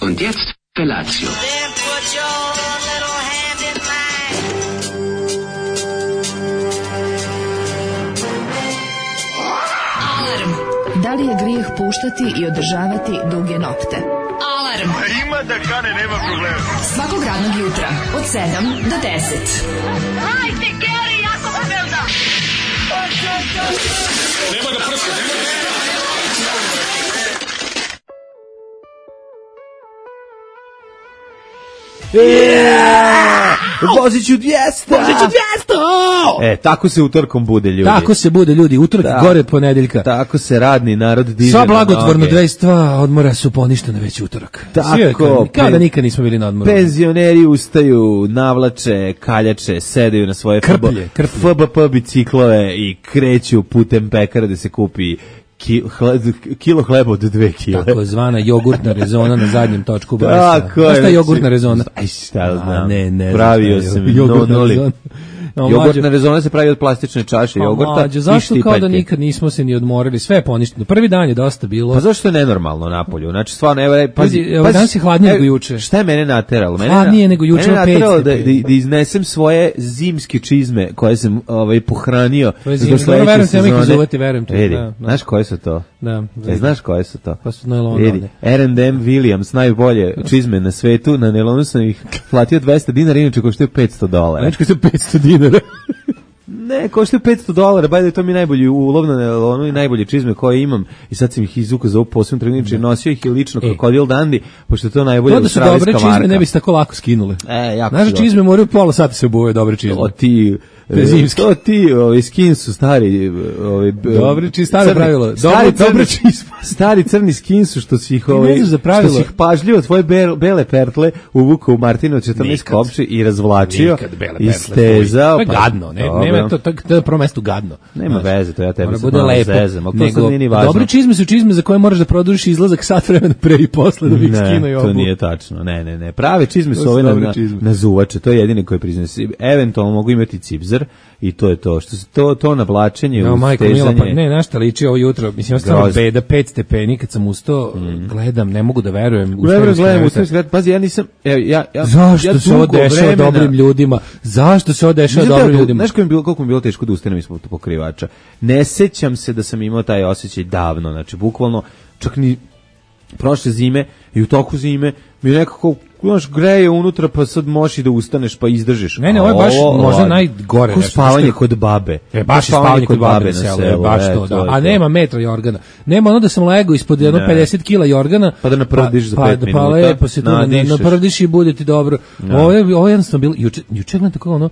Und jetzt Felatio. Then put your little hand in mine. Alarm. Da li je grijeh puštati i održavati duge nokte? Alarm. Ima da kane, nema problema. Svakog radnog jutra od 7 do 10. Hajde, Geri, jako se velda. Nema da prska, nema da prska. Voziću 200! Tako se utorkom bude, ljudi. Tako se bude, ljudi, utorak gore od ponedeljka. Tako se radni narod diže. Sva blagotvorno 22 odmora su poništene već utorak. Tako. Kao da nikad nismo bili na odmoru. Penzioneri ustaju, navlače, kaljače, sedaju na svoje FBP biciklove i kreću putem pekara da se kupi kilo hleba od 2 kile. Tako zvana jogurtna rezona na zadnjem točku Borisa. Tako je. Znaš šta je jogurtna rezona? Aj, šta znam. Ne Pravio sam jogurtna jogurtna rezona se pravi od plastične čaše jogurta. Zašto kao da nikad nismo se ni odmorili? Sve je poništeno. Prvi dan je dosta bilo. Pa zašto je nenormalno napolju? Znači stvarno pazi, danas je hladnije nego juče. Šta je mene nateralo? Hladnije nego juče, mene nateralo da iznesem svoje zimske čizme koje sam pohranio do sledeće sezone. Znaš koje su to? Da. Znaš koje su to? Pa su najlonove. R&M Williams, najbolje čizme na svetu, na nelonu sam ih platio $200, inače koštaju $500. Znači koštaju $500. Ne, koštaju $500, bajde to mi najbolji ulov na nelonu i najbolje čizme koje imam i sad sam ih izvukao za ovu posebnu trgovinu, nosio ih i lično Krokodil Dandi, pošto je to najbolje australijska marka. To da su dobre čizme, ne bi se tako lako skinule. Znaš, čizme moraju pola sata se obuvaju dobre čizme. To ti skin su stari dobri čizme, staro pravilo. Dobre čizme. Stari crni skin su što si ih pažljivo tvoje bele pertle uvukao u Martinu 14 kopči i razvlačio i stezao. Gadno, nema to je prvo mesto gadno. Nema veze, to ja tebi sam malo zezam. Dobre čizme su čizme za koje moraš da produžiš izlazak sat vremena pre i posle da bi ih skinuo i obu. To nije tačno, ne. Prave čizme su ove na zuvače, to je jedine koje priznaje. Eventualno mogu imati cipzer i to je to. Što se to navlačenje, ustezanje. Ne, našta liči ovo jutro. Mislim, ostalo beda 5 stepeni kad sam ustao, gledam, ne mogu da verujem. Pazi, ja nisam... Zašto se ovo dešava dobrim ljudima? Zašto se ovo dešava dobrim ljudima? Znaš koliko mi bilo teško da ustanem ispod pokrivača? Ne sećam se da sam imao taj osjećaj davno. Znači, bukvalno, čak ni prošle zime i u toku zime mi nekako greje unutra, pa sad možeš i da ustaneš, pa izdržiš. Ne, ovo je baš možda najgore. Ko spavanje kod babe. Baš spavanje kod babe na selu. Baš to, da. A nema metra jorgana. Nema ono da sam lego ispod 50 kila jorgana. Pa da napravdiš za 5 minuta. Pa lepo se tu napravdiš i bude ti dobro. Ovo jednostavno bilo, juče gledam tako ono,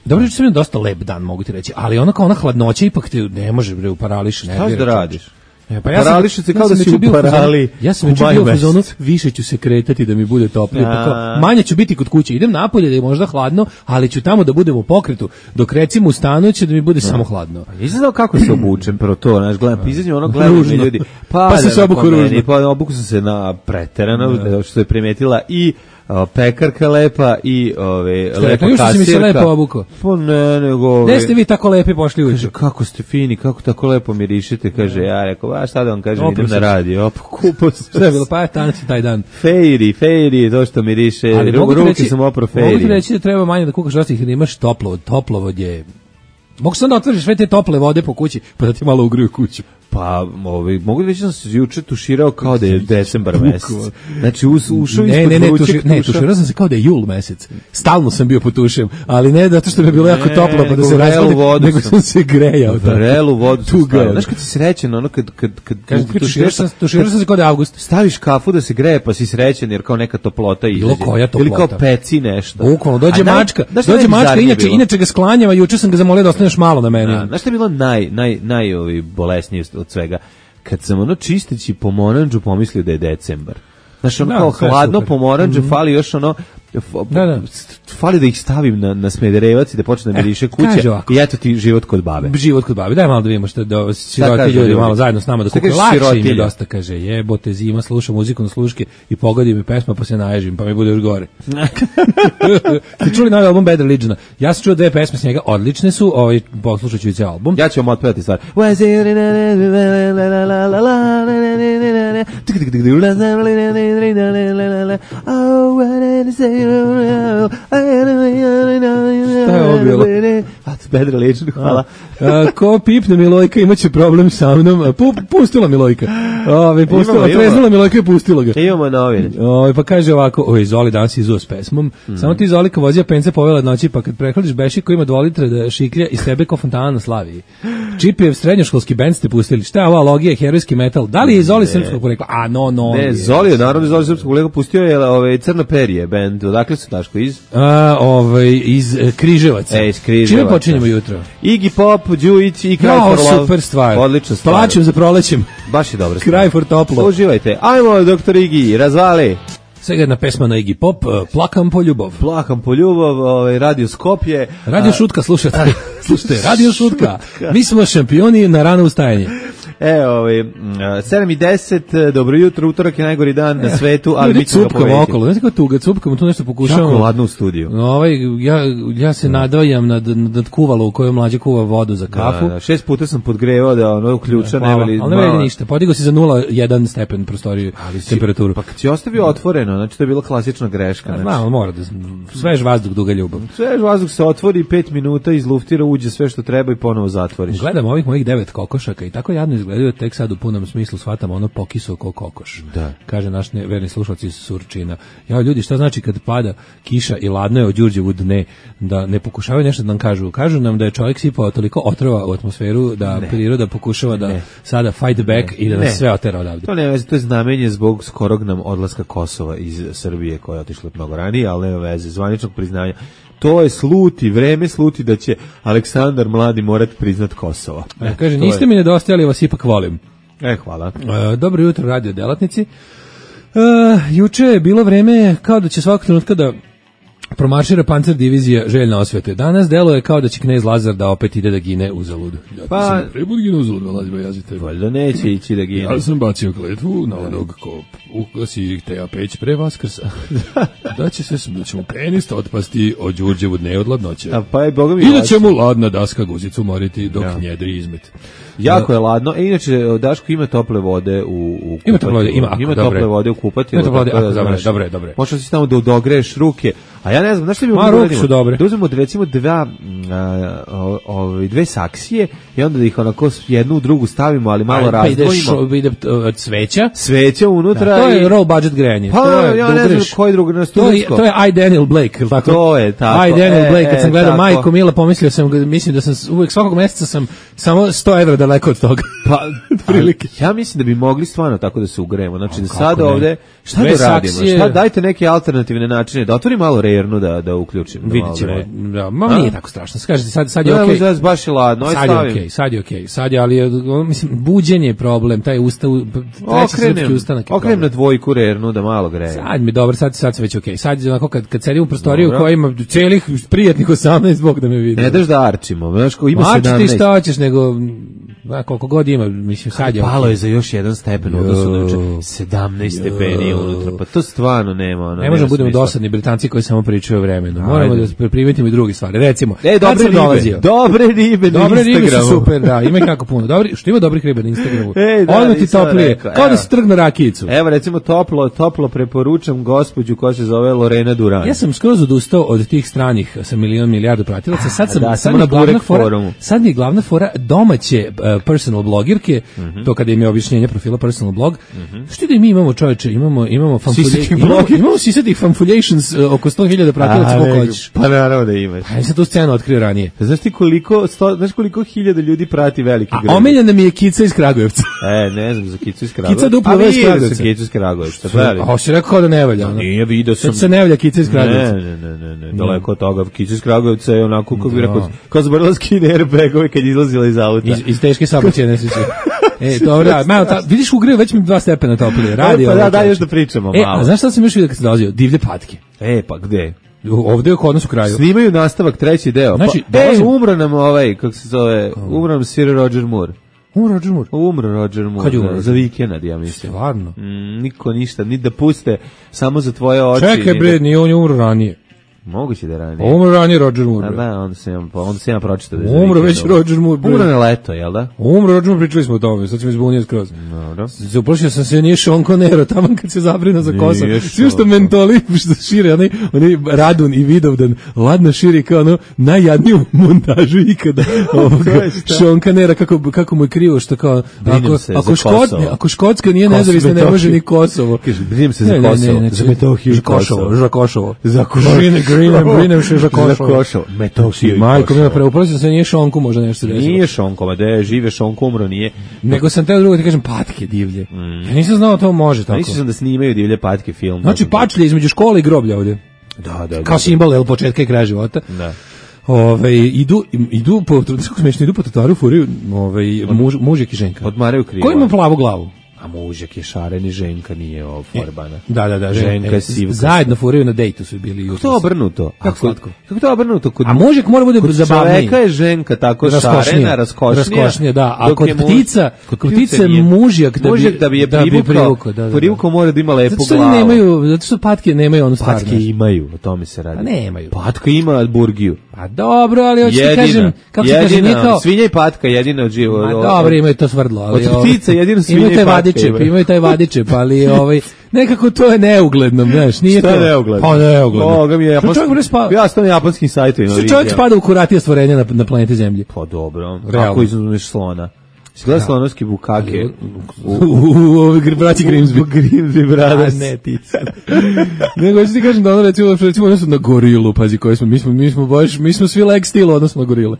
dobro, juče sam imao dosta lep dan, mogu ti reći, ali ono kao ona hladnoća ipak te ne može parališ. Šta da radiš? Pa parališe se kao da si u parali. Ja sam već bio u zonu, više ću se kretati da mi bude toplije, pa kao, manje ću biti kod kuće, idem napolje da je možda hladno, ali ću tamo da budem u pokretu, dok recimo u stanu će da mi bude samo hladno. Nisam znao kako se obučem, prvo to, znaš, gledam, izađem ono, gledam mi ljudi, pa se obuku ružno. Pa obuku sam se na preterano, što je primetila i pekarka lepa i lepa kasirka. Što si mi se lepo obukao? Pa ne, nego... Gde ste vi tako lepi pošli ujutro? Kaže, kako ste fini, kako tako lepo mirišete, kaže, ja rekao, a šta da vam kažem, idem na radio, kupo sam. Sve je bilo, pa je tanci taj dan. Fejri, to što miriše, ruke sam opro fejri. Mogu ti reći da treba manje da kukaš rostih, da imaš toplovod je... Mogu se onda otvoriš sve te tople vode po kući, pa da ti malo ugriju kuću. Pa, mogu reći da sam se juče tuširao kao da je decembar mesec. Znači, ušao ispod vrućeg tuša. Ne, tuširao sam se kao da je jul mesec. Stalno sam bio potušem, ali ne zato što mi je bilo jako toplo, pa da se razvode, nego sam se grejao. Vrelu vodu sam stavio. Znaš kad si srećen, ono kad tuširao sam se kao da je avgust. Staviš kafu da se greje, pa si srećen, jer kao neka toplota izađe. Bilo koja toplota. Ili kao peci nešto. Bukvalno, dođe mačka, inače ga sklanjava, juče sam ga zamolio da ostane još malo na meni. Znaš što je bilo najbolesnije od svega? Kad sam čisteći pomoranđu pomislio da je decembar. Znaš, kao hladno pomoranđe, fali još fali da ih stavim na smederevac i da počne da miriše kuća i eto ti život kod babe. Život kod babe, daj malo da vidimo što siroti ljudi malo zajedno s nama da kuka. Lakše im je dosta, kaže, jebote zima, slušam muziku na sluške i pogodi mi pesma pa se naježim, pa mi bude još gore. Ste čuli novi album Bad Religion? Ja sam čuo 2 pesme s njega, odlične su, poslušat ću i cijel album. Ja ću vam otpevati stvar. Šta je ovo bilo? Bedra Ličan, hvala. Ko pipne Milojka imaće problem sa mnom. Pustila Milojka. Treznula Milojka i pustila ga. Imamo novine. Pa kaže ovako, Zoli danas izuo s pesmom. Samo ti Zolika vozija pence povela noći, pa kad prehladiš beši koji ima 2 litre da šiklja iz sebe ko fontana na Slaviji. Čipijev srednjoškolski bend ste pustili. Šta je ova logija, herojski metal? Da li je Zoli srpskog porekla? Ne, Zoli je naravno Zoli srpskog porekla pustio je Crna perije bend. Odakle su Daško iz? Iz Križevaca. Iz Križevaca. Čime počinjemo jutro? Iggy Pop, Đujić i Cry for Love. Super stvar. Odlična stvar. Plaćem za prolećem. Baš je dobro stvar. Cry for toplo. Uživajte. Ajmo, doktor Iggy, razvali. Svega jedna pesma na Iggy Pop, Plakam po ljubav. Plakam po ljubav, Radio Skopje. Radio Šutka, slušajte, Radio Šutka. Mi smo šampioni na rano ustajanje. 7:10, dobro jutro, utorak je najgori dan na svetu, ali mi ćemo ga pobediti. Okolo, znate kako tuga, cupkamo, tu nešto pokušavamo. Jako ladno u studiju. Ja se nadvajam nad kuvalo u kojoj mlađe kuva vodu za kafu. 6 puta sam podgrevao da ono uključa, ali ne vredi ništa, podigao si za 0,1 stepen prostoriju temperaturu. Pa kad si ostavio otvoreno, znači to je bila klasična greška. Znam, mora da svež vazduh, duga ljubav. Svež vazduh se otvori, 5 minuta izluftira, uđe sve što treba i ponovo zatvoriš. Gledam ovih mojih 9 kokošaka i tako jadno izgledaju, tek sad u punom smislu shvatam ono pokiso ko kokoš. Da. Kaže naš verni slušalac iz Surčina. Ja, ljudi, šta znači kad pada kiša i ladno je od Đurđevu dne, da ne pokušavaju nešto da nam kažu. Kažu nam da je čovjek sipao toliko otrova u atmosferu da priroda pokušava da sada fight back i da nas sve otera odavde. To nema veze, to je znamenje zbog skorog nam odlaska Kosova iz Srbije koja je otišla mnogo ranije, ali nema veze, zvaničnog priznanja. To je vreme sluti da će Aleksandar Mladi morati priznat Kosovo. Kaže, niste mi nedostajali, vas ipak volim. Hvala. Dobro jutro, radio delatnici. Juče je bilo vreme kao da će svakog trenutka da promaršira pancer divizija željna osvete. Danas deluje kao da će knez Lazar da opet ide da gine uzalud. Pa, gine uzalud, Lazar, jazite. Valjda neće ići da gine. Ja sam bacio kletvu na onog ko uglasi Teja Peć pre Vaskrsa. Da će mu penist otpasti od Đurđevu dne od ladnoće. I da će mu ladna daska guzicu moriti dok njedri izmet. Jako je ladno. Inače, Daško ima tople vode u kupatilo. Ima tople vode u kupatilu. Dobre. Možda si tamo da dogreješ ruke. A ja ne znam, znaš što bi ruke su dobre. Da uzmemo recimo dve saksije i onda da ih onako jednu u drugu stavimo, ali malo razdvojimo. Ide cveća. Sveća unutra. To je low budget grejanje. Pa ja ne znam koji drugi na studijsko. To je I. Daniel Blake, ili tako? To je tako. I. Daniel Blake, kad sam gledao Majko Mila, mislim da sam uvijek svakog mjeseca sam samo 100 evra daleko od toga. Pa, ja mislim da bi mogli stvarno tako da se ugrejemo. Znači da sad ovde, šta da radimo? Dajte neke alternativne načine, da otvori malo rejernu da uključim. Vidjet ćemo. Nije tako strašno. Kažete, sad je okej. Baš je ladno. Sad je okej. Sad je, ali mislim, buđenje je problem, taj treći srpski ustanak. Okrenem na dvojku rejernu da malo greje. Sad mi dobro, sad se već okej. Sad je onako kad sedim u prostoriju koja ima celih prijatnih 18, Bog da me vidi. Ne daš da arčimo, znaš ko ima 17. Mači ti šta hoćeš, nego koliko god ima, mislim, sad je palo je za još jedan stepen u odnosu na 17 stepeni unutra, pa to stvarno nema. Ne možemo budemo dosadni Britanci koji samo pričaju o vremenu. Moramo da primetimo i druge stvari. Recimo, dobre ribe na Instagramu. Su super, da, ima kako puno. Što ima dobrih riba na Instagramu? Odmah ti toplije, kao da se trgne rakijicu. Evo, recimo, toplo preporučam gospođu koja se zove Lorena Duran. Ja sam skroz odustao od tih stranih sa milijardu pratilaca. Sad mi je glavna fora domaće personal blogirke, to kada im je objašnjenje profila personal blog. Što da mi imamo, čoveče, imamo sisatih fanfuljations oko 100.000 pratilaca koliko hoćeš. Pa naravno da imaš. Ja sam tu scenu otkrio ranije. Znaš koliko hiljada ljudi prati veliki grad? A omiljena mi je Kica iz Kragujevca. Ne znam za Kicu iz Kragujevca. Kica duplo iz Kragujevca. Kica iz Kragujevca. A si rekao kao da ne valja. Nije, vidio sam. Sad se ne valja Kica iz Kragujevca. Ne. Daleko od toga. Kica iz Kragujevca je onako, kako bi rekao, kao zbrla skine airbagove kad je izlazila iz auta. Iz teške saobraćajne nesreće. Dobro, vidiš ugreju, već mi 2 stepena toplije. Pa da, još da pričamo malo. A znaš šta sam još vidio kad sam dolazio? Divlje patke. Pa gde? Ovdje je kod nas u kraju. Snimaju nastavak, 3. deo. Znači, umro nam kako se zove, umro nam Sir Roger Moore. Umro Roger Moore. Kad je umro? Za vikend, ja mislim. Stvarno? Niko ništa, ni da puste, samo za tvoje oči. Čekaj bre, nije on je umro ranije. Moguće da je ranije. Umro ranije Roger Moore. Da, onda se ja pročitao. Umro već Roger Moore. Umro na leto, jel da? Umro Roger Moore, pričali smo o tome, sad ćemo izbunio skroz. Uplašio sam se, nije Sean Connery, tamo kad se zabrina za kosa. Svi što mentoli, što šire, oni Radun i Vidovdan, ladno širi kao ono najjadniju montažu ikada. Sean Connery, kako mu je krivo, što kao, ako Škotska nije nezavisna, ne može ni Kosovo. Brinem se za Kosovo, za Metohiju i Kosovo. Za Kosovo. Za Kosovo. Brinem se za Kosovo. Metohiju i Majko mi preuprosio se, nije Šonku možda nešto se desilo. Nije Šonko, ma da je žive Šonko umro, nije. Nego sam teo drugo ti kažem patke divlje. Ja nisam znao da to može tako. Mislio sam da snimaju divlje patke film. Znači pačlje između škole i groblja ovdje. Da. Kao simbol od početka i kraja života. Da. Idu po trotoaru furiju, mužjak i ženka. Odmaraju krivo. Ko ima plavu glavu? A mužjak je šaren i ženka nije forbana. Da. Ženka je sivka. Zajedno furaju na dejtu su bili jutros. Kako to obrnuto? Kako to obrnuto? A mužjak mora bude zabavniji. Kod čoveka je ženka tako šarena, raskošnija. Da. A kod ptice je mužjak da bi je privukao mora da ima lepu glavu. Zato što patke nemaju onu stvarnost. Patke imaju, o tome se radi. A nemaju. Patka ima burgiju. A dobro, ali hoću ti kažem, kako se kaže, nije kao... Svinja i patka jedina od života. A dobro, imaju to svrdlo. Od ptica jedino svinja i patka. Imaju taj vadičep, ali nekako to je neugledno, znaš, nije to. Šta je neugledno? Pa neugledno. Boga mi je ja sam na japanskim sajtovima. Što čovjek spada u kuratija stvorenja na planeti Zemlji? Pa dobro, ako izuzmeš slona. Gleda slonovski bukake u braći Grimsby Brothers. A ne ti sad. Nego ću ti kažem da ono recimo odnosno na gorilu, pazi, koji smo, mi smo svi leg stilo odnosno na gorile.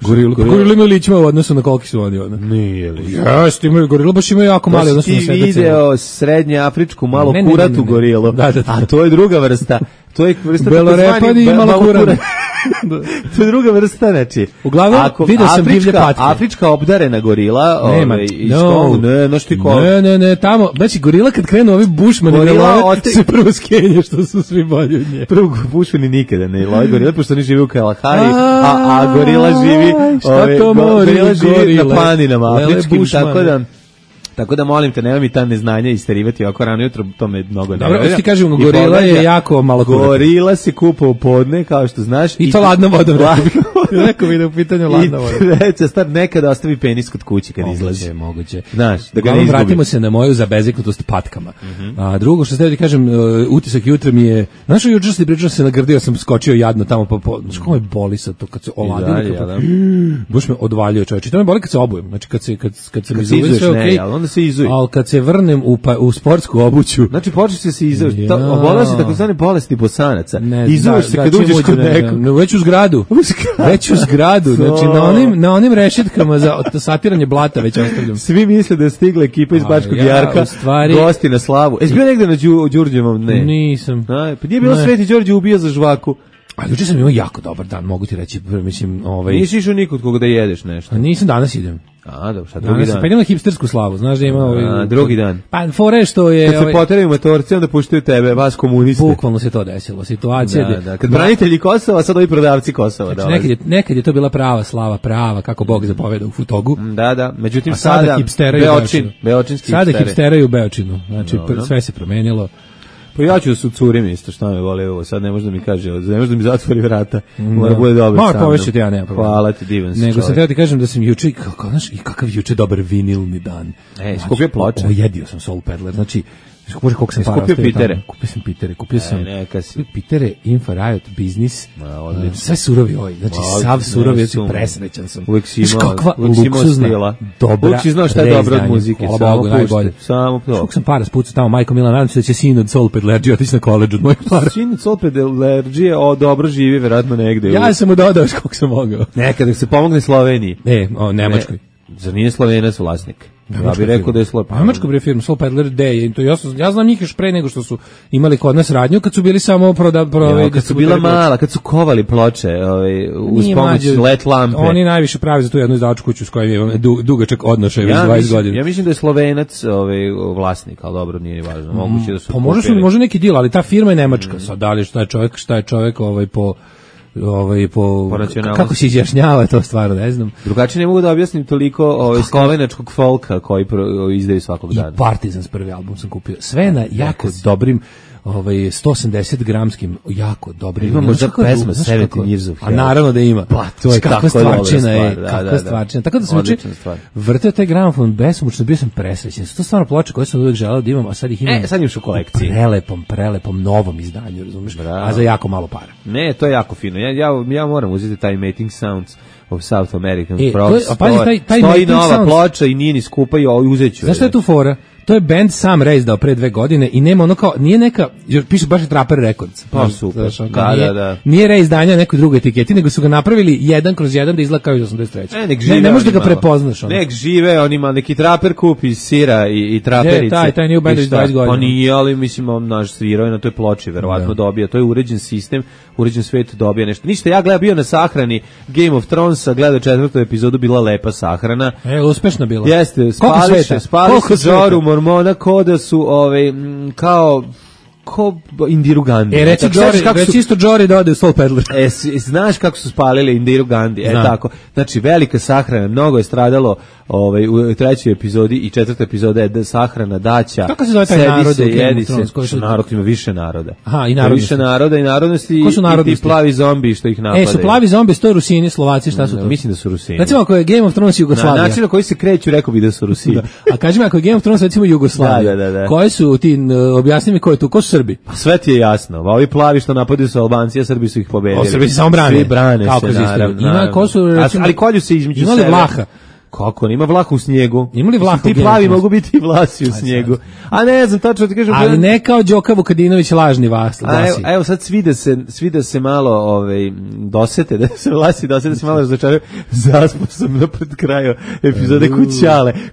Gorila imaju ličima u odnosu na koliki su oni. Nije li. Jeste, imaju gorila, baš imaju jako mali odnosu na sebe. Ti video srednje afričku malo kuratu gorilu, a to je druga vrsta. To je vrsta belorepadi i malo kurata. To je druga vrsta, znači. Uglavnom, vidio sam divlje patke. Afrička obdarena gorila, Ne, tamo, znači gorila kad krenu ovi bušmani se prvo skenje što su svi bolji od nje. Prvo bušmani nikada ne lovi gorila, pošto oni živi u Kalahari, a gorila živi na planinama afričkim, tako da molim te, nema mi ta neznanja isterivati oko rano jutro, to me mnogo ne. Dobro, ti kažem, gorila je jako malo kurata. Gorila se kupa u podne, kao što znaš. I to ladnom vodom. Neko mi ide u pitanju ladnom vodom. I treća stvar, nekada ostavi penis kod kući kad izlazi. Moguće. Znaš, da ga ne izgubi. Vratimo se na moju zabezeknutost patkama. A drugo što ste ti kažem, utisak jutra mi je, znaš, juče se pričao se nagrdio, sam skočio jadno tamo znaš kako me boli sad to kad se oladilo. Baš me odvaljuje čovječe. To me boli kad se obujem. Znači kad se mi zove sve okej. Se izuje. Ali kad se vrnem u sportsku obuću... Znači, počeš se izuje. Obolao se tako zvane bolesti bosanaca. Izuješ se kad uđeš kod nekog. Već u zgradu. Znači, na onim rešetkama za satiranje blata već ostavljam. Svi misle da je stigla ekipa iz Bačkog Jarka, gosti na slavu. Jesi bio negde na Đurđevom? Ne. Nisam. Pa nije bilo Sveti Đorđe ubija za žvaku. A juče sam imao jako dobar dan, mogu ti reći, mislim, Nisi išao nikod koga da jedeš nešto? A nisam, danas idem. A, dobro, šta drugi dan? Pa idem na hipstersku slavu, znaš da ima drugi dan. Pa fore što je... Kad se poteraju motorci, onda puštaju tebe, vas komuniste. Bukvalno se to desilo, situacija... Da. Kad branitelji Kosova, sad ovi prodavci Kosova. Znači, nekad je to bila prava slava, kako Bog zapoveda u Futogu. Da, međutim sada Beočinski sada hipsteraju u Beočinu, znači sve se promenilo. Pa ja ću da se ucurim isto, šta me vole ovo, sad ne može da mi kaže, ne može da mi zatvori vrata, mora bude dobro sam. Povećati, ja nema problema. Hvala ti, divan si čovjek. Nego sam teo ti kažem da sam juče, kakav juče dobar vinilni dan. Skupio ploče. Jedio sam Soul Peddler, znači, Bože, koliko sam para ostavio tamo. Kupio sam Pitere, Infa Riot, Biznis, sve surovi ovi, znači sav surovi, znači presrećan sam. Uvijek si imao, kakva luksuzna, dobra, uvijek si znao šta je dobro od muzike, samo pušti. Koliko sam para spucao tamo, majko Mila, nadam se da će sin od Soul Peddlerđija otići na koleđ od mojih para. Sin od Soul Peddlerđije dobro živi, verovatno negde. Ja sam mu dodao koliko sam mogao. Nekada se pomogne Sloveniji. Nemačkoj. Zar nije Slovenac vlasnik? Ja bih rekao da je Slovenac. Nemačka bre firma Soul Peddler D. Ja znam njih još pre nego što su imali kod nas radnju, kad su bili samo kad su bila mala, kad su kovali ploče uz pomoć LED lampe. Oni najviše pravi za tu jednu izdavačku kuću s kojom je dugačak odnošaj već 20 godina. Ja mislim da je Slovenac vlasnik, ali dobro, nije ni važno. Moguće da su može neki deal, ali ta firma je nemačka. Sad da li šta je čovjek po kako se izjašnjava to stvarno, ne znam. Drugačije ne mogu da objasnim toliko slovenačkog folka koji izdaju svakog dana. I Partizans prvi album sam kupio. Sve na jako dobrim 180 gramskim, jako dobri. Ima možda pesma 17 Years of Hell. A naravno da ima. Pa, to je kakva stvarčina je. Kakva stvarčina. Tako da sam vrteo taj gramofon besomučno, bio sam presrećen. To stvarno ploče koje sam uvijek želeo da imam, a sad ih imam. Sad imaš u kolekciji. Prelepom novom izdanju, razumiješ? A za jako malo para. Ne, to je jako fino. Ja moram uzeti taj Mating Sounds of South American Frogs. Taj stoji nova ploča i nije ni skupa i uzet ću. Zašto je tu fora? To je band sam reizdao pre 2 godine i nema ono kao, nije neka, piše baš Trapper Records. Pa super, da. Nije reizdanja nekoj drugoj etiketi, nego su ga napravili 1/1 da izgleda kao iz 83. Ne možeš da ga prepoznaš. Nek žive, on ima neki Trapper kup iz sira i traperice. Taj nije u bandu iz 20 godina. Pa nije, ali mislim, on naš svirao je na toj ploči, verovatno dobija. To je uređen sistem, uređen svet, dobija nešto. Ništa, ja gledam bio na sahrani Game of Thronesa, gledao 4. epizodu, bila lepa sahrana. Uspešna bila. Jeste, spali se Joru Mormona ko da su kao Indiru Gandhi. Reci isto Jory da ode u Soul Peddler. Znaš kako su spalili Indiru Gandhi? Tako. Znači, velika sahrana, mnogo je stradalo u 3. epizodi i 4. epizoda je sahrana daća. Kako se zove taj narod? Narod ima više naroda. Aha, i narodnosti. Više naroda i narodnosti i ti plavi zombi što ih napadaju. Su plavi zombi, sto Rusini, Slovaci, šta su to? Mislim da su Rusini. Recimo ako je Game of Thrones Jugoslavija. Na način na koji se kreću, rekao bi da su Rusini. A kaži mi ako je Game of Thrones recimo Jugoslavija. Da. Koji su ti, objasni mi ko je tu, ko su Srbi? Sve ti je jasno. Ovi plavi što napadaju su Albanci, a Srbi su ih pobedili. Srbi se samo brane. Svi brane se, naravno. Ali kolju se između sebe. Imali Vlaha. Kako, ima Vlaha u snijegu. Imali Vlaha ti plavi mogu biti i Vlasi u snijegu. A ne znam, tačno ti kažem. Ali ne kao Đoka Vukadinović lažni Vlasi. Evo sad svi da se malo dosete, da se Vlasi dosete, da se malo razočaraju. Zaspo sam napred kraju epizode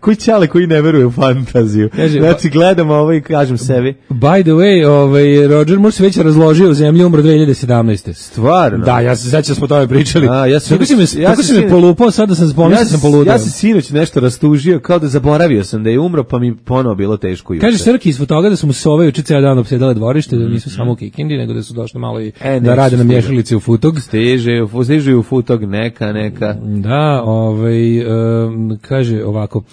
Kućale koji ne veruje u fantaziju. Znači gledam ovo i kažem sebi. By the way, Roger Moore se već razložio u zemlji, umro 2017. Stvarno? Da, ja se sećam smo o tome pričali. Kako si me polupao, sad da sam spomenuo sam poludeo. Sinoć nešto rastužio, kao da zaboravio sam da je umro, pa mi ponovo bilo teško juče. Kaže Srki iz toga da su mu sove juče ceo dan opsedale dvorište, da nisu samo u Kikindi, nego da su došli malo i da rade na mješalici u Futog. Stiže u Futog, neka. Da, kaže ovako,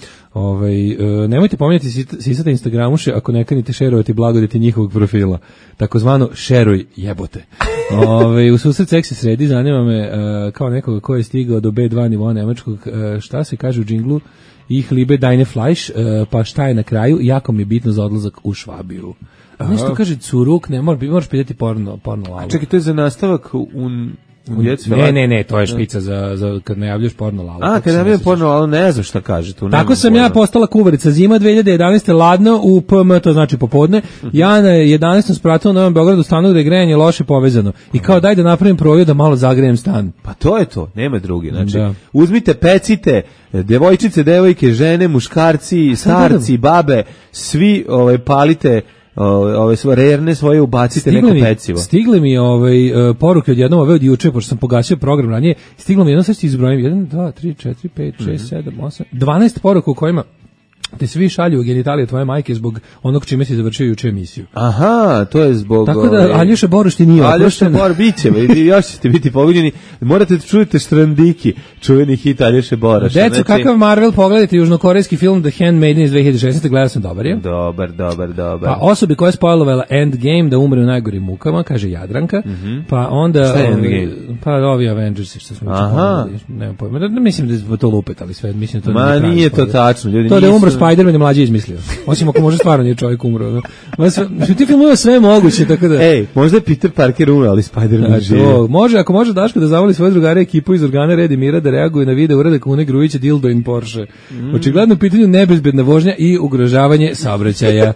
nemojte pominjati sisate Instagramuše ako ne kanite šerovati blagodeti njihovog profila, takozvano šeruj jebote. U susret seksi sredi, zanima me kao nekoga ko je stigao do B2 nivoa nemačkog, šta se kaže u džinglu, ih liebe deine Fleisch, pa šta je na kraju, jako mi je bitno za odlazak u Švabiju. Nešto kaže curuk, ne, moraš pitati porno lalu. Čekaj, to je za nastavak Ne, to je špica za kad najavljaš porno lalu. Kad najavljam porno lalu, ne znam šta kaže tu. Tako sam ja postala kuvarica, zima 2011. ladno u PM, to znači popodne. Ja na 11. spratu u Novom Beogradu stanu gde je grejanje loše povezano. I kao daj da napravim proju da malo zagrejem stan. Pa to je to, nema drugi. Znači, uzmite, pecite, devojčice, devojke, žene, muškarci, starci, babe, svi palite rerne svoje ubacite neko pecivo. Stigle mi poruke od jednom od juče, pošto sam pogasio program ranije, stiglo mi jedno, sad ću izbrojim, 1, 2, 3, 4, 5, 6, 7, 8, 12 poruka u kojima te svi šalju u genitalije tvoje majke zbog onog čime si završio juče emisiju. Aha, to je zbog... Tako da Aljoša Boruš ti nije oprošten. Aljoša Boruš, bit će, još ćete biti pogođeni. Morate da čujete Štrandiki, čuveni hit Aljoše Boruša. Deco, kakav Marvel, pogledajte južnokorejski film The Handmaiden iz 2016. Gledao sam, dobar je. Dobar. Pa osobi koja je spoilovala Endgame da umre u najgorim mukama, kaže Jadranka. Pa onda... Šta je Endgame? Pa ovi Avengersi što smo učinili. Nemam pojma. Mislim da je to lupet, ali sve, mislim to ma nije to tačno, ljudi. To da je umro Spider-Man je mlađi izmislio. Osim ako može stvarno nije čovjek umro. Ti filmuje sve moguće, tako da... možda je Peter Parker umro, ali Spider-Man živi. Ako može Daško da zavoli svoje drugare ekipu iz organa Red i Mira da reaguje na video uradak Une Grujića Dildo in Porsche. Očigledno u pitanju nebezbedna vožnja i ugrožavanje saobraćaja.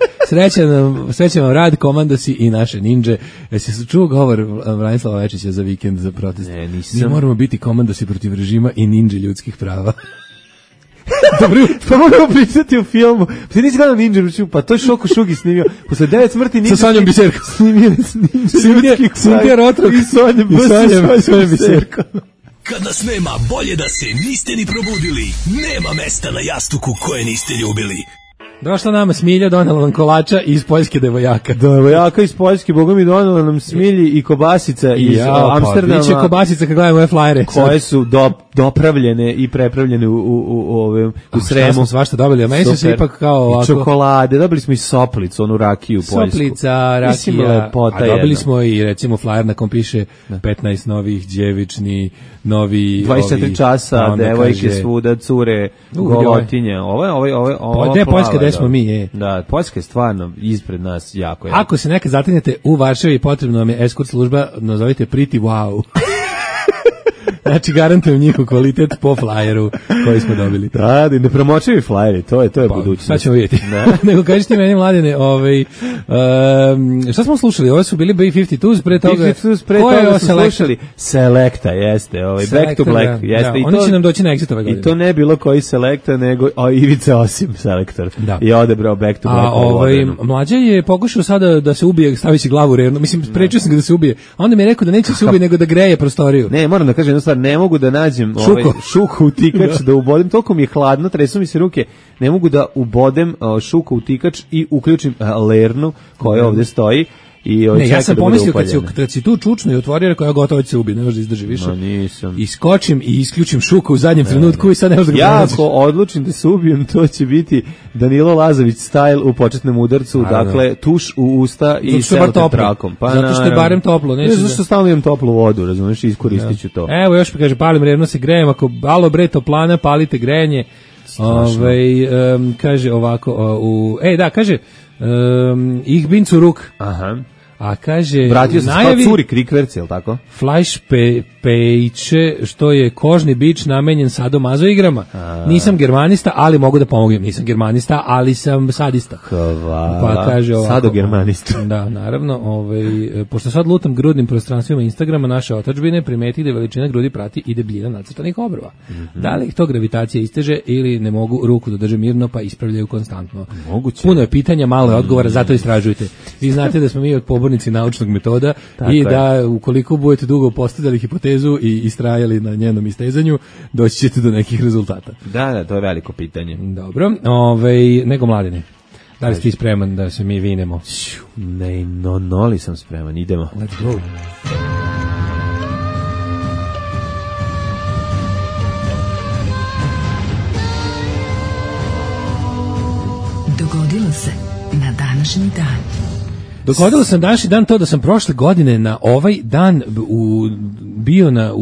Srećan vam rad, komandosi i naše ninđe. Jesi se čuo govor Branislava Večića za vikend za protest? Ne, nisam. Mi moramo biti komandosi protiv režima i ninđe ljudskih prava. Dobro, pa moramo pričati o filmu. Ti nisi gledao Ninja, pa to je Šoko Šugi snimio. Posle 9 smrti Ninja... Sa Sonjom Biserko. Snimio Sinti Rotrok. I Sonjom Biserko. Kad nas nema, bolje da se niste ni probudili. Nema mesta na jastuku koje niste ljubili. Došla nama Smilja, donela nam kolača iz Poljske devojaka. Devojaka iz Poljske, boga mi donela nam Smilji i kobasica iz Amsterdama. Biće kobasica kad gledamo ove flajere. Koje su dopravljene i prepravljene u Sremu. Smo svašta dobili, a meni se ipak kao ovako. I čokolade, dobili smo i soplicu, onu rakiju poljsku. Soplica, rakija, a dobili smo i recimo flajer na kom piše 15 novih djevični, novi 24 časa, devojke svuda, cure, golotinje. Ovo je Poljska, gde smo mi, Da, Poljska je stvarno ispred nas jako. Ako se nekad zatinjete u Varšavi, potrebno vam je eskort služba, nazovite Pretty Wow. Znači, garantujem njihov kvalitet po flyeru koji smo dobili. Da, ne promočivi flyeri, to je budućnost. Sad ćemo vidjeti. Nego kažeš ti meni, Mladene, šta smo slušali? Ovo su bili B-52s pre toga. B-52s pre toga su slušali Selecta, jeste, Back to Black. Jeste, da, oni će nam doći na Exit ove godine. I to ne bilo koji Selecta, nego Ivica Osim selektor. Da. I odebrao Back to Black. Mlađa je pokušao sada da se ubije stavići glavu u rernu. Mislim, sprečio sam ga da se ubije. A onda mi je rekao da neće se ubije, nego da greje prostoriju. Ne, moram da kažem jednu stvar, ne mogu da nađem šuku u tikač da ubodem, toliko mi je hladno, tresu mi se ruke, ne mogu da ubodem šuku u tikač i uključim lernu koja ovdje stoji. Ne, ja sam pomislio kad si tu čučno i otvorio, rekao ja gotovo će se ubiti, ne može da izdrži više. I skočim i isključim šuku u zadnjem trenutku i sad ne može da ga pronađeš. Ja ako odlučim da se ubijem, to će biti Danilo Lazović style u početnom udarcu, dakle tuš u usta i selotep trakom. Zato što je barem toplo. Ne, zato što stalno imam toplu vodu, razumiješ, iskoristit ću to. Evo još mi kaže, palim revno se grejem, ako alo bre toplana, palite grejanje. Kaže ovako, kaže, ich bin zurück. Aha. A kaže, vratio se kao curi krikverci, jel tako? Flash pejče, što je kožni bič namenjen sadomazo igrama. Nisam germanista, ali mogu da pomognem. Nisam germanista, ali sam sadista. Hvala. Pa kaže ovako. Sadogermanista. Da, naravno, pošto sad lutam grudnim prostranstvima Instagrama naše otadžbine, primeti da veličina grudi prati i debljina nacrtanih obrva. Da li ih to gravitacija isteže ili ne mogu ruku da drže mirno pa ispravljaju konstantno? Moguće. Puno je pitanja, malo je odgovora, zato istražujte. Vi znate da smo mi pobornici naučnog metoda i da ukoliko budete dugo postavljali hipotezu i istrajali na njenom istezanju, doći ćete do nekih rezultata. Da, to je veliko pitanje. Dobro, nego Mladene, da li si ti spreman da se mi vinemo? Ne, li sam spreman, idemo. Let's go. Dogodilo se na današnji dan. Dogodilo sam današnji dan to da sam prošle godine na ovaj dan bio na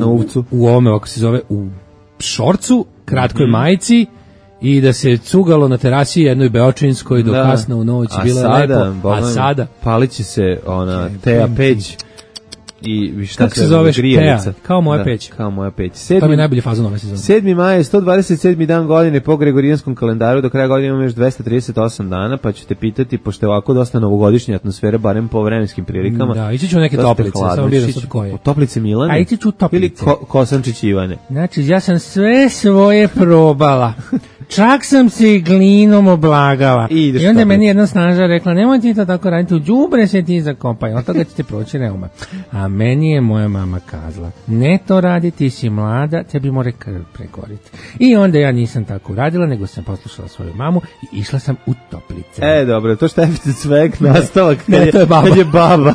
Uvcu. U ovome, kako se zove, u šorcu, kratkoj majici i da se cugalo na terasi jednoj beočinskoj do kasno u noć. Bilo je lepo. A sada palit će se ona Teja peć. I šta se zove grijevica? Kao moja peć. Kao moja peć. To mi je najbolji fazon ove sezone. 7. maj je 127. dan godine po Gregorijanskom kalendaru, do kraja godine imamo još 238 dana, pa ću te pitati, pošto je ovako dosta novogodišnja atmosfera, barem po vremenskim prilikama. Da, ići ću neke toplice, samo biram sad koje. Toplice Milane? A ići ću toplice. Ili Kosančić Ivane? Znači, ja sam sve svoje probala. Čak sam se glinom oblagala. I onda meni jedna snaža rekla, nemoj ti to tako raditi, u đubre se ti zakopaj, od toga ćete proći reuma. A meni je moja mama kazala, ne to radi, ti si mlada, tebi more krv pregoriti. I onda ja nisam tako radila, nego sam poslušala svoju mamu i išla sam u toplice. Dobro, to Štefice Cvek nastavak kad je baba.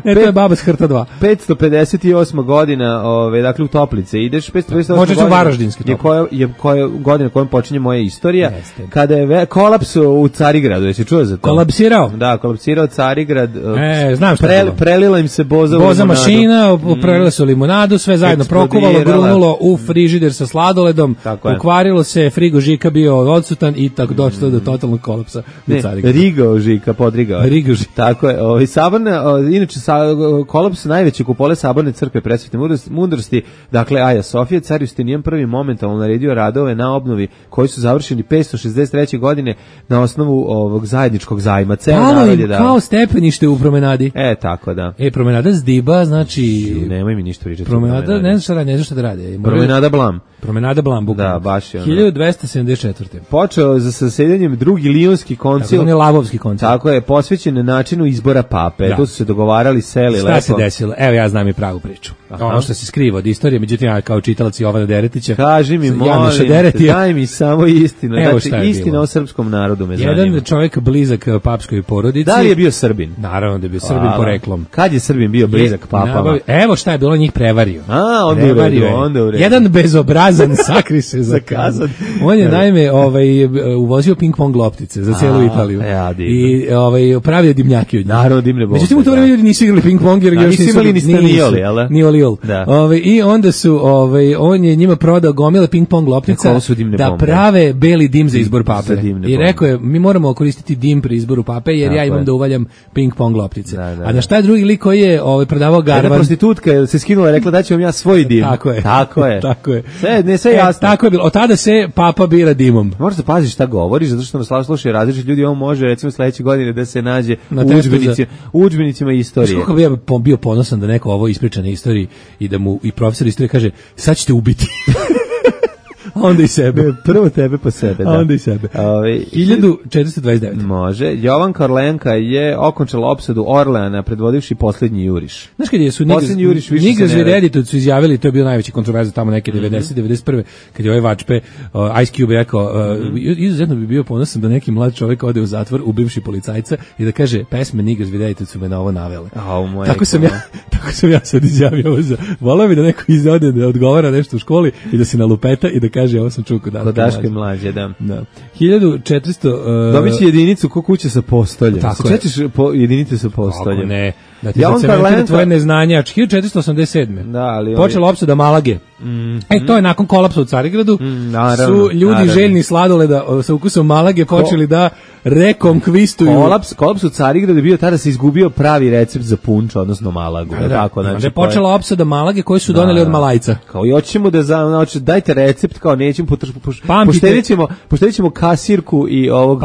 To je baba s Hrta 2. 558. godina, dakle u toplice ideš, 558. Možda ću Varaždinski toplice. Koja godina kojom počinje moja istorija, kada je kolaps u Carigradu, jesi čuo za to? Kolapsirao? Da, kolapsirao Carigrad. Znam šta je bilo. Prelila im se boza mašina, prelila su limunadu, sve zajedno prokuvalo, grunulo u frižider sa sladoledom, pokvarilo se, frigo Žika bio odsutan i tako došlo do totalnog kolapsa u Carigradu. Rigao Žika, podrigao. Rigao Žika. Tako je. Inače, kolaps najveće kupole Saborne crkve presvetne mudrosti, dakle Aja Sofija, car Justinijan prvi momentalno naredio radove na obnovi koji su završeni 563. godine na osnovu ovog zajedničkog zajma. Palo im kao stepenište u promenadi. Tako da. Promenada Zdiba, znači... Nemoj mi ništa pričati. Promenada, ne znam šta da rade. Promenada Blam. Promenada Blam, bukvalno. Da, baš je ono. 1274. Počeo za zasedanjem drugi Lionski koncil. Tako je Lavovski koncil. Tako je, posvećen načinu izbora pape. Da. Tu su se dogovarali, seli lepo. Šta se desilo? Evo ja znam i pravu priču. Ono što se skriva od istorije, međutim ja kao čitalac Jovana Deretića. Kaži mi, molim te, daj mi samo samo istinu. Evo Znači, istina o srpskom narodu me zanima. Jedan čovjek blizak papskoj porodici. Da li je bio Srbin? Naravno da je bio Srbin poreklom. Kad je Srbin bio blizak papama? Evo šta je bilo, njih prevario. Onda u redu. Jedan bezobrazan sakri se za kazan. On je naime uvozio ping-pong loptice za celu Italiju. I pravio dimnjake od njih. Naravno, dimne bombe. Međutim, u to vreme ljudi nisu igrali ping-pong jer još nisu imali ni stanioli, jel? Ni oliol. I onda su, on je njima prodao gomile ping-pong loptica da prave beli dim za izbor pape. I rekao je, mi moramo koristiti dim pri izboru pape jer ja imam da uvaljam ping-pong loptice. A na šta je drugi lik koji je prodavao garvan? Jedna prostitutka se skinula i rekla da ću vam ja svoj dim. Tako je. Sve jasno. Tako je bilo. Od tada se papa bira dimom. Možeš da paziš šta govoriš, zato što nas slušaju različiti ljudi, on može recimo sledeće godine da se nađe u udžbenicima istorije. Kako bi ja bio ponosan da neko ovo ispriča na istoriji i da mu i profesor istorije kaže, sad ćete ubiti. Onda i sebe. Prvo tebe pa sebe, da. Onda i sebe. 1429. Može. Jovan Korlenka je okončala opsadu Orleana predvodivši poslednji juriš. Znaš kad je su Niggas with Attitude su izjavili, to je bio najveći kontroverza tamo neke 90-91. Kad je ovaj Vačpe, Ice Cube rekao, izuzetno bi bio ponosan da neki mlad čovjek ode u zatvor ubivši policajca i da kaže, pesme Niggas with Attitude su me na ovo navele. Tako sam ja sad izjavio ovo za... Volao bi da neko izode da odgovara nešto u školi i da se nalupeta i da kaže, ovo sam čuo kod Daške mlađe, da. 1400... Dobit će jedinicu ko kuće sa postoljem. Tako se čećeš jedinice sa postoljem? Kako ne. Da ti zacementira tvoje neznanje. 1487. Da, ali... Počela opsada Malage. To je nakon kolapsa u Carigradu. Su ljudi željni sladoleda sa ukusom Malage počeli da rekonkvistuju. Kolaps u Carigradu je bio tada se izgubio pravi recept za punč, odnosno Malagu. Da je počela opsada Malage koju su doneli od Malajca. Kao i hoćemo da dajte recept, kao nećemo poštedit ćemo kasirku i ovog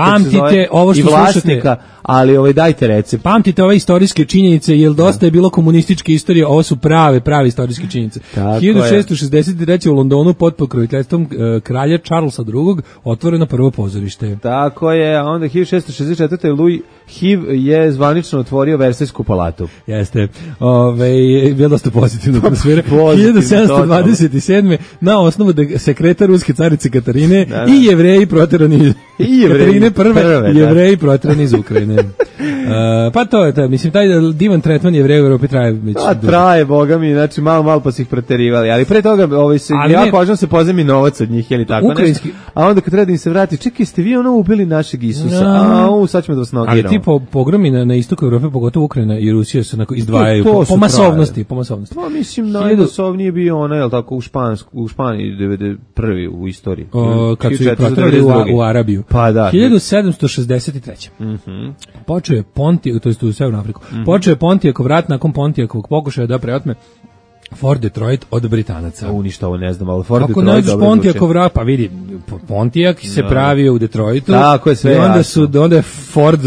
ovo i vlasnika, ali dajte recept. Pamtite ove istorijske činjenice, jer dosta je bilo komunističke istorije, ovo su prave istorijske činjenice. 1663. u Londonu pod pokroviteljstvom kralja Charlesa II. Otvoreno prvo pozorište. Tako je, a onda 1664. Louis HIV je zvanično otvorio Versajsku palatu. Jeste. Bilo dosta pozitivno atmosfera. 1727. na osnovu da sekretar ruske carice Katarine i Jevreji proterani Katarine prve Jevreji proterani iz Ukrajine. Pa to je, mislim, taj divan tretman Jevreja u Evropi traje. Traje, boga mi, znači malo pa su ih proterivali, ali pre toga jako važno se pozemi novac od njih, ili tako ukrajinski. Nešto, a onda kad treba da im se vrati, čekaj, ste vi ubili našeg Isusa, sad ćemo da vas nogiramo. Ali ti pogromi na istoku Evrope, pogotovo Ukrajina i Rusija se izdvajaju po masovnosti. Pa mislim, najmasovnije bio ona, jel tako, u Španiji 91. u istoriji. Kad su ih proterali u Arabiju. Pa da. 1763. Počeo je Pontijak, to je u Severnu Afriku, počeo je Pontijakov rat nakon Pontijakovog pokušaja da preotme Fort Detroit od Britanaca. Ništa ovo ne znam, ali Fort Ako Detroit nađeš Pontijakov rat, pa vidi, Pontiak se pravio u Detroitu. Tako je, sve onda je Ford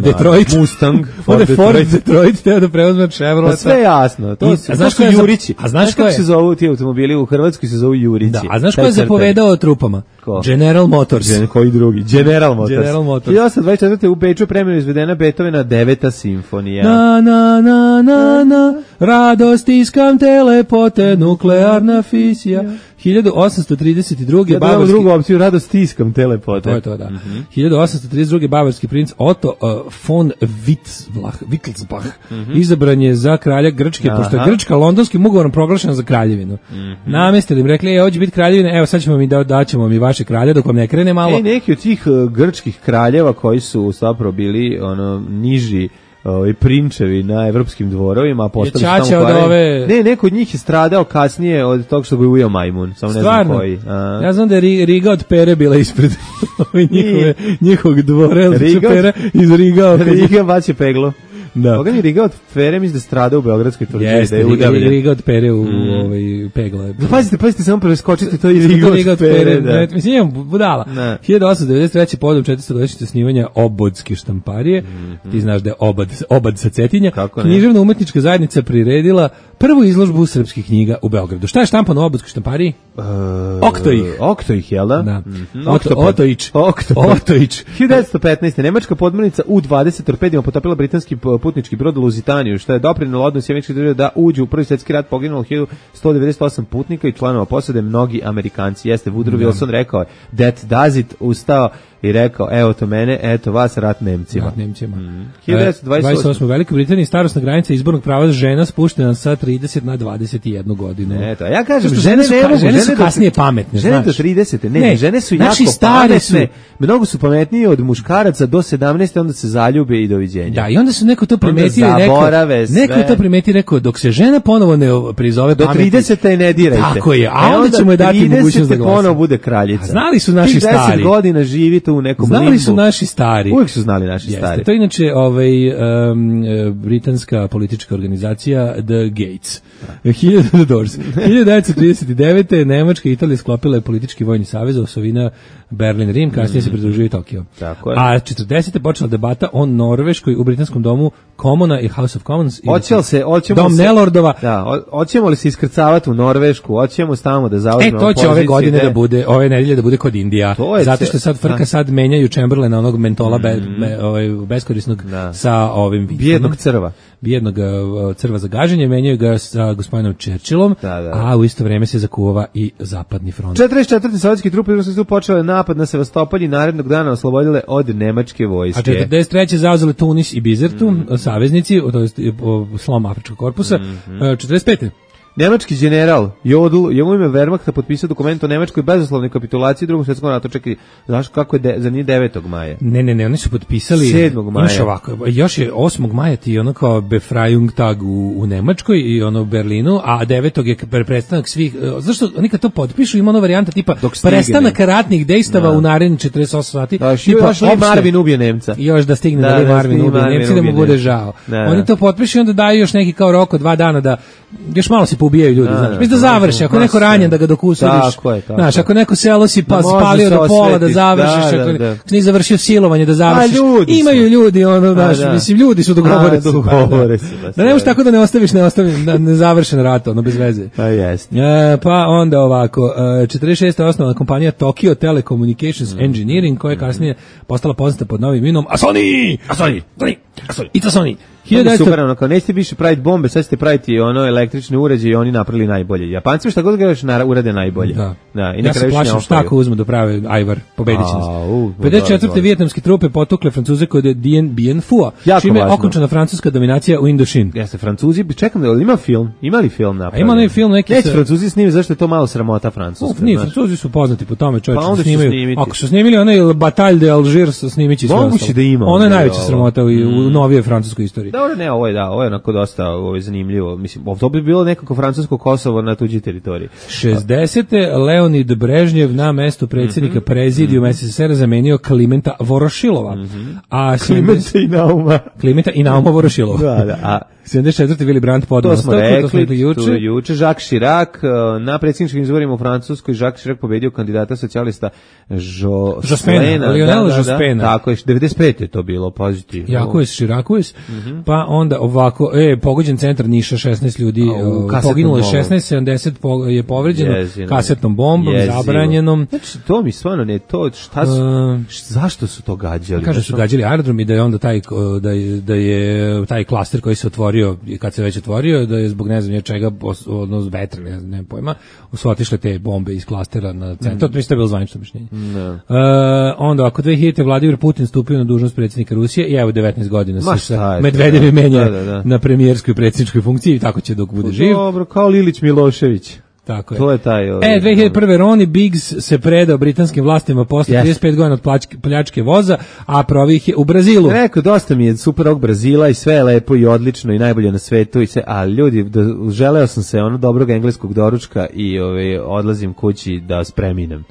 Detroit. Mustang. Onda je Ford Detroit teo da preuzme Chevrolet. Pa sve jasno. To su Jurići. A znaš kako se zovu ti automobili u Hrvatskoj, se zovu Jurići. Da, a znaš ko je zapovedao trupama? General Motors. Koji drugi? General Motors. 1824. u Beču premijerno izvedena Beethovena 9. simfonija. Na, radost iskam telepote, nuklearna fisija. 1832. bavarski... drugu opciju, radost stiskam telepote. To je da. 1832. bavarski princ Otto von Wittelsbach izabran je za kralja Grčke, pošto je Grčka londonskim ugovorom proglašena za kraljevinu. Namestili im, rekli, hoće biti kraljevina, evo sad ćemo mi daćemo mi vaše kralje, dok vam ne krene malo. Neki od tih grčkih kraljeva koji su zapravo bili niži prinčevi na evropskim dvorovima, postali su tamo ove... neko od njih je stradao kasnije od toga što ga je ujeo majmun, samo ne znam koji. Ja znam da je Riga od Pere bila ispred njihovog dvora, Pera iz Riga. Riga baće peglo. Da. Koga mi Riga od Pere misli da strada u Beogradskoj tvrđavi, da je udavljen. Riga od Pere u pegla. Pazite, samo preskočite to i Riga od Pere. Mislim, imam budala. 1893. povodom 400-godišnjice snimanja Obodske štamparije. Ti znaš da je Obad sa Cetinja. Književna umetnička zajednica priredila prvu izložbu srpskih knjiga u Beogradu. Šta je štampano u Obodskoj štampariji? Oktoih, jel da? Otojić. 1915. Nemačka podmornica U-20 torpedima potopila britanski putnički brod Luzitaniju, što je doprinelo odnosi američkih država da uđu u Prvi svjetski rat, poginulo 1198 putnika i članova posade, mnogi Amerikanci. Jeste, Woodrow Wilson rekao, that does it, ustao i rekao, evo to mene, eto vas, rat Nemcima. 1928. U Velikoj Britaniji starosna granica izbornog prava žena spuštena sa 30 na 21 godinu. Eto, ja kažem, žene su kasnije pametne, žene do 30. Ne, žene su jako pametne, mnogo su pametnije od muškaraca do 17. onda se zaljube i doviđenja. Da, i onda su neko to primetio i rekao, dok se žena ponovo ne prizove do 30. ne dirajte. Tako je, a onda ćemo je dati mogućnost da glasa. Ponovo bude kraljica. Znali su naši stari. 10 godina živite u nekom limbu. Znali su naši stari. Uvijek su znali naši stari. To je inače britanska politička organizacija The Gates. 1939. Nemačka i Italija sklopila je politički vojni savez, osovina Berlin-Rim, kasnije se pridružio i Tokio. Tako je. A 40. počela debata o Norveškoj u britanskom domu Commona i House of Commons. Dom Nelordova. Da, hoćemo li se iskrcavati u Norvešku, hoćemo tamo da zauzmemo pozicije. To će ove godine da bude, ove nedelje da bude kod Indija. Zato što sad frka sad menjaju Chamberlaina, onog mentola beskorisnog sa ovim bijednog crva. Bijednog crva za gaženje, menjaju ga sa gospodinom Churchillom, a u isto vrijeme se zakuvava i zapadni front. 44. sovjetski trupe su počele napad na Sevastopol i narednog dana oslobodile od nemačke vojske. A 43. zauzele Tunis i Bizertu, saveznici, to je slom Afričkog korpusa. 45. Nemački general Jodl je u ime Wehrmachta potpisao dokument o nemačkoj bezuslovnoj kapitulaciji u Drugom svjetskom ratu. Čekaj, znaš kako je za njih 9. maja? Ne, oni su potpisali 7. maja. Još je 8. maja ti ono kao Befreiung Tag u Nemačkoj i ono u Berlinu, a 9. je prestanak svih. Zašto oni kad to potpišu ima ona varijanta tipa prestanak ratnih dejstava u narednih 48 sati. Još Lee Marvin ubije Nemca. Još da stigne da Lee Marvin ubije Nemca da mu bude žao. Oni to potpišu i onda daju još neki kao rok od 2 dana da još malo se ubijaju ljudi, znaš. Mislim da završi, ako neko ranjen da ga dok usuriš. Znaš, ako neko selo si spalio do pola da završiš, ako nisi završio silovanje da završiš. Imaju ljudi, ono, znaš, mislim, ljudi su dogovore se. Da ne možeš tako da ne ostaviš nezavršen rat, ono, bez veze. Pa jest. Pa onda ovako, 46. osnovna kompanija Tokyo Telecommunications Engineering, koja je kasnije postala poznata pod novim imenom Sony. It's a Sony. Super, ono, kao nećete više praviti bombe, sad ćete praviti ono električne uređaje i oni napravili najbolje. Japanci šta god gledaš urade najbolje. Da, i ja se plašim šta ako uzmu da prave ajvar, pobedit će nas. 54. vijetnamske trupe potukle Francuze kod Dien Bien Phu, čime je okončana francuska dominacija u Indošin. Jeste, Francuzi, čekam da ima film, imali film napravljen. Ima film neki. Neće Francuzi snimi, zašto je to malo sramota Francuska. Nije, Francuzi su poznati po tome, čovječe, snimaju. Ako su snimili onaj Bataille de Algiers, snimići sve ostalo. Ono je najveća sramota u novijoj francuskoj istoriji. Dobro, ne, ovo je onako dosta zanimljivo. Mislim, to bi bilo nekako francusko Kosovo na tuđi teritoriji. 60. Leonid Brežnjev na mestu predsjednika prezidijuma SSSR zamenio Klimenta Vorošilova. Klimenta i Nauma Vorošilova. A 74. Willy Brandt podao ostavku, to smo rekli juče. Jacques Chirac na predsjedničkim izborima u Francuskoj, Jacques Chirac pobedio kandidata socijalista Jospena, Lionel Jospena. Tako je, 95. je to bilo, pozitivno. Jacques Chirac. Pa onda ovako, pogođen centar Niša, 16 ljudi, poginulo je 16, 70 je povređeno kasetnom bombom, zabranjenom. Znači, to mi stvarno ne, to šta su, zašto su to gađali? Kaže su gađali aerodrom i da je onda da je taj klaster koji se otvorio, kad se već otvorio, da je zbog ne znam čega, odnosno vetra, ne pojma, su otišle te bombe iz klastera na centar, to je bilo zvanično mišljenje. Onda, ako 2000. Vladimir Putin stupio na dužnost predsjednika Rusije, i evo 19 godina se Medvedev menja na premijerskoj predsjedničkoj funkciji i tako će dok bude živ. Dobro, kao Lilić Milošević. Tako je. To je taj. 2001. Ronnie Biggs se predao britanskim vlastima posle 35 godina od pljačke voza, a provih je u Brazilu. Rekao, dosta mi je super ovog Brazila i sve je lepo i odlično i najbolje na svetu i sve, ali ljudi, želeo sam se dobrog engleskog doručka i odlazim kući da spreminem.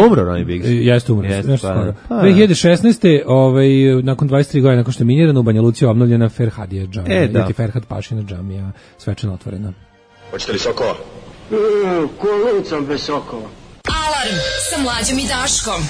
Umro Ronnie Biggs? Jeste umro, nešto skoro. 2016. Nakon 23 godina, nakon što je minirano u Banja Luci, obnovljena Ferhadija džamija, Ferhad Pašina džamija, svečano otvorena. Hoćete li sokova? Kolicom bez sokova. Alarm sa Mlađom i Daškom.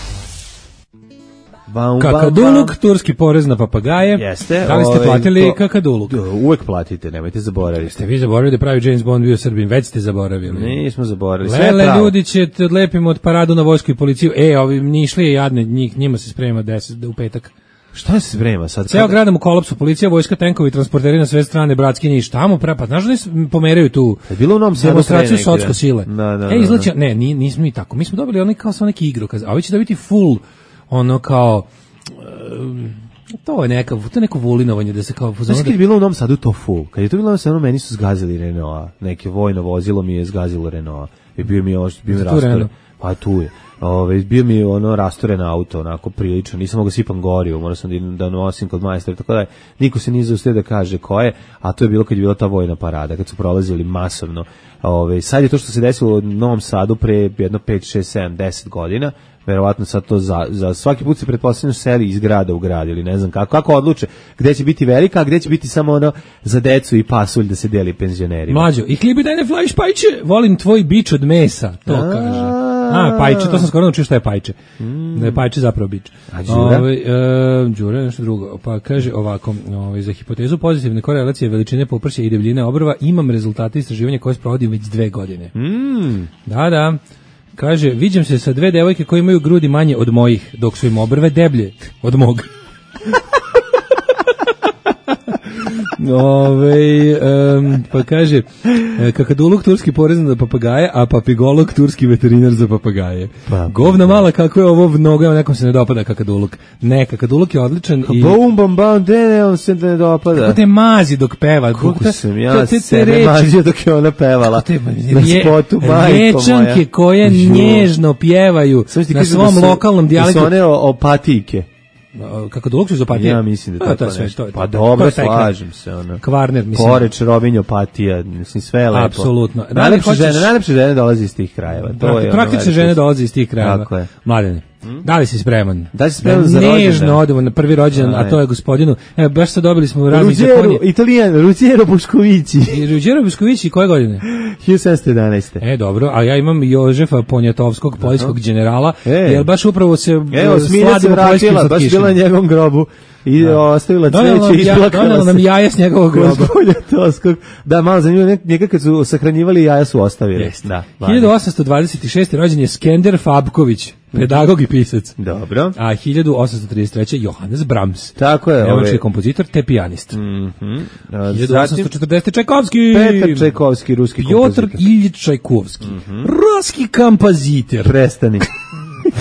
Kakaduluk, turski porez na papagaje. Jeste. Da li ste platili kakaduluk? Uvek platite, nemojte zaboraviti. Ste vi zaboravili da pravi James Bond bio Srbin, već ste zaboravili. Nismo zaboravili. Lele, ljudi će te odlepimo od paradu na vojsku i policiju. Ovi Nišlije jadne, njima se sprema 10 u petak. Šta se sprema sad? Ceo gradom u kolapsu, policija, vojska, tenkovi, transporteri na sve strane, bratski niš, tamo pa znaš da ne pomeraju tu bilo u Novom Sadu demonstraciju socko sile. Da, izlači, ne, nismo mi tako. Mi smo dobili onaj kao sa neki igrokaz, a vi će dobiti full ono kao to je neko vulinovanje da se kao znaš kad je bilo u Novom Sadu to full, kad je to bilo u Novom Sadu meni su zgazili Renault, neke vojno vozilo mi je zgazilo Renault i bio mi rastoren, pa tu je. Bio mi rastoren auto, onako prilično, nisam mogao sipam gorivo, morao sam da nosim kod majstora, tako da niko se nije zaustio da kaže ko je, a to je bilo kad je bila ta vojna parada, kad su prolazili masovno. Sad je to što se desilo u Novom Sadu pre jedno 5, 6, 7, 10 godina, verovatno sad to za svaki put se pretpostavljeno seli iz grada u grad ili ne znam kako odluče gde će biti velika, a gde će biti samo ono za decu i pasulj da se deli penzionerima. Mlađo, i hlibi daj ne flaš pajče, volim tvoj bič od mesa, to kaže. Pajče, to sam skoro naučio šta je pajče. Da je pajče zapravo bič. A Đura? Đura je nešto drugo. Pa kaže ovako, za hipotezu pozitivne korelacije veličine popršća i debljine obrva imam rezultate istraživanja koje sprovodim već 2 godine. Da. Kaže, viđam se sa 2 devojke koje imaju grudi manje od mojih, dok su im obrve deblje od mog. Pa kaže, kakaduluk turski porezan za papagaje, a papigolog turski veterinar za papagaje. Govna mala, kako je ovo mnogo, nekom se ne dopada kakaduluk. Ne, kakaduluk je odličan. Bum, ne, on se ne dopada. Kako te mazi dok peva. Kako sam ja sebe mazio dok je ona pevala. Na spotu, majko moja. Rečanke koje nježno pjevaju na svom lokalnom dijalektu. I su one opatike. Kakaduluk su iz opatije? Ja mislim da tako nešto. Pa dobro, slažem se. Kvarner, mislim. Poreč, Rovinj, opatija, mislim, sve je lepo. Apsolutno. Najlepše žene dolaze iz tih krajeva. Praktične žene dolaze iz tih krajeva. Tako je. Mladene, da li si spreman? Da li si spreman za rođendan? Nežno odemo na prvi rođendan, a to je gospodinu. Evo, baš sad dobili smo raznih zakonje. Italijan, Ruggero Boškovići. Ruggero Boškovići, koje godine? 1711. Dobro, a ja imam Jožefa Ponjatovskog, poljskog generala, jer baš upravo se sladimo poljskim slatkišima. Baš bila na njegovom grobu i ostavila cveće i isplakala se. Donala nam jaja s njegovog groba. Ponjatovskog. Da, malo zanimljivo, njega kad su sahranjivali, jaja su ostavili. 1826. rođen je Skender Fabković, pedagog i pisac. Dobro. A 1833. Johannes Brahms. Tako je. Nemački kompozitor te pijanist. 1840. Čajkovski. Petar Čajkovski, ruski kompozitor. Piotr Iljič Čajkovski. Ruski kompozitor. Prestani.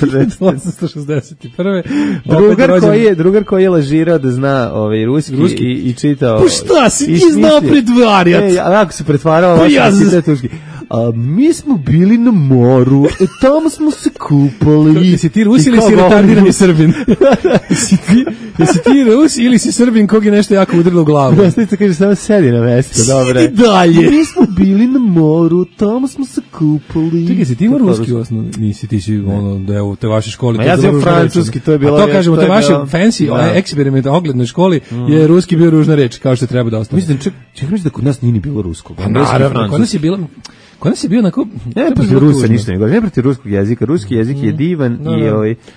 1861. Drugar koji je lažirao da zna ruski i čitao. Pa šta si ti znao pretvarjati? Ako se pretvarao, mi smo bili na moru, tamo smo se kupali. Jesi ti Rus ili si retardirani Srbin? Jesi ti Rus ili si Srbin kog je nešto jako udarilo u glavu? Vesnica kaže, samo sedi na mesto, dobro. Sedi dalje. Mi smo bili na moru, tamo smo se kupali. Čekaj, si ti ima ruski osnovno? Nisi, ti si da je u te vaše školi. Ma ja sam francuski, to je bilo. A to kažemo, te vaše fancy eksperiment oglednoj školi je ruski bio ružna reč, kao što treba da ostane. Mislim, čekaj da kod nas nije ni bilo ruskog. Naravno, kod nas je bilo... Kod nas je bio onako... Ne protiv Rusa ništa, ne protiv ruskog jezika. Ruski jezik je divan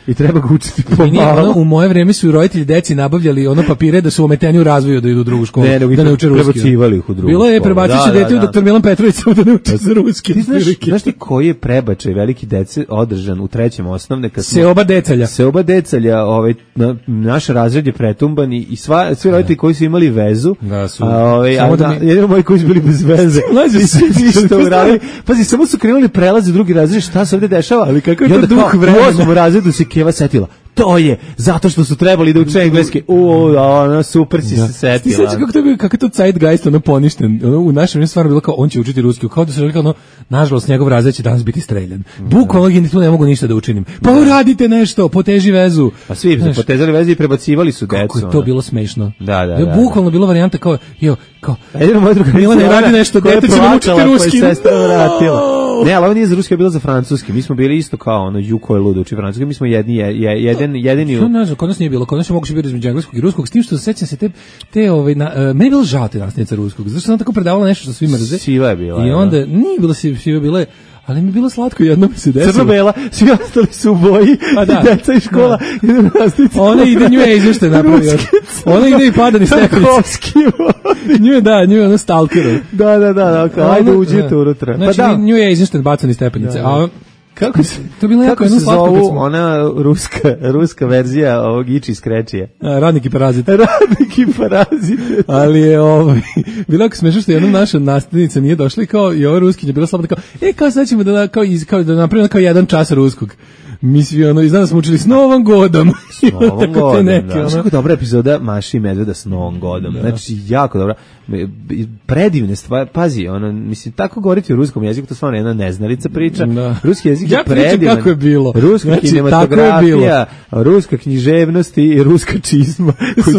i treba ga učiti pomalo. U moje vreme su roditelji deci nabavljali papire da su ometeni u razvoju da idu u drugu školu, da ne uče ruski. Prebacivali ih u drugu školu. Bilo je prebacio se dete u dr. Milan Petrović da ne uče za ruski. Ti znaš ti koji je prebačaj veliki dece održan u 3. osnovne? Seoba decalja, naš razred je pretumban i svi roditelji koji su imali vezu, jedino moji koji su bili bez veze. Pazi, samo su krenuli prelaze u drugi razred, šta se ovdje dešava? Ali kako je to duh vremena? U 8. razredu se Keva setila. To je, zato što su trebali da uče engleski. Super si se setila. Ti sećaš kako je to zeitgeist poništen? U našem je stvarno bilo kao, on će učiti ruski. Kao da se rekao, nažalost, njegov razred će danas biti streljan. Bukvalno i tu ne mogu ništa da učinim. Pa uradite nešto, poteži vezu. Pa svi su potezali vezu i prebacivali su decu. Kako je to bilo smešno. Da. Bukvalno bila varijanta kao, jedino moja druga Milane, radi nešto, dete će da učiti ruski. Ne, ali ovo nije za ruski, bilo za francuski. Mi smo bili isto kao Juko je ludo uči francuski. Mi smo jedini. Kod nas nije bilo. Kod nas je moguće biti između engleskog i ruskog. S tim što sećam se meni je bilo žao te nastavnice ruskog. Zašto sam tako predavala nešto što svi mrze. Siva je bila. I onda nije bilo siva, bila je, ali mi je bilo slatko, jedno mi se desilo. Crno-bela, svi ostali su u boji, deca iz škola, jedan nastavnica. Ona ide nju je izvešte napravio. Ona ide i pada ni stepenice. Nju je ono stalkero. Da, ajde uđite unutra. Znači, nju je izvešten bacani stepenice. A Kako se to bila jako jedno slatko kad smo... ona ruska verzija ovog Iči Skrečije. Radnik i parazit. Radnik i parazit. Ali je bilo jako smešno što jedna naša nastavnica nije došla i kao i ova ruskinja bila slabna kao kao sad ćemo da napravimo kao jedan čas ruskog. Mi svi i znam da smo učili s Novom godom. S Novom godom, da. Kako dobra epizoda Maši i Medveda s Novom godom. Da. Znači, jako dobra. Predivne stvari. Pazi, mislim, tako govoriti u ruskom jeziku, to stvarno jedna neznalica priča. Da. Ruski jezik je predivan. Kako je bilo. Ruska kinematografija, ruska književnost i ruska čizma koju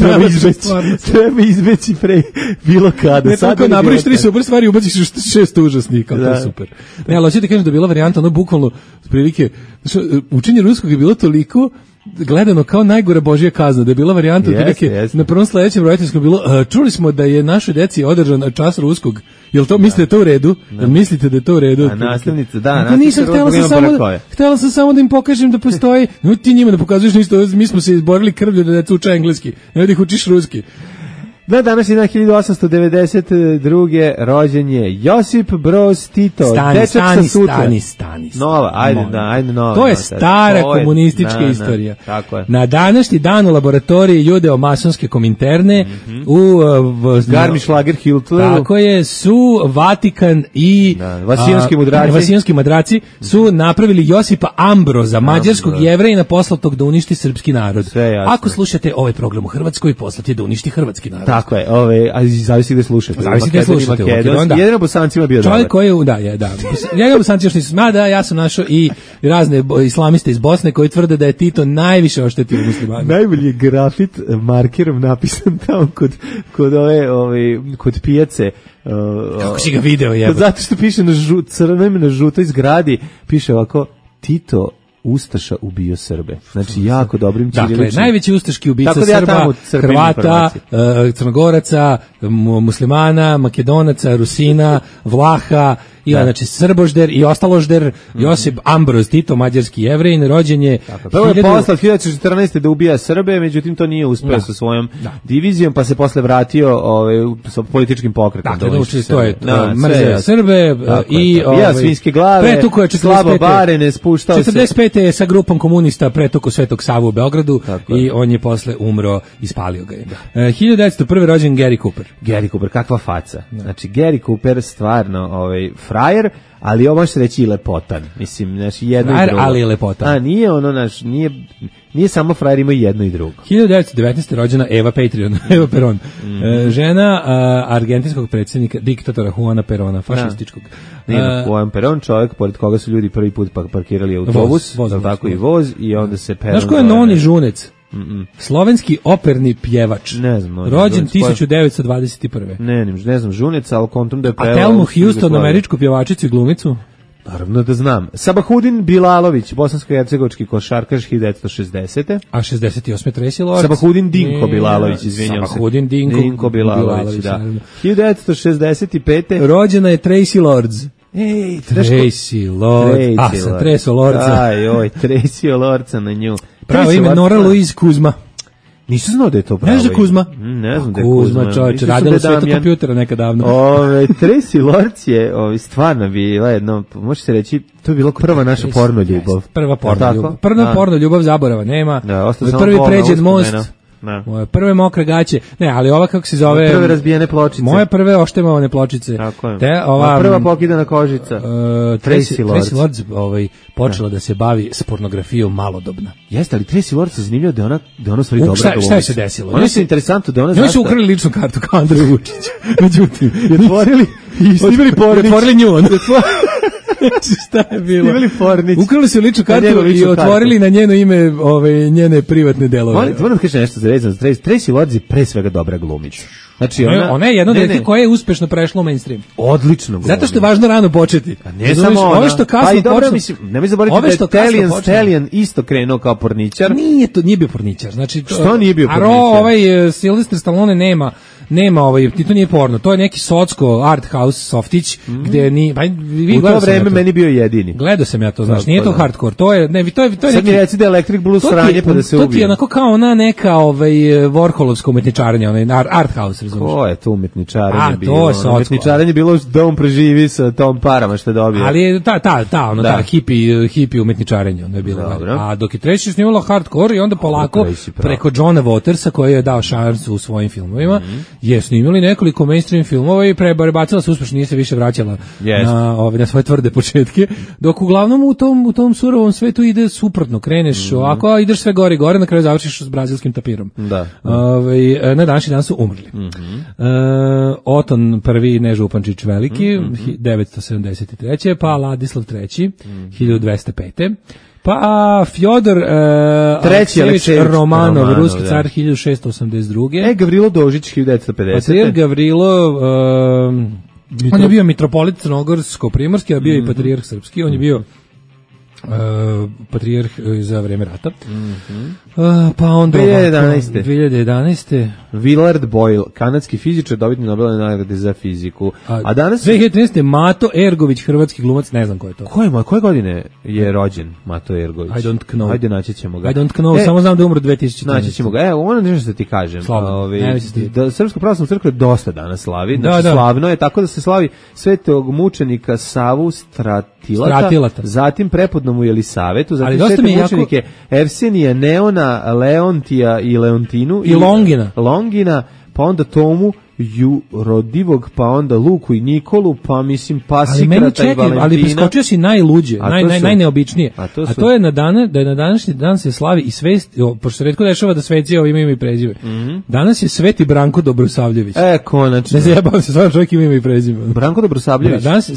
treba izbeći pre bilo kada. Ne, tako naboriš 3 super stvari, ubaciš 6 užasnika, to je super. Ne, ali hoćete kažem da je bila varijanta, bukvalno, prilike, učenje ruskog je bilo toliko gledano kao najgora božja kazna, da je bila varijanta na prvom sledećem roditeljskom bilo, čuli smo da je našoj deci održan čas ruskog, jel to mislite da je to u redu? Da. Mislite da je to u redu? A nastavnica, da, htjela sam samo da im pokažem da postoji, no ti njima da pokazuješ ništa, mi smo se izborili krvlju da deca uče engleski, ne da ih učiš ruski. Da, danas je na 1892. rođen je Josip Broz Tito, dečak sa sutra. Stani. Nova, ajde nova. To je stara komunistička istorija. Tako je. Na današnji dan u laboratoriji judeo-masonske kominterne u Garmisch-Lagerhiltleru. Tako je, su Vatikan i Vasijanski madraci su napravili Josipa Ambroza, mađarskog Jevrejina poslatog da uništi srpski narod. Ako slušate ovaj program u Hrvatskoj, poslat je da uništi hrvatski narod. Tako je, a zavisi gde slušate. Zavisi gde slušate. Jedino Bosancima bio dobar. Čovjek koji je, da. Njega Bosanci još nisu, ja sam našao i razne islamiste iz Bosne koji tvrde da je Tito najviše oštetio muslimane. Najbolji je grafit markerom napisan tamo kod pijace. Kako si ga video, jebote? Zato što piše na žutoj zgradi, piše ovako, Tito ustaša ubio Srbe. Znači, jako dobrim ćiriličnim. Dakle, najveći ustaški ubica Srba, Hrvata, Crnogoraca, muslimana, Makedonaca, Rusina, Vlaha, znači Srbožder i ostaložder, Josip Ambroz Tito, mađarski Jevrejin, rođen je... Prvo je poslao 1914. da ubija Srbe, međutim to nije uspeo sa svojom divizijom, pa se posle vratio sa političkim pokretom. Dakle, to je mrzeo Srbe i... svinjske glave, slabo barene, spuštao se... 45. je sa grupom komunista pretuko Svetog Savu u Beogradu i on je posle umro i spalio ga je. 1901. rođen Gary Cooper. Gary Cooper, kakva faca. Znači, Gary Cooper stvarno frajer, ali ovo može se reći i lepotan. Mislim, znači jedno frajer, i drugo. Ali je lepotan. A nije nije samo frajer, ima jedno i drugo. 1919. rođena Eva Peron. Žena argentinskog predsjednika, diktatora Juana Perona, fašističkog. Juan Peron, čovjek pored koga su ljudi prvi put parkirali autobus, tako i voz, i onda se Peron... Znaš ko je Noni Žunec? Slovenski operni pjevač. Ne znam. Rođen 1921. Ne znam Žunec, ali kontum da je pevao. A Thelmu Houston, američku pjevačicu i glumicu? Naravno da znam. Sabahudin Bilalović, bosansko-hercegovački košarkaš 1960. A 68. Tracy Lords. Sabahudin Dinko Bilalović, izvinjam se. Sabahudin Dinko Bilalović, da. 1965. Rođena je Tracy Lords. Ej, Tracy Lords. Sam Treso Lordsa. Tracy Lordsa na nju. Pravo ime Nora Louise Kuzma. Nisam znao da je to pravo. Ne znam Kuzma. Ne znam da je Kuzma. Kuzma, čovječe, radila u svetu kompjutera nekad davno. Tracy Lords je stvarno bila jedno, može se reći, to je bilo prva naša porno ljubav. Prva porno ljubav zaborava, nema. Prvi pređen most. Moje prve mokre gaće, ali ova kako se zove... Prve razbijene pločice. Moje prve oštemovane pločice. Tako je. Prva pokidana kožica. Tracy Lords počela da se bavi s pornografijom malodobna. Jeste, ali Tracy Lords je zanimljivo da ona stvari dobra glumica. Šta je se desilo? Ono je interesantno da ona... Oni su ukrali ličnu kartu kao Andrej Vučić. Međutim, otvorili nju. Šta je bilo? Ukrali su ličnu kartu i otvorili na njeno ime njene privatne delove. Moram da kažem nešto za vezano. Tracy Lords je pre svega dobra glumica. Znači ona je jedno dete koje je uspešno prešlo u mainstream. Odlično glumi. Zato što je važno rano početi. A ne samo ona. Ove što kasno počne. Nemoj zaboraviti da je Stallion isto krenuo kao porničar. Nije bio porničar. Znači što nije bio porničar? Sylvester Stallone nema nema to nije porno, to je neki socko art house softić gde ni u to vreme meni bio jedini. Gledao sam ja to, znaš, nije to hardcore, to je sad neki, mi reci da Electric Blue sranje pa da se ubije. To ti je onako kao ona neka Warholovsko umetničarenje, art house, razumiješ? Ko je to umetničarenje bilo? Umetničarenje bilo da on preživi sa tom parama što je dobio. Ali je ta hippie umetničarenje, ono je bilo. A dok je treći snimalo hardcore i onda polako preko Johna Watersa koji je dao šansu u svojim filmovima, je snimili nekoliko mainstream filmova i prebacila se uspešno, nije se više vraćala na svoje tvrde početke, dok uglavnom u tom surovom svetu ide suprotno, kreneš ovako, a ideš sve gore i gore, na kraju završiš s brazilskim tapirom. Na današnji dan su umrli. Oton prvi Nežupančić veliki, 973. pa Ladislav III, 1205. Pa Fjodor Aleksejevich Romanov, ruski car, 1682. Gavrilo Dožić, 1950. Patrijarh Gavrilo, on je bio mitropolit crnogorsko-primorski, a bio i patrijarh srpski, on je bio patrijarh za vreme rata. Pa onda 2011. Willard Boyle, kanadski fizičar, dobitnik Nobelove nagrade za fiziku. A danas 2013. Mato Ergović, hrvatski glumac, ne znam ko je to. Koje godine je rođen Mato Ergović? I don't know. Ajde, naći ćemo ga. I don't know, samo znam da umro 2014. Naći ćemo ga. Ono nešto što ti kažem. Da Srpska pravoslavna crkva dosta danas slavi. Znači, slavno je tako da se slavi svetog mučenika Savu Stratilata. Zatim prepodnomu Jelisavetu, zatim svete mučenike Evsenija, Neona, Leontija i Leontinu i Longina, pa onda Tomu Jurodivog, pa onda Luku i Nikolu, pa mislim Pasikrata i Valentina. Ali preskočio si najluđe, najneobičnije. A to je na današnji dan se slavi i svest, pošto se retko dešava da sveci ima ime i prezive. Danas je Sveti Branko Dobrosavljević. Konačno. Ne zajebavam se, stvarno čovjek ima ime i prezive. Branko Dobrosavljević. Danas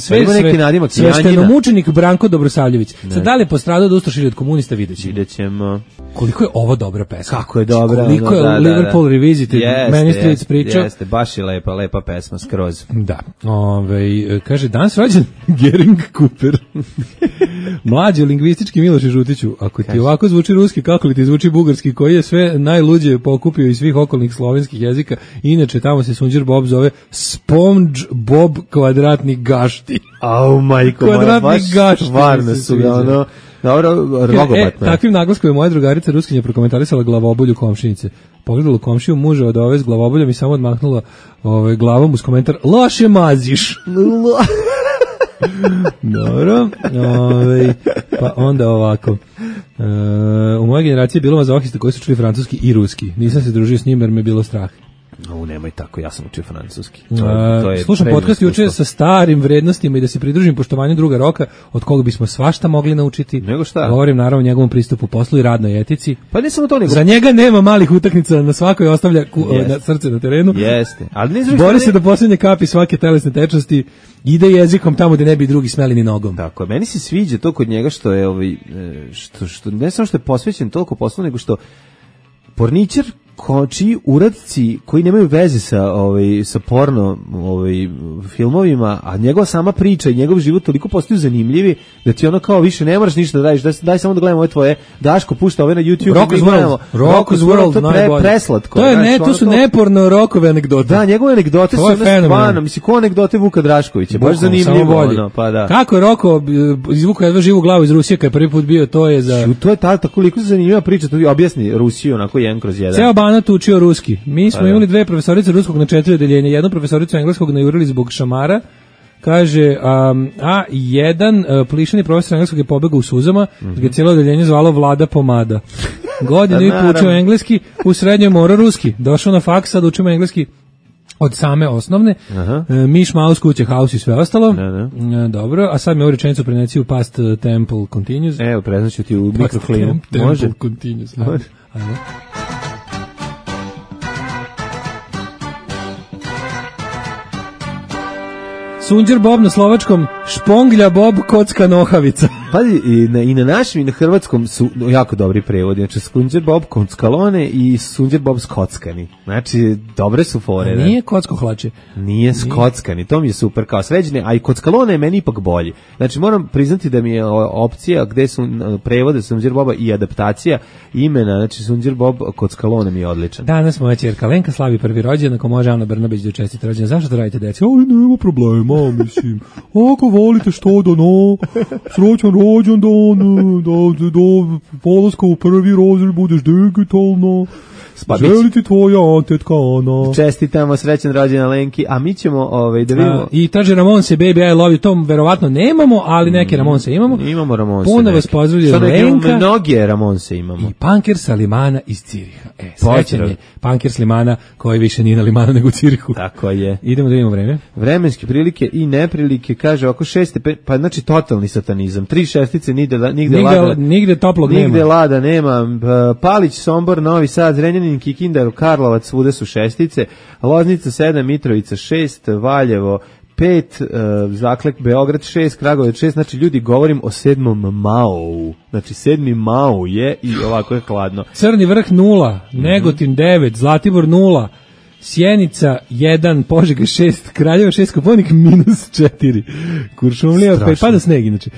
sveštenomučenik Branko Dobrosavljević. Sad da li je postradao da ustrašili od komunista, videćemo. Koliko je ovo dobra pesma. Kako je dobra. Koliko je Liverpool Revisited, Many Streets priča. Jeste, baš je lepa pesma, skroz. Da. Kaže, danas rođen Gering Cooper. Mlađi lingvistički Miloše Žutiću. Ako ti ovako zvuči ruski, kako li ti zvuči bugarski, koji je sve najluđe pokupio iz svih okolnih slovenskih jezika. Inače, tamo se Sunđer Bob zove Sponge Bob kvadratni gašti. Au, majko moja, baš stvarno su ga, ono... Dobro, rogobatno. Takvim naglaskom je moja drugarica Ruskinja prokomentarisala glavobolju komšinice. Pogledala komšiju muža od ove s glavoboljom i samo odmahnula glavom uz komentar loše maziš. Dobro. Pa onda ovako. U mojoj generaciji je bilo mazohista koji su čuli francuski i ruski. Nisam se družio s njim jer me je bilo strah. Nemoj tako, ja sam učio francuski. Slušam podcast juče sa starim vrednostima i da se pridružim poštovanju druga Roka, od koga bismo svašta mogli naučiti. Nego šta? Govorim naravno o njegovom pristupu poslu i radnoj etici. Pa ne samo to nego. Za njega nema malih utakmica, na svakoj ostavlja na srce na terenu. Jeste. Ali bori se do posljednje kapi svake telesne tečnosti, ide jezikom tamo gde ne bi drugi smeli ni nogom. Tako, meni se sviđa to kod njega što je što ne samo što je posvećen toliko poslu, nego što porničar čiji uradci koji nemaju veze sa porno filmovima, a njegova sama priča i njegov život toliko postaju zanimljivi da ti ono kao više ne moraš ništa da radiš, daj samo da gledamo ove tvoje, Daško pušta ove na YouTube, Rock's World, to je preslatko. To su neporno Rockove anegdote. Da, njegove anegdote su stvarno, mislim, ko anegdote Vuka Draškovića, baš zanimljivo. Pa da. Kako je Roko izvukao jedva živu glavu iz Rusije kad je prvi put bio, to je za... To je toliko zanimljiva priča, to objasni Rusiju onako jedan kroz jedan. Ceo Banat učio ruski. Mi smo imali dve profesorice ruskog na 4 odeljenja, jednu profesoricu engleskog najurili zbog šamara. Kaže, a jedan plišani profesor engleskog je pobegao u suzama, jer je cijelo odeljenje zvalo Vlada Pomada. Godinu i poučio engleski, u srednjoj mora ruski. Došao na faks, sad učimo engleski od same osnovne. Miš, Maus, kuće, haus i sve ostalo. Dobro, a sad mi ovu rečenicu preneci u past temple continues. Evo, preznaću ti u mikrofonu. Može? Temple continues. Ajmo. Sunđer Bob na slovačkom, Šponglja Bob, kocka nohavica. Pazi, i na našem i na hrvatskom su jako dobri prevodi. Znači, Sunđer Bob kockalone i Sunđer Bob skockani. Znači, dobre su fore. Nije kocko hlače. Nije skockani, to mi je super kao sređene, a i kockalone je meni ipak bolji. Znači, moram priznati da mi je opcija gde su prevode Sunđer Boba i adaptacija imena, znači Sunđer Bob kockalone mi je odličan. Danas moja ćerka Lenka slavi prvi rođendan, ako može Ana Brnabić da čestita rođendan. Zašto to radite, deci? Nema problema, mislim. Ako volite što da srećan rođendan, da polaska u prvi razred budeš digitalno. Želiti tvoja tetka Ana. Čestitamo, srećan rođendan Lenki, a mi ćemo da vidimo. I traže Ramonse, baby, I love you, tom verovatno nemamo, ali neke Ramonse imamo. Imamo Ramonse. Puno vas pozdravlja Lenka. Mnoge Ramonse imamo. I Punker sa Limana iz Ciriha. Srećan je Punker s Limana, koji više nije na Limanu nego u Cirihu. Tako je. Idemo da vidimo vreme. Vremenske prilike i neprilike, kaže oko 6 stepeni, pa znači totalni satanizam. 3 šestice, nigde toplog nema. Nigde lada nema. Palić, Sombor, Novi Sad, Zrenjanin, Kikindar, Karlovac, svuda su šestice. Loznica 7, Mitrovica 6, Valjevo 5, Zaklek, Beograd 6, Kragujevac 6, znači ljudi govorim o 7. Mao. Znači 7. Mao je i ovako je hladno. Crni vrh 0, Negotin 9, Zlatibor 0, Sjenica 1, Požega 6, Kraljevo 6, Koponik -4, Kuršumlija 5, pada sneg inače,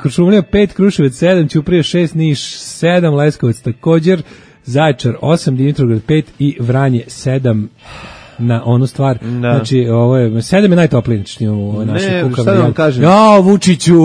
Kuršumlija 5, Kruševac 7, Ćuprija 6, Niš 7, Leskovac također, Zaječar 8, Dimitrovgrad 5 i Vranje 7 na onu stvar. Da. Znači, ovo je 7 je najtoplije, znači u našoj kukavni. Šta da vam kažem? Ja, Vučiću.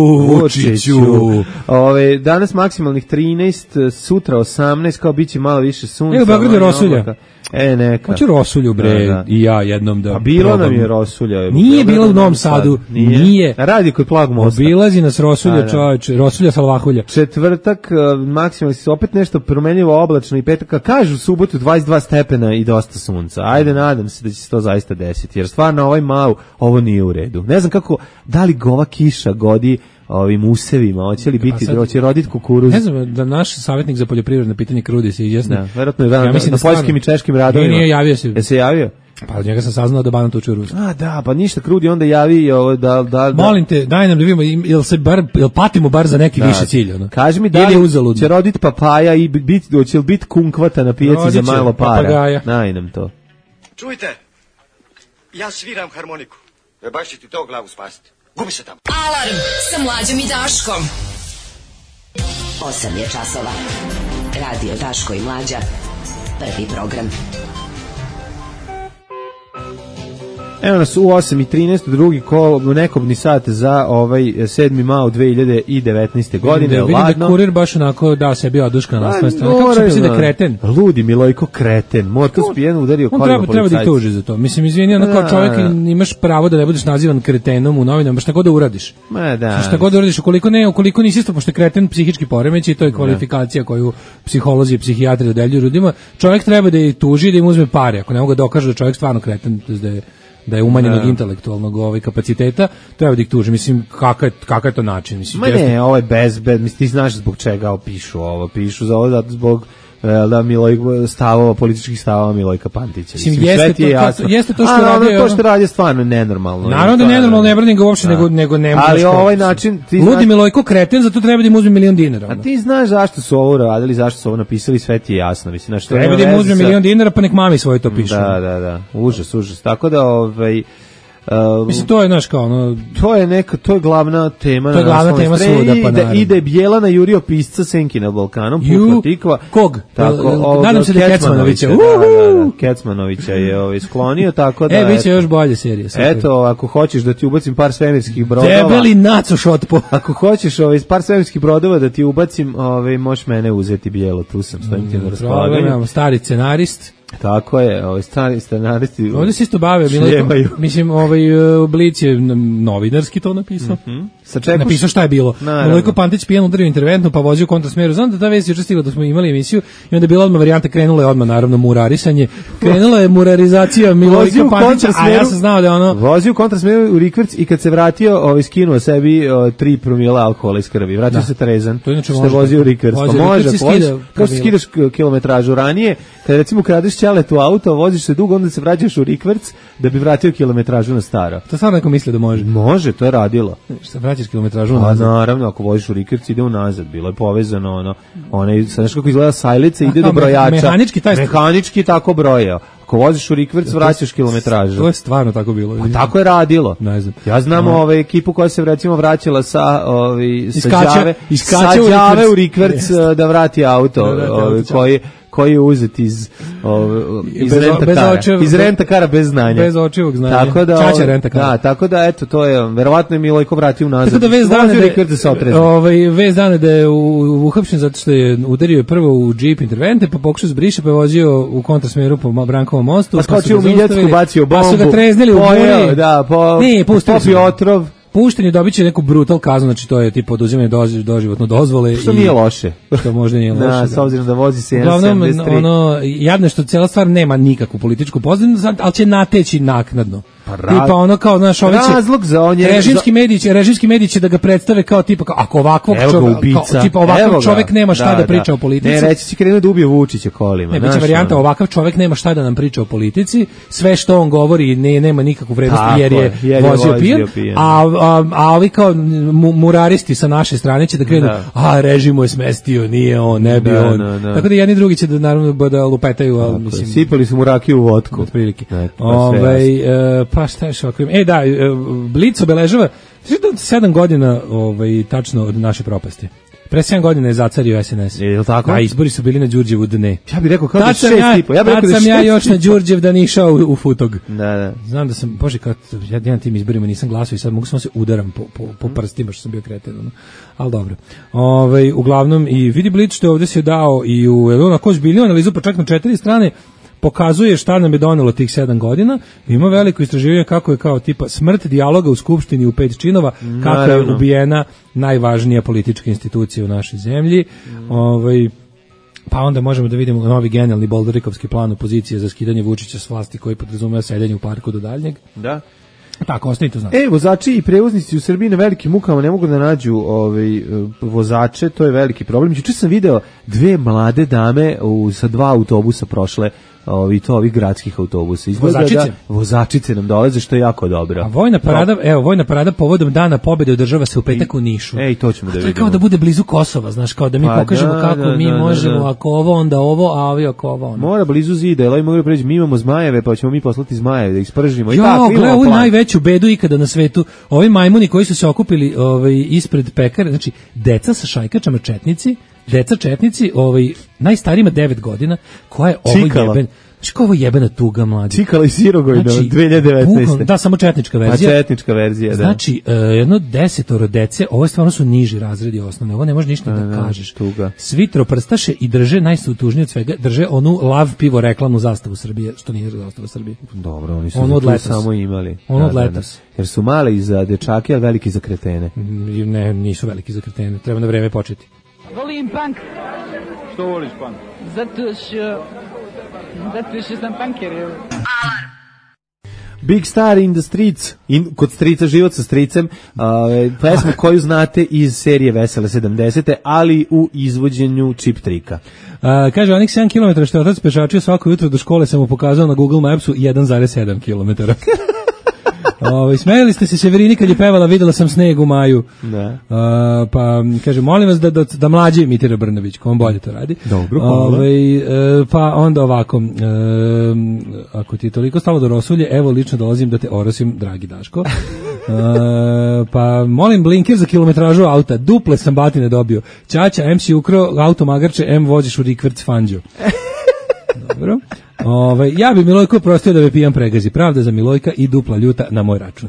Danas maksimalnih 13, sutra 18, kao biće malo više sunca. Evo, Beograd je rosulja. Neka. Hoće rosulju, bre, da. I ja jednom da. A bilo nam je rosulja. Nije bilo u Novom Sadu. Nije. Radi kod Plag mosta. Obilazi nas rosulja, čoveče. Rosulja salvahulja. Četvrtak, maksimalno se opet nešto promenljivo oblačno i petak. Kažu subotu 22 stepena i dosta sunca. Ajde, nadam se da će se to zaista desiti. Jer stvarno ovaj Mau, ovo nije u redu. Ne znam kako, da li ova kiša godi ovim usevima, hoće li biti, hoće roditi kukuruz. Ne znam, da naš savjetnik za poljoprivredne pitanje Krudi se izjasni. Da, verovatno je na poljskim i češkim radovima. Nije javio se. Je se javio? Pa od njega sam saznao da Banat uči u Rusiji. A da, pa ništa, Krudi onda javi da... Molim te, daj nam da vidimo, jel patimo bar za neki više cilj? Ono? Kaži mi da li će roditi papaja i hoće li biti kunkvata na pijaci za malo para? Papagaja. Daj nam to. Čujte, ja sviram harmoniku. Baš će ti to glavu spasiti. Gubi se tamo. Alarm sa Mlađom i Daškom. 8 je časova. Radio Daško i Mlađa. Prvi program. Evo nas u 8:13, drugi nekobni sat za ovaj 7. Mao 2019. godine. Vidim da kurir baš onako dao sebi oduška na naslovnoj strani. Kako se misli da kreten? Ludi Milojko kreten. Motor spijen udario kolima policajca. Treba da ih tuži za to. Mislim, izvini, ono kao čovjek imaš pravo da ne budeš nazivan kretenom u novinama, šta god da uradiš. Šta god da uradiš, ukoliko nisi isto, pošto je kreten psihički poremećaj, to je kvalifikacija koju psiholozi i psihijatri dodeljuju ljudima, čovjek treba da ih tuži, da im uzme pare. Ako ne mogu da dokaže da čovjek stvarno kreten, da je umanjenog intelektualnog kapaciteta, treba da ih tuži. Mislim, kakav je to način? Mislim, ne, ovo je mislim, ti znaš zbog čega pišu ovo. Pišu za ovo zato zbog političkih stavova Milojka Pantića. Jeste to što radi. To što radi je stvarno nenormalno. Naravno da je nenormalno, ne branim ga uopšte, nego ne može. Ali ovaj način... Ludi Milojko kreten, zato treba da im uzme $1.000.000. A ti znaš zašto su ovo radili, zašto su ovo napisali, sve ti je jasno. Treba da im uzme $1.000.000, pa nek mami svoje to pišu. Da. Užas. Tako da... mislim, to je naš kao ono... To je glavna tema. To je glavna tema svuda, pa naravno. Ide Bjelana Jurio pisca Senki na Balkanom, pukla tikva. Kog? Nadam se da Kecmanovića. Kecmanovića je sklonio, tako da... biće još bolje serija. Eto, ako hoćeš da ti ubacim par svemirskih brodova... Debeli naco šotpo. Ako hoćeš par svemirskih brodova da ti ubacim, možeš mene uzeti Bijelo, tu sam, stojim ti na raspolaganju. Stari scenarist. Tako je, scenaristi ovdje se isto bave, mislim, Blic je novinarski to napisao. Napisao šta je bilo. Milojko Pantić pijan udario interventno, pa vozio u kontrasmeru. Znam da ta vest juče stigla da smo imali emisiju i onda je bila odmah varijanta, krenula je odmah naravno murarisanje. Krenula je murarizacija Milojka Pantića, a ja sam znao da je ono... Vozio u kontrasmeru u Rikverc i kad se vratio, skinuo sebi 3 promila alkohola iz krvi. Vratio se trezan, što je vozio u Rikverc. Pa može, kao skidaš kilometražu ranije, kada recimo kradeš ćeletu auto, voziš se dugo, onda se vraćaš u rikverc da bi vratio kilometražu na staro. To stvarno neko misli da može? Može, to je radilo. Šta vraćaš kilometražu nazad? Naravno, ako voziš u rikverc ide unazad, bilo je povezano znaš kako izgleda sajlica, ide do brojača. Mehanički tako brojao. Ako voziš u rikverc, vraćaš kilometražu. To je stvarno tako bilo. A tako je radilo. Ne znam. Ja znam ekipu koja se recimo vraćala sa Đave u rikverc da vrati auto, koji je uzet iz rentakara. Iz rentakara bez znanja. Bez očivog znanja. Tako da, Čača rentakara. Da, tako da, eto, to je, verovatno je Milojko vratio nazad. Tako da vez dana da je uhapšen zato što je udario prvo u džip intervente, pa pokušao zbriše, pa je vozio u kontrasmeru po Brankovom mostu. Pa skočio u Miljacku, bacio bombu. Pa su ga treznili u buri. Da, popio otrov. Pušten je, dobit će neku brutal kaznu, znači to je tipa oduzimanje doživotno dozvole. Što nije loše. Što možda nije loše. Da, s obzirom da vozi se 1.73. Uglavnom, jadno što cijela stvar nema nikakvu političku pozadinu, ali će nateći naknadno. Tipa ono kao, znaš, ovi će, razlog za on je režimski mediji će da ga predstave kao tipa, ako ovakvog čovjek nema šta da priča o politici. Ne, reći si krenuo da ubije Vučića kolima. Ne, biće varijanta, ovakav čovjek nema šta da nam priča o politici, sve što on govori nema nikakvu vrednost jer je vozio pijan, a ovi kao muraristi sa naše strane će da krenu, režim mu je smestio, nije on, ne bi on. Tako da jedni drugi će da naravno da lupetaju, ali mislim... Sipali su mu rakiju u vodku. Otprilike. Pa šta je šokrim? Da, Blic obeležava 7 godina tačno od naše propasti. Pre 7 godina je zacario SNS. Je li tako? A izbori su bili na Đurđevu dne. Ja bih rekao kao da 6,5. Tad sam ja još na Đurđev dan išao u Futog. Da. Znam da sam, bože, kad ja na tim izborima nisam glasao i sad mogu samo se udaram po prstima što sam bio kreten. Ali dobro. Uglavnom, i vidi Blic što ovdje se dao i u Elona Koš-Biljon analizu, pa čak na 4 strane, pokazuje šta nam je donelo tih 7 godina. Ima veliko istraživanje kako je kao tipa smrt dijaloga u Skupštini u 5 činova, kako je ubijena najvažnija politička institucija u našoj zemlji. Pa onda možemo da vidimo novi genijalni Bolderikovski plan opozicije za skidanje Vučića s vlasti koji podrazumeva sedenje u parku do daljnjeg. Da. Tako, ostanite to znati. Vozači i prevoznici u Srbiji na velikim mukama ne mogu da nađu vozače, to je veliki problem. Juče sam video 2 mlade dame sa 2 autobusa prošle, ovih gradskih autobusa. Vozačice nam dolaze, što je jako dobro. A vojna parada povodom Dana pobede održava se u petak u Nišu. To ćemo da vidimo. To je kao da bude blizu Kosova, znaš, kao da mi pokažemo kako mi možemo, ako ovo, onda ovo, a ovi ako ovo, onda. Mora blizu zida, jer mogu preći, mi imamo zmajeve, pa ćemo mi poslati zmajeve da ih spržimo. Gledaj, ovu najveću bedu ikada na svetu. Ovi majmuni koji su se okupili ispred pekare, znači, deca sa šajkačama četnici, najstarijima 9 godina, koja je ovo jeben... Znači kao ovo jebena tuga, mlađe. Cikala i Sirogojno, 2019. Da, samo četnička verzija. Četnička verzija, da. Znači, jedno 10 dece, ovo stvarno su niži razredi osnovne, ovo ne može ništa da kažeš. Tuga. Svi troprstaše i drže, najtužnije od svega, drže onu lav pivo reklamnu zastavu Srbije, što nije zastava Srbije. Dobro, oni su tu samo imali. Ono od letos. Jer su mali za dečake, a veliki za kretene. Ne, nisu veliki za kretene, treba na vreme početi. Volim punk. Što voliš punk? Zato što sam punker. Alarm. Big Star in the Streets, kod strica, život sa stricem, pesmu koju znate iz serije Vesele 70. ali u izvođenju Chip Tricka. Kaže, onih 7 km što je otac pešačio svako jutro do škole sam mu pokazao na Google Mapsu 1,7 km. Smejali ste se Severini kad je pevala videla sam sneg u maju. Da. Pa kaže molim vas da mlađe imitira Brnabić, ko on bolje to radi. Dobro, hvala. Pa onda ovako, ako ti je toliko stalo do rosulje, evo lično dolazim da te orosim, dragi Daško. Pa molim blinker za kilometražu auta, duple sam batine dobio. Ćaća, M si ukro auto magarče, M voziš u rikverc Fanđu. Dobro. Ja bi Milojko prostio da me pijan pregazi. Pravda za Milojka i dupla ljuta na moj račun.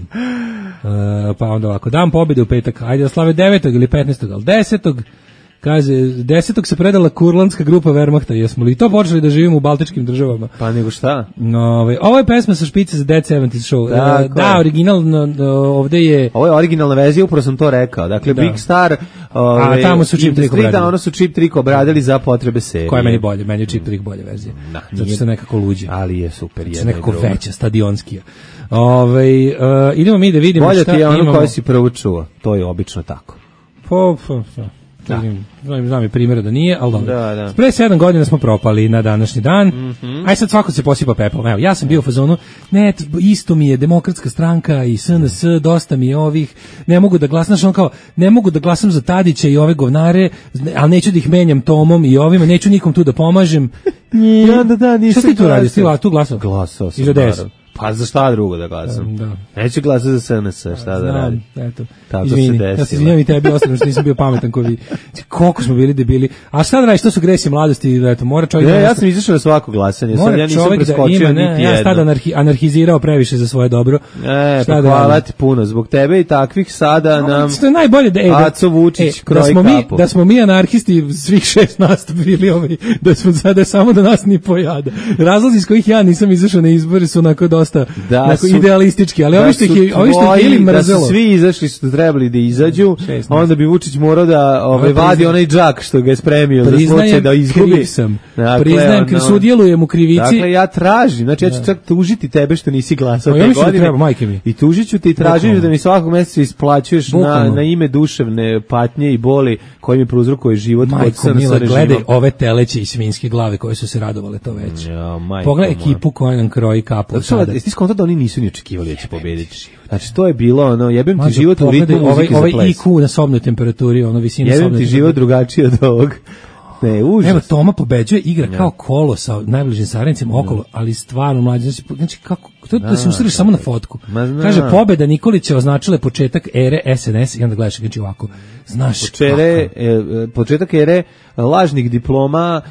Pa onda ovako, dan pobjede u petak, ajde da slave 9. ili 15. ali 10. Kaže, 10. se predala kurlandska grupa Wehrmachta, jesmo li to počeli da živimo u baltičkim državama? Pa nego šta? Ovo je pesma sa špice za Dead 70's Show. Da, originalno, ovdje je... Ovo je originalna verzija, upravo sam to rekao. Dakle, Big Star... a tamo su Chip Trick obradili. Da, ono su Chip Trick obradili za potrebe serije. Koja je meni bolje? Meni je Chip Trick bolje verzija. Zato što je nekako luđe. Ali je super. Zato nekako veća, stadionskija. Idemo mi da vidimo bolje šta imamo. Bolje ti je ono koje si prvo čuo. To je obično tako. Znam je primjera da nije, ali dobro. Da. Pre 7 godina smo propali na današnji dan. Aj sad svako se posipa pepelom. Evo, ja sam bio u fazonu, ne, isto mi je Demokratska stranka i SNS, dosta mi je ovih, ne mogu da glasam, znači on kao, ne mogu da glasam za Tadića i ove govnare, ali neću da ih menjam Tomom i ovima, neću nikom tu da pomažem. Da, nisam. Šta ti tu radiš? Ti tu glasao? Glasao sam. I za DS? Pa za šta drugo da glasam? Da. Neću glasati za SNS, šta da radim? Eto. Tako Izvini, se desilo. ja se izvinjam i tebi ostavno što nisam bio pametan ko vi. Koliko smo bili debili. A šta da radiš, to su gresi mladosti, eto, mora čovjek... Ne, ja sam izašao na svako glasanje, sad ja nisam preskočio niti jedno. Ja sam tada anarhizirao previše za svoje dobro. Pa hvala ti puno, zbog tebe i takvih sada nam... Što je najbolje da... Aco Vučić kroji kapu. Da smo mi anarhisti, svih 6 nas bili da smo sada samo da nas ni pojada. Razlozi iz kojih ja nisam izašao na izbore su onako dosta idealistički, ali ovi što ih ili mrzelo. Da su svi izašli što trebali da izađu, onda bi Vučić morao da vadi onaj džak što ga je spremio za slučaj da izgubi. Priznajem kriv, sudjelujem u krivici. Dakle, ja tražim, znači ja ću čak tužiti tebe što nisi glasao te godine. I tužit ću te i tražim da mi svakog meseca isplaćuješ na ime duševne patnje i boli koji mi prouzrokuje život. Majko mila, gledaj ove teleće i svinjske glave koje su se radovale to već. Pogledaj ekipu koja nam kroji kapu. Ti skonto da oni nisu ni očekivali da će pobediti. Znači to je bilo jebem ti život u ritmu muzike za ples. Ovaj IQ na sobnoj temperaturi, visina sobne. Jebem ti život drugačiji od ovog. Ne, užas. Evo, Toma pobeđuje, igra kao kolo sa najbližim saradnicima okolo, ali stvarno mlađi. Znači kako, to da se usreš samo na fotku. Kaže, pobeda Nikolića označila je početak ere SNS i onda gledaš znači ovako. Znaš početak ere lažnih diploma,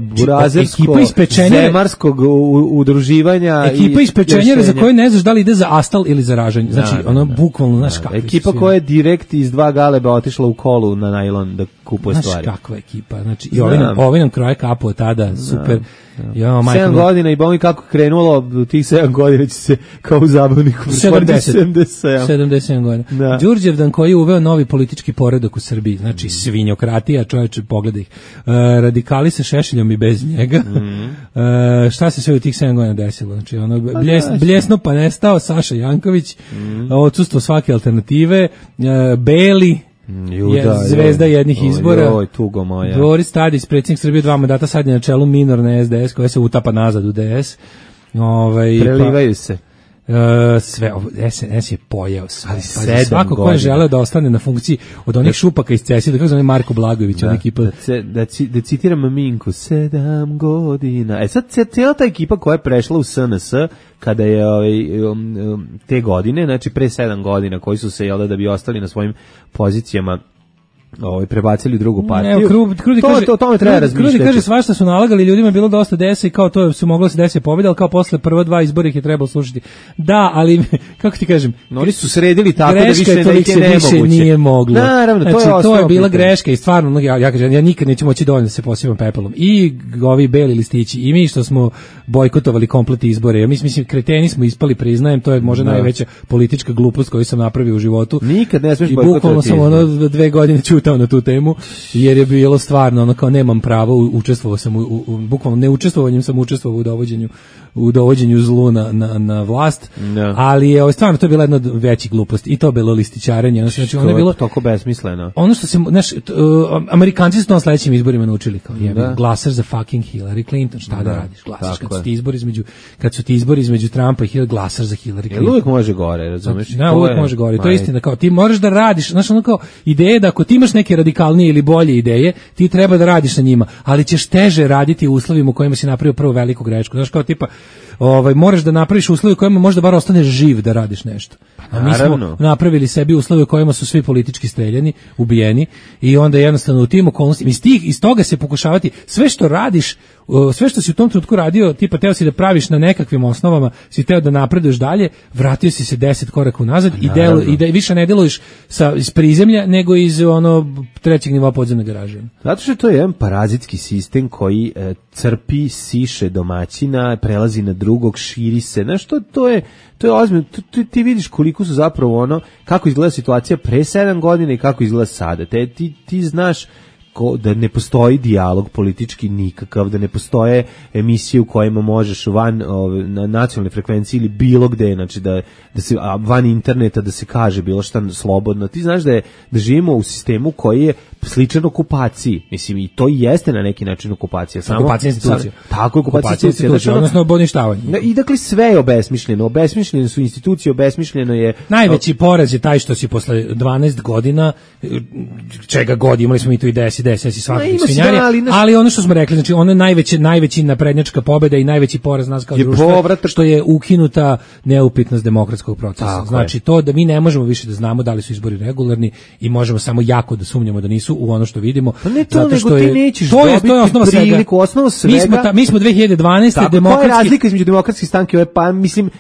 burazerskog, zemarskog udruživanja. Ekipa iz pečenjera za koju ne znaš da li ide za astal ili za ražanje. Znači, ono bukvalno, znaš kako. Ekipa koja je direkt iz 2 galeba otišla u kolu na najlon da kupuje stvari. Znaš kakva ekipa. Znači, i ovi nam kroje kapu od tada, super. 7 godina i bomi kako krenulo, tih 7 godina će se kao u zabavniku 77 godina. Đurđevdan koji je uveo novi politički poredak u Srbiji, znači svinjokratija, čovječe, pogledaj ih. Radikali sa Šešeljom i bez njega. Šta se sve u tih 7 godina desilo? Znači, bljesno pa nestao, Saša Janković, odsustvo svake alternative, Beli, zvezda jednih izbora. Boris Tadić, predsjednik Srbije 2 mandata, sad je na čelu minorne SDS koja se utapa nazad u DS. Prelivaju se. Sve, SNS je pojeo sve. Svako ko je želeo da ostane na funkciji od onih šupaka iz CESI, da kako zove Marko Blagojević, ona ekipa. Da citiram Minku, 7 godina. Sad cijela ta ekipa koja je prešla u SNS, kada je te godine, znači pre 7 godina, koji su se, da bi ostali na svojim pozicijama, prebacili u drugu partiju. To treba razmišljati. Krudi kaže svašta su nalagali, ljudima je bilo dosta desa i kao to su moglo se desiti pobjeda, ali kao posle prva 2 izbora ih je trebalo slušati. Da, ali kako ti kažem, oni su sredili tako da više nije moglo. Naravno, znači, to je bila greška i stvarno, ja kažem, ja nikad neću moći dovoljno da se posipam pepelom. I ovi beli listići, i mi što smo bojkotovali komplet izbore. Mislim, kreteni smo ispali, priznajem, to je možda najveća politička glupost koju sam napravio u životu. Nikad ne smiješ bojkotovati. I bukvalno sam 2 godine čutao na tu temu, jer je bilo stvarno kao nemam pravo, učestvovao sam bukvalno neučestvovanjem sam učestvovao u dovođenju zlu na vlast, ali je stvarno to je bila jedna od većih gluposti i to je bilo listićarenje. Znači, ono je bilo toliko besmisleno. Ono što se, Amerikanci su to na sledećim izborima naučili, kao glasaš za fucking Hillary Clinton, šta da radiš, glasaš kad su ti izbori između Trumpa i Hillary, glasaš za Hillary Clinton. Uvijek može gore, razumeš? Da, uvijek može gore, to je istina, kao ti moraš da radiš, znaš, ono kao ideje da ako ti imaš neke radikalnije ili bolje ideje, ti treba da radiš na njima, ali ćeš teže raditi u uslovima u kojima si napravio prvu veliku grešku. Znaš, kao tipa, moraš da napraviš uslove u kojima možda bar ostaneš živ da radiš nešto. A mi smo napravili sebi uslove u kojima su svi politički streljani, ubijeni i onda jednostavno u tim okolnostima iz toga se pokušavati sve što radiš, sve što si u tom trenutku radio, tipa teo si da praviš na nekakvim osnovama, si teo da napreduješ dalje, vratio si se 10 koraka unazad i da više ne deluješ iz prizemlja nego iz trećeg nivoa podzemne garaže. Zato što to je jedan parazitski sistem koji crpi, siše domaćina, prelazi na drugog, širi se. Znaš, to je ozbiljno. Ti vidiš koliko su zapravo kako izgleda situacija pre 7 godina i kako izgleda sada. Ti znaš da ne postoji dijalog politički nikakav, da ne postoje emisije u kojima možeš na nacionalnoj frekvenciji ili bilo gde, znači da se van interneta da se kaže bilo šta slobodno. Ti znaš da živimo u sistemu koji je sličan okupaciji. Mislim, i to jeste na neki način okupacija. Okupacija institucija. Tako je, okupacija institucija. Odnosno oboništavanje. I dakle sve je obesmišljeno. Obesmišljene su institucije, obesmišljeno je... Najveći poraz je taj što si posle 12 godina, čega god, imali smo i tu i DSS i svakakih svinjarija, ali ono što smo rekli, znači ono najveći naprednjačka pobjeda i najveći poraz nas kao društva, što je ukinuta neupitnost demokratskog procesa. Tako znači je. To da mi ne možemo više da znamo da li su izbori regularni i možemo samo jako da sumnjamo da nisu u ono što vidimo. Pa ne to, zato što nego ti nećeš dobiti priliku, osnova svega. Mi smo 2012. Tako, koja je razlika između demokratske stranke, pa mislim,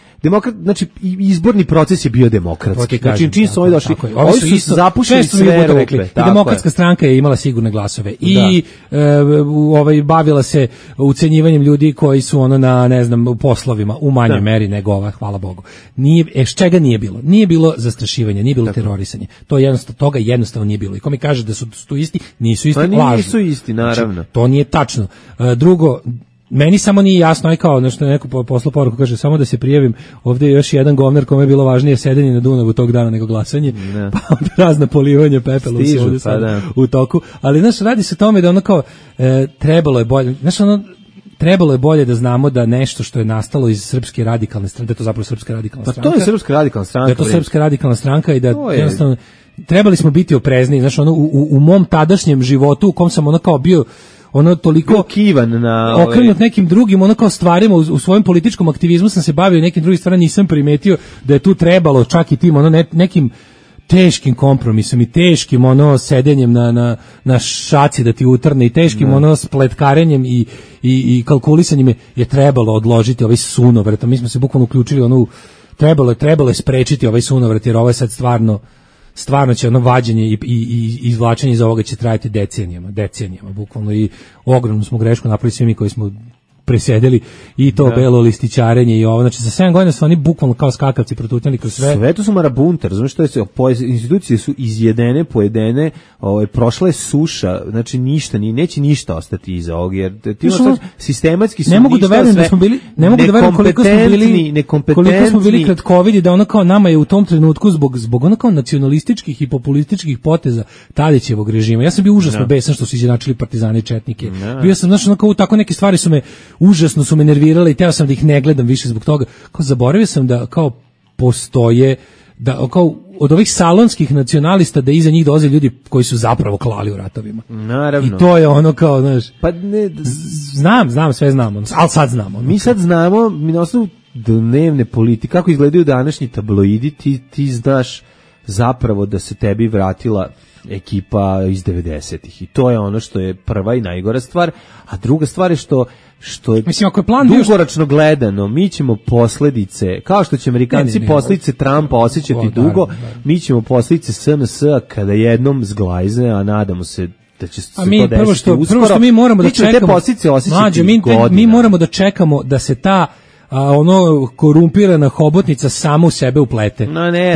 znači izborni proces je bio demokratski. Znači čim su ovi došli, ovi su zapušili sve rupe. Demokratska stranka je imala sigurne glasove i bavila se ucenjivanjem ljudi koji su na ne znam poslovima u manjoj meri nego ova, hvala Bogu. Čega nije bilo? Nije bilo zastrašivanja, nije bilo terorisanje. Toga jednostavno nije bilo. I ko mi kaže da su tu isti, nisu isti, lažu. Nisu isti, naravno. Znači, to nije tačno. Drugo, meni samo nije jasno, aj kao nešto neko poslao poruku, kaže samo da se prijavim, ovdje je još jedan govnar kome je bilo važnije sedenje na Dunavu tog dana nego glasanje, pa onda razna polivanje pepelom se ovdje sada u toku, ali znaš, radi se o tome da ono kao trebalo je bolje, znaš trebalo je bolje da znamo da nešto što je nastalo iz Srpske radikalne stranke, da je to zapravo Srpska radikalna stranka. Pa to je Srpska radikalna stranka. Da je to Srpska radikalna stranka i da jednostavno trebali smo biti oprezni, znaš, u mom tadašnjem životu u kom sam kao bio toliko kivan na okrenut nekim drugim kao stvarima u svojem političkom aktivizmu sam se bavio nekim drugim stvarima, nisam primetio da je tu trebalo čak i tim nekim teškim kompromisom i teškim sedenjem na šaci da ti utrne i teškim spletkarenjem i kalkulisanjem je trebalo odložiti ovaj sunovrat. Mi smo se bukvalno uključili trebalo je sprečiti ovaj sunovrat, jer ovo je sad stvarno će vađenje i izvlačenje iz ovoga će trajati decenijama bukvalno, i ogromnu smo grešku napravili svi mi koji smo presedeli i to belo listićarenje i ovo, znači za 7 godina su oni bukvalno kao skakavci protutnjali kroz sve. Sve to su marabunte, razumiješ što je, institucije su izjedene, pojedene, prošla je suša, znači ništa, neće ništa ostati iza ovog, jer ti sistematski su ne mogu da verujem da smo bili, ne mogu da verujem koliko smo bili kratkovidi, da kao nama je u tom trenutku zbog kao nacionalističkih i populističkih poteza Tadićevog režima. Ja sam bio užasno besan što su izjednačili partizane i četnike. Bio sam, znači, kao tako neke stvari užasno su me nervirale i teo sam da ih ne gledam više zbog toga. Kao zaboravio sam da kao postoje, da kao od ovih salonskih nacionalista da iza njih dolaze ljudi koji su zapravo klali u ratovima. Naravno. I to je kao, znaš, pa ne, znam, sve znamo, ali sad znamo. Mi sad znamo, mi na osnovu dnevne politike, kako izgledaju današnji tabloidi, ti znaš zapravo da se tebi vratila ekipa iz 90-ih i to je ono što je prva i najgora stvar, a druga stvar je što je, mislim, ako je plan dugoročno gledano, mi ćemo posljedice, kao što će Amerikanci posljedice Trumpa osjećati dugo, mi ćemo posljedice SNS-a kada jednom zglajze, a nadamo se da će se to desiti uskoro. Prvo što mi moramo da čekamo, te posljedice osjećati mi moramo da čekamo da se ta korumpirana hobotnica sama u sebe uplete.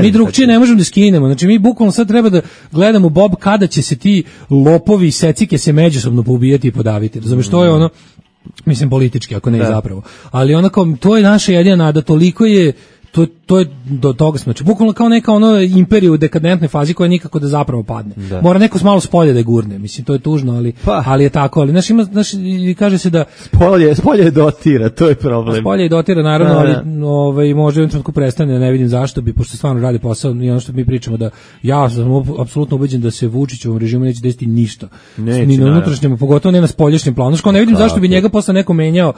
Mi drugčije ne možemo da skinemo. Znači mi bukvalno sad treba da gledamo Bob kada će se ti lopovi i secike se međusobno poubijati i podaviti. Razumeš, to je mislim politički, ako ne i zapravo. Ali to je naša jedina nada, toliko je to je do toga smo, znači bukvalno kao neka imperija u dekadentnoj fazi koja nikako da zapravo padne. Da. Mora neko malo s polja da je gurne, mislim to je tužno, ali je tako, ali kaže se da spolje dotira, to je problem. Spolje dotira naravno, ali može u jednom trenutku prestane, ne vidim zašto bi, pošto stvarno radi posao i ono što mi pričamo da ja sam apsolutno ubeđen da se Vučićevom režimu neće desiti ništa. Ni na unutrašnjem, pogotovo ne na spoljašnjem planu. Ne vidim zašto bi njega posle neko menjao.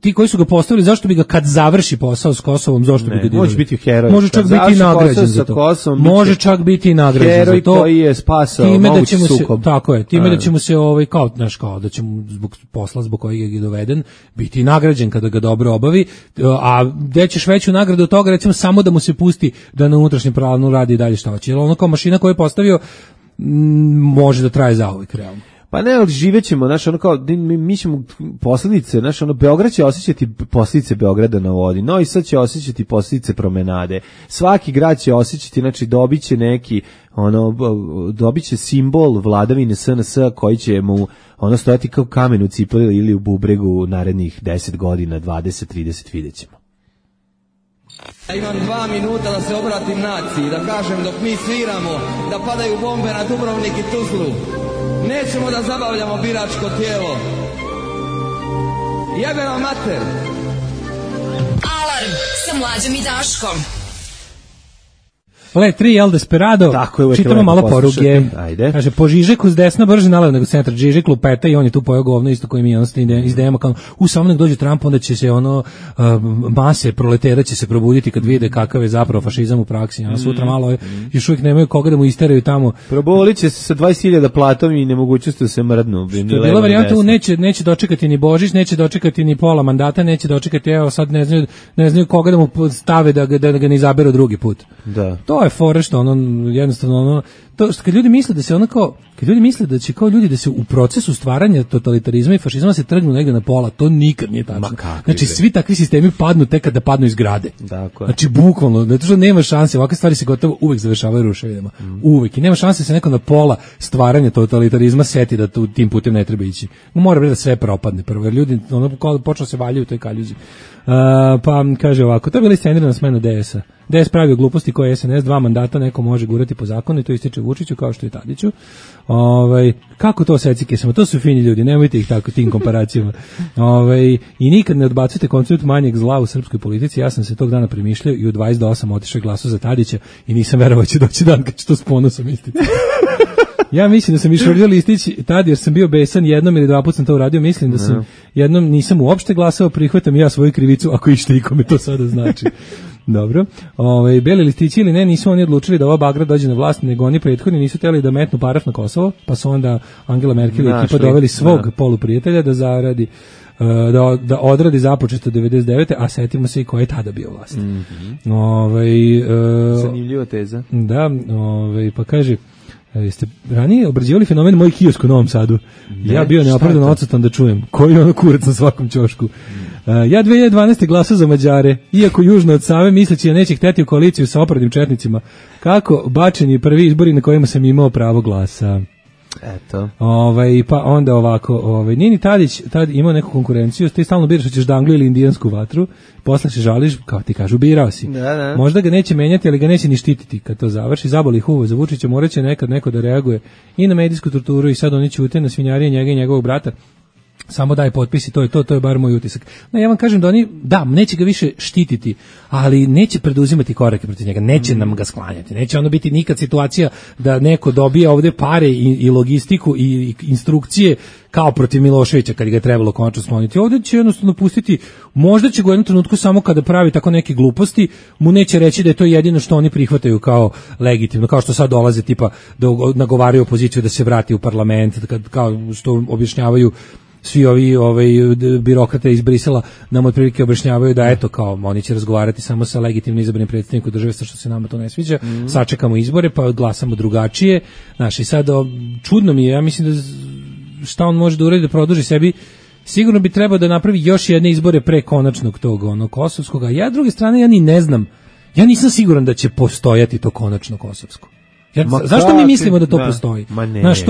Ti koji su ga postavili, zašto bi ga kad završi posao s Kosovom, zašto bi ga može biti heroj. Može čak biti nagrađen za to. Može čak biti nagrađen za to. Heroj koji je spasao mogući sukob. Tako je, time da ćemo se kao da ćemo zbog posla zbog kojeg je doveden biti nagrađen kada ga dobro obavi, a gde ćeš veću nagradu od toga, recimo samo da mu se pusti da na unutrašnjem planu radi i dalje šta hoće. Jer kao mašina koju je postavio može da traje zauvek realno. Pa ne, ali živećemo, znaš, ono kao, mi ćemo posljedice, znaš, ono, Beograd će osjećati posljedice Beograda na vodi, Novi Sad će osjećati posljedice promenade, svaki grad će osjećati, znači, dobit će neki, dobit će simbol vladavine SNS koji će mu, stojati kao kamen u cipeli ili u bubregu narednih 10 godina, 20, 30, vidjet ćemo. Ja imam 2 minuta da se obratim naciji, da kažem dok mi sviramo, da padaju bombe na Dubrovnik i Tuzlu. Nećemo da zabavljamo biračko tijelo. Jebe vam mater! Alarm sa Mlađom i Daškom. Le 3 El Desperado, čitamo malo poruke. Ajde. Kaže, po Žižeku s desna brže nalevo nego centar. Žižek lupeta i on je tu pojao govno isto koji mi izdejemo kao, samo nek dođe Trump, onda će se mase proletera će se probuditi kad vide kakav je zapravo fašizam u praksi. Sutra malo još uvijek nemaju koga da mu isteraju tamo. Probolit će se sa 20.000 platom i nemogućnosti da se mrdnu. Što je bila varijanta, neće dočekati ni Božić, neće dočekati ni pola mandata, neće dočekati, evo sad ne znaju koga da mu stave da ga ne izaberu drugi put. Da. To je fora što jednostavno to što kad ljudi misle da se kad ljudi misle da će kao ljudi da se u procesu stvaranja totalitarizma i fašizma se trgnu negde na pola, to nikad nije tačno. Znači svi takvi sistemi padnu tek kada padnu iz zgrade. Dakle. Znači bukvalno, zato što nema šanse, ovakve stvari se gotovo uvek završavaju ruševinama. Uvek. I nema šanse da se neko na pola stvaranja totalitarizma seti da tim putem ne treba ići. Mora biti da sve propadne prvo, jer ljudi počnu se valjaju u toj kaljuzi. Pa kaže ovako, to je bila iscenirana smena DS-a. DS pravio gluposti koje SNS 2 mandata neko može gurati po zakonu i to ističe Vučiću kao što je Tadiću. Kako to secike samo, to su fini ljudi, nemojte ih tako tim komparacijama. I nikad ne odbacujete koncept manjeg zla u srpskoj politici. Ja sam se tog dana premišljao i u 22 otišao glasu za Tadića i nisam verovao će doći dan kad ću to s ponosom istiti. Ja mislim da sam išvrdio listić tad jer sam bio besan, jednom ili 2 puta sam to uradio, mislim da sam jednom nisam uopšte glasao, prihvatam ja svoju krivicu ako išta ikome to sada znači. Dobro. Beli listići ili ne, nisu oni odlučili da ova bagra dođe na vlast, nego oni prethodni nisu htjeli da metnu paraf na Kosovo, pa su onda Angela Merkel i ekipa doveli svog poluprijatelja da zaradi da odradi započeto 99. a setimo se i ko je tada bio vlast. Zanimljiva teza. Da, pa kaže, jeste ranije obrađivali fenomen moj kiosk u Novom Sadu? Ja bio neopravdano odsutan da čujem. Koji je ono kurac na svakom ćošku? Ja 2012. glasao za Mađare, iako južno od Save, misleći da neće hteti u koaliciju sa opravnim četnicima. Kako bačeni prvi izbori na kojima sam imao pravo glasa. Eto. Pa onda ovako, Nini Tadić tad imao neku konkurenciju, ti stalno biraš hoćeš da Angliju ili indijansku vatru, posle se žališ, kao ti kažu, birao si. Da. Možda ga neće menjati, ali ga neće ni štititi kad to završi, zaboli huvo za Vučića, morat će nekad neko da reaguje i na medijsku torturu i sad oni ćute na svinjarije njega i njegovog brata. Samo daj potpisi, to je bar moj utisak. No, ja vam kažem da oni, neće ga više štititi, ali neće preduzimati korake protiv njega, neće nam ga sklanjati, neće ono biti nikad situacija da neko dobije ovde pare i logistiku i instrukcije kao protiv Miloševića kad ga je trebalo konačno skloniti. Ovde će jednostavno pustiti, možda će ga u jednom trenutku samo kada pravi tako neke gluposti, mu neće reći da je to jedino što oni prihvataju kao legitimno, kao što sad dolaze tipa da nagovaraju opoziciju da se vrati u parlament, kao što objašnjavaju svi ovi birokrate iz Brisela nam otprilike objašnjavaju da eto kao oni će razgovarati samo sa legitimno izabranim predstavnikom države, što se nama to ne sviđa, sačekamo izbore pa glasamo drugačije. Znaš, i sad čudno mi je, ja mislim da šta on može da uradi da produži sebi, sigurno bi trebao da napravi još jedne izbore pre konačnog tog kosovskog, a ja druge strane ja ni ne znam, ja nisam siguran da će postojati to konačno kosovsko. Zašto mi mislimo da to postoji? Znaš,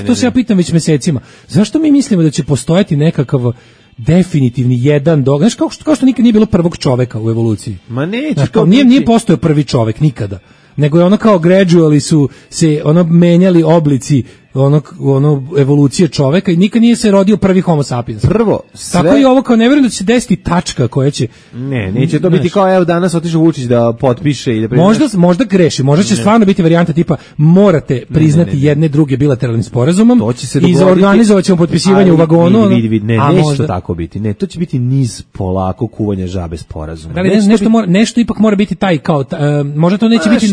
to se ja pitam već mesecima. Zašto mi mislimo da će postojati nekakav definitivni jedan događaj? Znaš, kao što nikad nije bilo prvog čoveka u evoluciji. Ma neće. Nije postojao prvi čovek nikada. Nego je ono kao gradually su se menjali oblici evolucije čoveka i nikad nije se rodio prvi homo sapiens. Prvo, sve... Tako i ovo kao ne vjerujem da će se desiti tačka koja će... Neće to biti kao evo danas otišao Vučić da potpiše i da možda greši, možda će stvarno biti varijanta tipa morate priznati jedne druge bilateralnim sporazumom i organizovat ćemo potpisivanje u vagonu. Neće to tako biti. Ne, to će biti niz polako kuvanja žabe sporazuma. Nešto ipak mora biti taj kao... možda to neće biti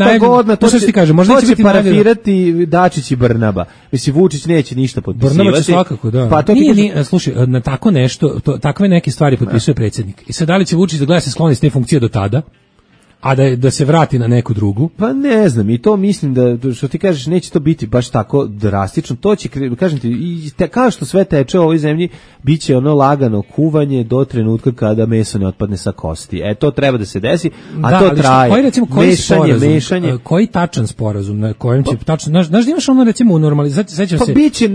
to će parafirati Dačić i Brnaba. Mislim, Vučić neće ništa potpisivati. Brnaba će svakako, da. Pa slušaj, na tako nešto, takve neke stvari potpisuje predsjednik. I sad da li će Vučić da gleda se skloni s te funkcije do tada? a da se vrati na neku drugu. Pa ne znam, i to mislim da, što ti kažeš, neće to biti baš tako drastično, to će, kažem ti, kao što sve teče u ovoj zemlji, bit će ono lagano kuvanje do trenutka kada meso ne otpadne sa kosti. To treba da se desi, a to traje. Mešanje. Koji tačan sporazum, na kojem će tačno, znaš da imaš ono recimo u normalizaciji, sećam se. Pa biće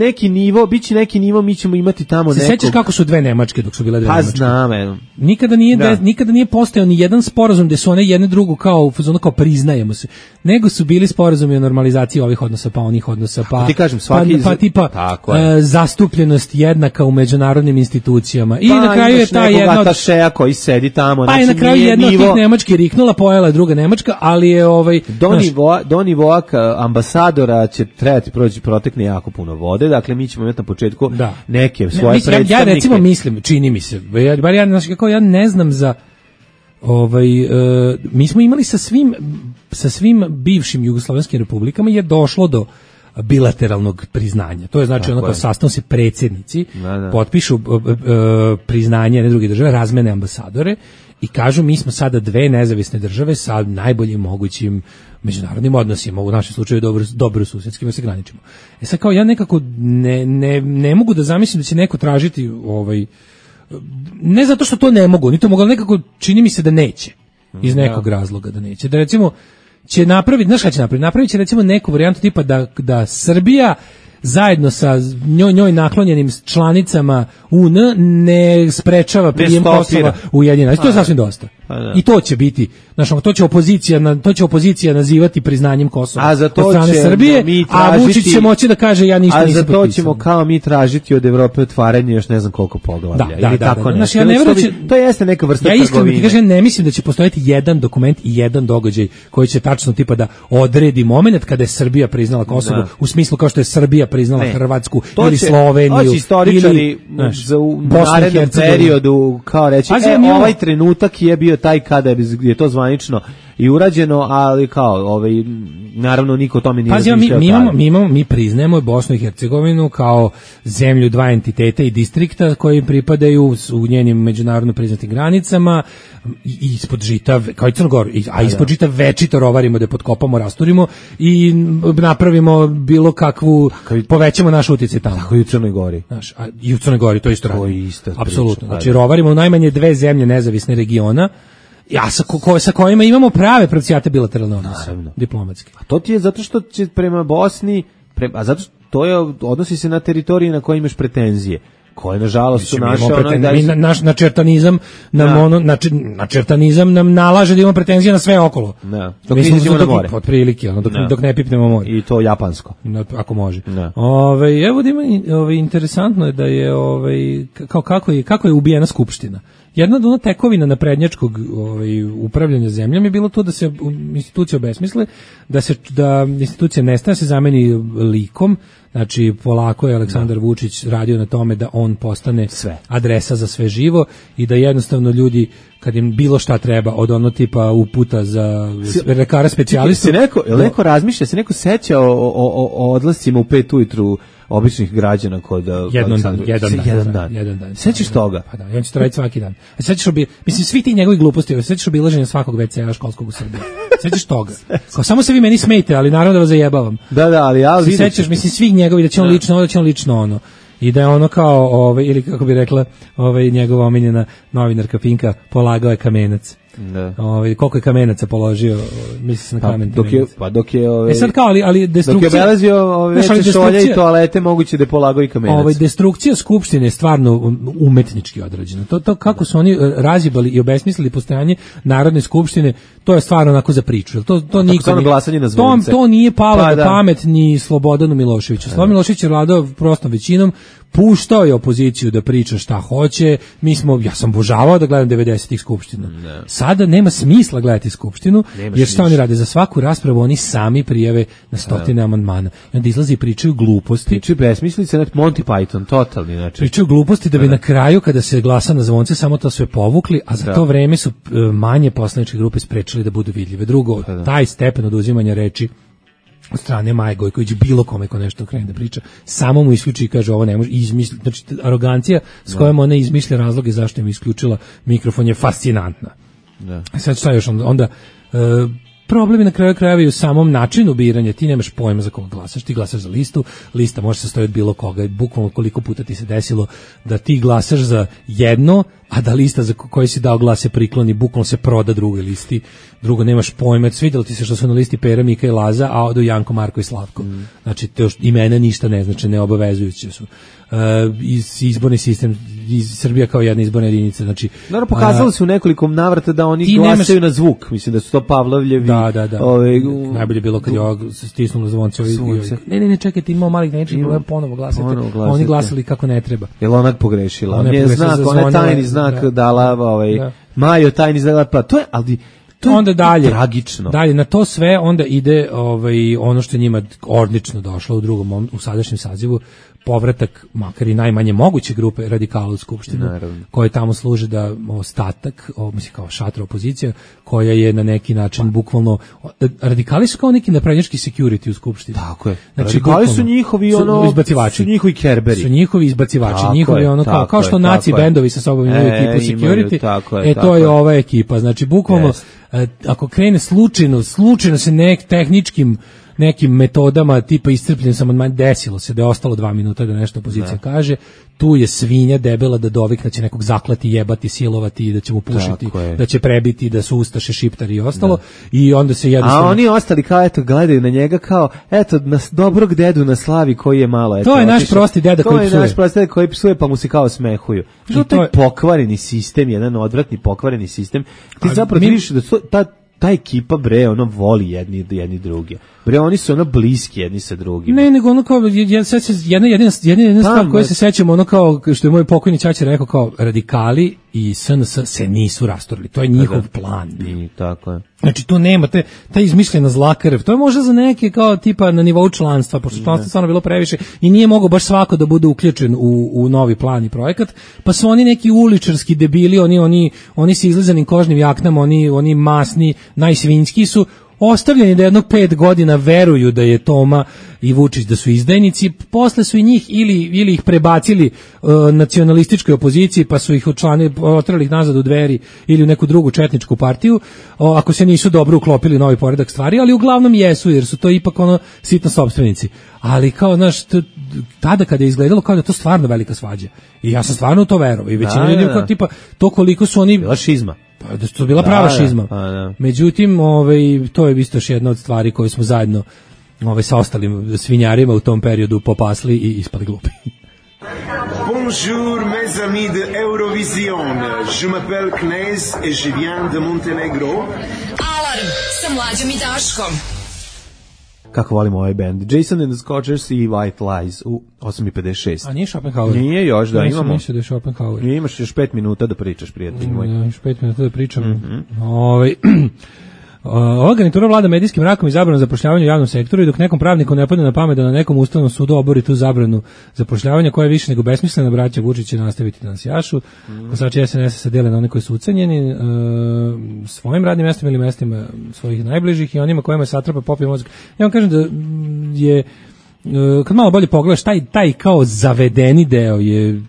neki nivo, mi ćemo imati tamo nekog. Sećaš kako su dve Nemačke dok su bile dve Nemačke? Pa znam, Nikada nije postojao ni jedan sporazum gde su one jedne drugu kao priznajemo se, nego su bili sporazumi o normalizaciji ovih odnosa, pa onih odnosa, pa ti kažem, pa tipa zastupljenost jednaka u međunarodnim institucijama. I na kraju je ta jedna od atašeja koji sedi tamo, pa je na kraju jedna od tih Nemački riknula, pojela je druga Nemačka, ali je do nivoa ambasadora će trebati protekne jako puno vode, dakle mi ćemo imati na početku neke svoje predstavnike. Ja recimo mislim, čini mi se, bar ja ne znam za mi smo imali sa svim bivšim jugoslovenskim republikama je došlo do bilateralnog priznanja. To je znači ono kao sastanu se predsjednici, potpišu priznanje jedne druge države, razmene ambasadore i kažu mi smo sada dve nezavisne države sa najboljim mogućim međunarodnim odnosima, u našem slučaju dobro susjedskim, se graničimo. Sad kao ja nekako ne mogu da zamislim da će neko tražiti ne zato što to ne mogu, ni to mogu, ali nekako čini mi se da neće, iz nekog razloga da neće. Da recimo će napraviti, znaš šta će napraviti? Napravit će recimo neku varijantu tipa da Srbija zajedno sa njoj naklonjenim članicama UN ne sprečava prijem Kosova u Ujedinjene. To je sasvim dosta. I to će biti, znači to će opozicija nazivati priznanjem Kosova od strane Srbije, a Vučić će moći da kaže ja ništa nisam potpisao. A za to ćemo kao mi tražiti od Evrope otvaranje još ne znam koliko poglavlja. Znači ja ne verujem, to jeste neka vrsta trgovine. Ja iskreno ne mislim da će postojati jedan dokument i jedan događaj koji će tačno tipa da odredi momenat kada je Srbija priznala Kosovo, u smislu kao što je Srbija priznala Hrvatsku ili Sloveniju ili u narednom periodu kao reći, ovaj trenutak je bio taj kada je to zvanično i urađeno, ali kao naravno niko o tome nije razmišljao. Mi priznajemo Bosnu i Hercegovinu kao zemlju dva entiteta i distrikta koji pripadaju u njenim međunarodno priznatim granicama i ispod žita, kao i Crnogor, a ispod žita večito rovarimo da potkopamo, rasturimo i napravimo bilo kakvu, povećamo naš utjecaj tamo. Tako i u Crnoj Gori. I u Crnoj Gori to isto radimo. Apsolutno. Znači rovarimo u najmanje dve zemlje nezavisne regiona, sa kojima imamo prave pravcijate bilateralne odnose, diplomatske. A to ti je zato što će prema Bosni, a zato što to odnosi se na teritoriji na koje imaš pretenzije, koje nažalost su naše naš načertanizam nam nalaže da imamo pretenzije na sve okolo. Dok ne izađemo na more. Otprilike, dok ne pipnemo more. I to japansko. Ako može. Evo da ima interesantno je da je kako je ubijena skupština. Jedna od tekovina naprednjačkog upravljanja zemljom je bilo to da se institucije obesmisle, da institucija nestane, se zameni likom. Znači polako je Aleksandar Vučić radio na tome da on postane adresa za sve živo i da jednostavno ljudi kad im bilo šta treba od ono tipa uputa za lekara specijalistu. Neko razmišlja, se neko seća o odlascima u 5 ujutru običnih građana kod jedan dan. Sećaš toga? Pa da, on će to raditi svaki dan. A sećaš mislim svi ti njegovi gluposti, sećaš obilaženja svakog WC-a školskog u Srbiji. Sećaš toga? Kao samo se vi meni smejte, ali naravno da vas zajebavam. Ali sećaš, mislim svih njegovi da će on lično, da će on lično ono. I da je ono kao, ili kako bi rekla njegova omiljena novinarka Pinka, polagao je kamenac. Koliko je kamenaca položio, misli se na kamen. Dok je sad kao, ali destrukcija, dok je obelazio veće šolje i toalete, moguće da je polagao i kamenac. Destrukcija skupštine je stvarno umetnički odrađena. To kako su oni razjebali i obesmislili postojanje Narodne skupštine, to je stvarno onako za priču. To nije palo na pamet ni Slobodanu Miloševiću. Slobodan Milošević je vladao prostom većinom, puštao je opoziciju da priča šta hoće. Ja sam obožavao da gledam 90-ih skupština. Sada nema smisla gledati skupštinu, jer šta oni rade? Za svaku raspravu oni sami prijave na stotine amandmana. I onda izlazi i pričaju gluposti. Pričaju besmislice, Monty Python, totalni. Znači. Pričaju gluposti da bi na kraju, kada se glasa na zvonce, samo to sve povukli, a za to vreme su manje poslaničke grupe sprečili da budu vidljive. Drugo, taj stepen oduzimanja reči od strane Maje Gojković, bilo kome ko nešto krene da priča, samo mu isključi i kaže ovo ne može, znači arogancija s kojom ona izmišlja razloge zašto im isključila mikrofon je fascinantna. Sad šta još onda Problem je na kraju krajeva i u samom načinu biranja. Ti nemaš pojma za koga glasaš, ti glasaš za listu, lista može se stojati od bilo koga, bukvalno koliko puta ti se desilo da ti glasaš za jedno, a da lista za koju si dao glas se prikloni, bukvalno se proda drugoj listi, drugo nemaš pojma, svidjelo ti se što su na listi Pera, Mika i Laza, a odu Janko, Marko i Slavko. Znači, to imena ništa ne znači, neobavezujuće su. Izborni sistem, Srbija kao jedna izborna jedinica, znači... Naravno, pokazalo se u nekoliko navrata da oni glasaju na zvuk, mislim da su to Pavlovljevi... Da. Najbolje bilo kad je ovog stisnulo zvonce. Ne, čekajte, imao malih nečega, ponovo glasate. Oni glasali kako ne treba. Jel ona pogrešila? Ona je znak, ona je tajni znak dala, Majo tajni znak, pa to je, ali... Onda dalje, tragično. Dalje, na to sve onda ide ono što je njima odlično došlo u sadašnjem sazivu, povratak, makar i najmanje moguće grupe radikala u Skupštinu, koje tamo služe da ostatak, mislim kao šatra opozicija, koja je na neki način bukvalno, radikali su kao neki naprednjački security u Skupštini. Tako je. Znači, radikali su njihovi izbacivači. Su njihovi kerberi. Su njihovi izbacivači, njihovi kao što naci bendovi sa sobom imaju ekipu security, to je ova ekipa. Znači, bukvalno, ako krene slučajno se tehničkim nekim metodama tipa iscrpljen sam od desilo se da je ostalo 2 minuta da nešto opozicija kaže, tu je svinja debela da dovikne, će nekog zaklati, jebati, silovati i da će mu pušiti, da će prebiti, da su ustaše, šiptari i ostalo i onda se jednostavno... A oni ostali kao eto gledaju na njega kao eto na dobrog dedu na slavi koji je malo eto. To je naš prosti deda koji psuje. To je naš prosti deda koji psuje pa mu se kao smehuju. I to je pokvareni sistem, jedan odvratni pokvareni sistem. Ti zapravo vidiš da ta ekipa bre ono voli jedni drugi. Bre oni su ono bliski jedni sa drugim. Ne, nego ono kao jedna stvar koju se sećamo, ono kao što je moj pokojni ćaća rekao, kao radikali i SNS se nisu rasturili. To je njihov plan. I tako je. Znači tu nema ta izmišljena zla krv. To je možda za neke kao tipa na nivou članstva, pošto članstvo stvarno bilo previše i nije mogao baš svako da bude uključen u novi plan i projekat, pa su oni neki uličarski debili, oni sa izlezanim kožnim jaknama, oni masni, najsvinjski su ostavljeni da jednog 5 godina veruju da je Toma i Vučić da su izdajnici, posle su i njih ili ih prebacili nacionalističkoj opoziciji pa su ih otrali ih nazad u Dveri ili u neku drugu četničku partiju, ako se nisu dobro uklopili novi poredak stvari, ali uglavnom jesu jer su to ipak sitno sopstvenici. Ali kao, znaš, tada kada je izgledalo kao da je to stvarno velika svađa. I ja sam stvarno u to verovao. I većina ljudi kao tipa, to koliko su oni... Bila šizma. Pa da su bila prava šizma. Međutim, to je isto još jedna od stvari koje smo zajedno sa ostalim svinjarima u tom periodu popasli i ispali glupi. Bonjour mes amis de Eurovision. Je m'appelle Knez et je viens de Montenegro. Alarm sa Mlađom i Daškom. Kako volimo ovaj band. Jason and the Scorchers i White Lies u 8:56. A nije Schopenhauer? Nije još, da imamo. Mislim da je Schopenhauer. Imaš još 5 minuta da pričaš, prijatelj moj. Još 5 minuta da pričam. Ova garnitura vlada medijskim mrakom i zabranom zapošljavanja u javnom sektoru i dok nekom pravniku ne padne na pamet da na nekom ustavnom sudu obori tu zabranu zapošljavanja koja je više nego besmislena, braća Vučić će nastaviti da nas jašu. Glasači SNS se dele na one koji su ucenjeni svojim radnim mestima ili mestima svojih najbližih i onima kojima je satrapa popio mozak. Ja vam kažem da je kad malo bolje pogledaš taj kao zavedeni deo je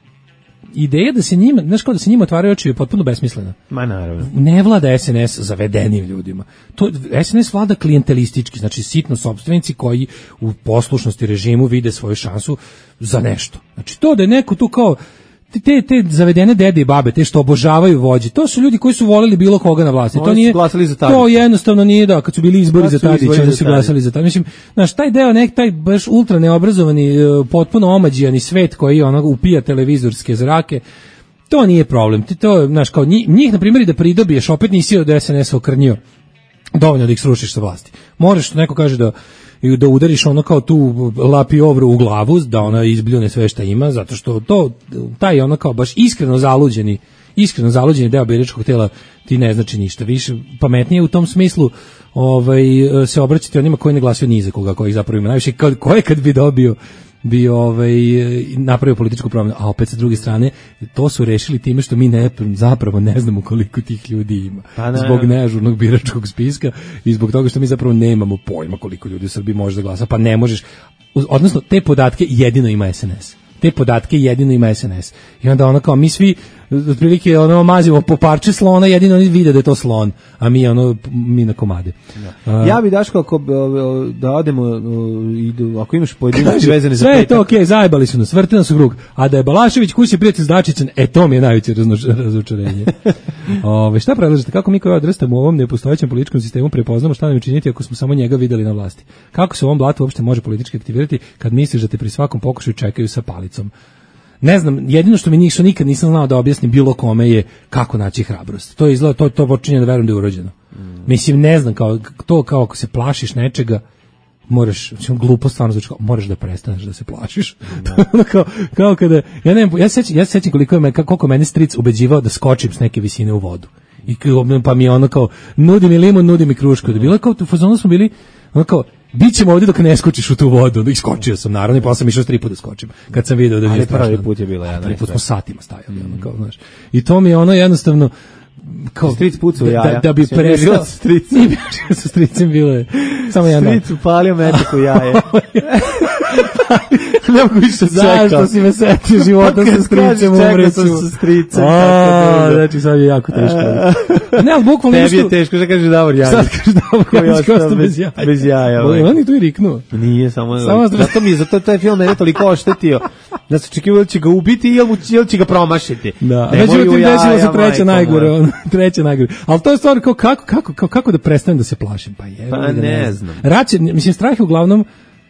ideja da se njima, znaš kao da se njima otvaraju oči je potpuno besmislena. Ma naravno. Ne vlada SNS zavedenim ljudima. To SNS vlada klijentelistički, znači sitno sopstvenici koji u poslušnosti režimu vide svoju šansu za nešto. Znači to da je neko tu kao te zavedene dede i babe, te što obožavaju vođe, to su ljudi koji su voleli bilo koga na vlasti. To nije glasali za Tadića. To jednostavno nije da kad su bili izbori za Tadića, onda su glasali za Tadića. Mislim, znaš, taj deo taj baš ultra neobrazovani, potpuno omađijani svet koji upija televizorske zrake, to nije problem. To znaš, kao njih na primjer i da pridobiješ, opet nisi od SNS okrnjio dovoljno da ih srušiš sa vlasti. Moraš, neko kaže da udariš ono kao tu lapiovru u glavu, da ona izbljune sve šta ima, zato što taj ono kao baš iskreno zaluđeni deo biračkog tela ti ne znači ništa. Više pametnije u tom smislu se obraćati onima koji ne glasaju ni za koga, koji zapravo ima najviše, ko je kad bi dobio napravio političku promjenu, a opet sa druge strane to su rešili time što mi zapravo ne znamo koliko tih ljudi ima, zbog neažurnog biračkog spiska i zbog toga što mi zapravo nemamo pojma koliko ljudi u Srbiji može da glasa, pa ne možeš, odnosno te podatke jedino ima SNS. I onda ono kao mi svi otprilike ono mazimo po parče slona, jedino oni vide da je to slon, a mi na komade. Ja bi Daško ako da odemo ako imaš pojedinosti vezane za sve je to okej, zajebali su nas, vrte nas u krug, a da je Balašević kući prijatelj s Dačićem, to mi je najveće razočarenje. Šta predlažete, kako mi koji odrastamo u ovom nepostojećem političkom sistemu prepoznamo šta nam je činiti ako smo samo njega videli na vlasti? Kako se u ovom blatu uopšte može politički aktivirati kad misliš da te pri svakom pokušaju čekaju sa palicom? Ne znam, jedino što mi nikad nisam znao da objasnim bilo kome je kako naći hrabrost. To je izgleda, to počinje da verujem da je urođeno. Mislim, ne znam, kao ako se plašiš nečega, moraš, glupo stvarno znači, moraš da prestaneš da se plašiš. kao kada, ja sećam koliko mene stric ubeđivao da skočim s neke visine u vodu. I pa mi je ono kao, nudi mi limun, nudi mi krušku. Da bilo kao, u fazonu smo bili, ono kao, bit ćemo ovdje dok ne skočiš u tu vodu. I skočio sam, naravno, i posle sam išao 3 puta da skočim. Kad sam video da mi je strašno. Ali prvi put je bila jedna. Prvi put smo satima stajali, ono kao, znaš. I to mi je ono jednostavno, kao, stric pucao jaja. Da bi prestao. Nije bilo sa stricem, bilo je samo jedan. Stric upalio metak u jaje. Ne mogu više zašto si me setio života sa stricem, umreću. Sa stricem. Znači sad je jako teško. Ne, ali bukvalno tebi je teško, šta kaže Davor Jajić? Sad kaže Davor Jajić, kao što bez jaja. On je tu i riknuo. Nije, zato taj film mene toliko oštetio. Da se očekivao da će ga ubiti ili će ga promašiti. Da, međutim desilo se treća najgore. Ali to je stvar kako da prestanem da se plašim. Pa ne znam. Mislim, strah je uglavnom,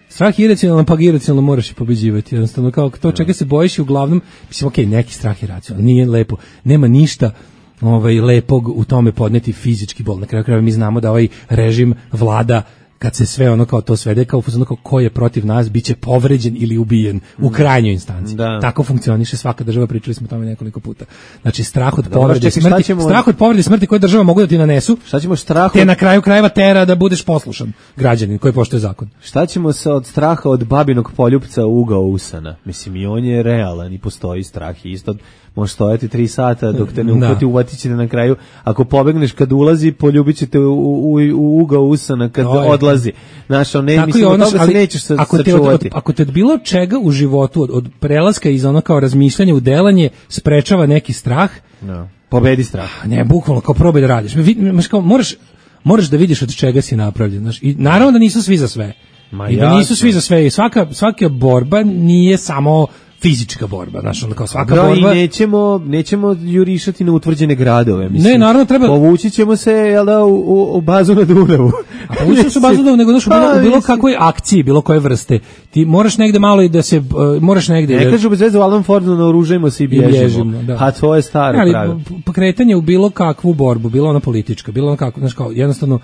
strah je iracionalan, pa iracionalno moraš i pobeđivati. Jednostavno, kao to čega se bojiš i uglavnom, mislim, okej, neki strah je racionalan, nije lepo, nema ništa lepog u tome podneti fizički bol. Na kraju krajeva mi znamo da ovaj režim vlada kad se sve ono kao to svede kao ko je protiv nas biće povređen ili ubijen u krajnjoj instanci. Da. Tako funkcioniše svaka država, pričali smo o tome nekoliko puta. Znači strah od povrede smrti, strah od povrede smrti koje država mogu da ti nanesu. Šta ćemo strah te na kraju krajeva tera da budeš poslušan građanin koji poštuje zakon. Šta ćemo se od straha od babinog poljupca ugao usana? Mislim, i on je realan i postoji strah i isto može stojati 3 sata dok te ne uhvati, uvatit ćete na kraju. Ako pobegneš kad ulazi, poljubit ćete u ugao usana kad odlazi. Znaš, mislim, od toga se nećeš sačuvati. Ako te od bilo čega u životu, od prelaska iz ono kao razmišljanja u delanje, sprečava neki strah, pobedi strah. Ne, bukvalno, kao probaj da radiš. Moraš da vidiš od čega si napravljen. Znaš, i naravno da nisu svi za sve. I da nisu svi za sve. I svaka borba nije samo fizička borba, znači onda kao svaka borba. I nećemo jurišati na utvrđene gradove, mislim. Ne, naravno treba. Povući ćemo se, jel da, u bazu na Dunavu. A povući se u bazu na Dunavu, nego znaš, u bilo kakvoj akciji, bilo koje vrste. Ti moraš negde malo i da se, moraš negde. Ne kažu bez veze u Alan Fordu naoružajmo se i bježimo. Da. A to je staro pravilo. Pokretanje u bilo kakvu borbu, bilo ona politička, bilo ona kako, znaš kao, jednostavno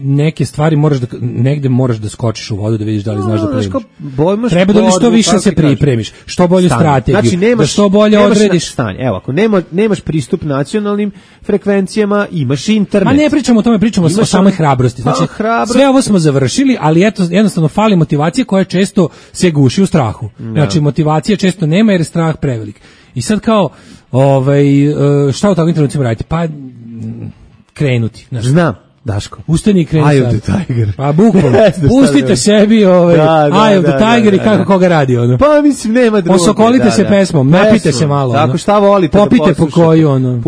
neke stvari negde moraš da skočiš u vodu da vidiš da li znaš da plivaš. Treba da što više se pripremiš. Što bolju strategiju, znači, da što bolje odrediš stanje. Evo, ako nemaš pristup nacionalnim frekvencijama, imaš internet. Ma ne pričamo o tome, pričamo o samoj hrabrosti. Znači, sve ovo smo završili, ali eto, jednostavno fali motivacija koja često se guši u strahu. Znači, motivacija često nema jer je strah prevelik. I sad kao, šta u takvim trenucima raditi? Pa, krenuti. Znači, znam. Daško. Ustani i kreni sad. Eye of the Tiger. Pa bukvalno. Pustite sebi Eye of the Tiger i kako koga radi ono. Pa mislim nema druge. Osokolite se pesmom, napite se malo. Tako šta volite da popite po koju ono.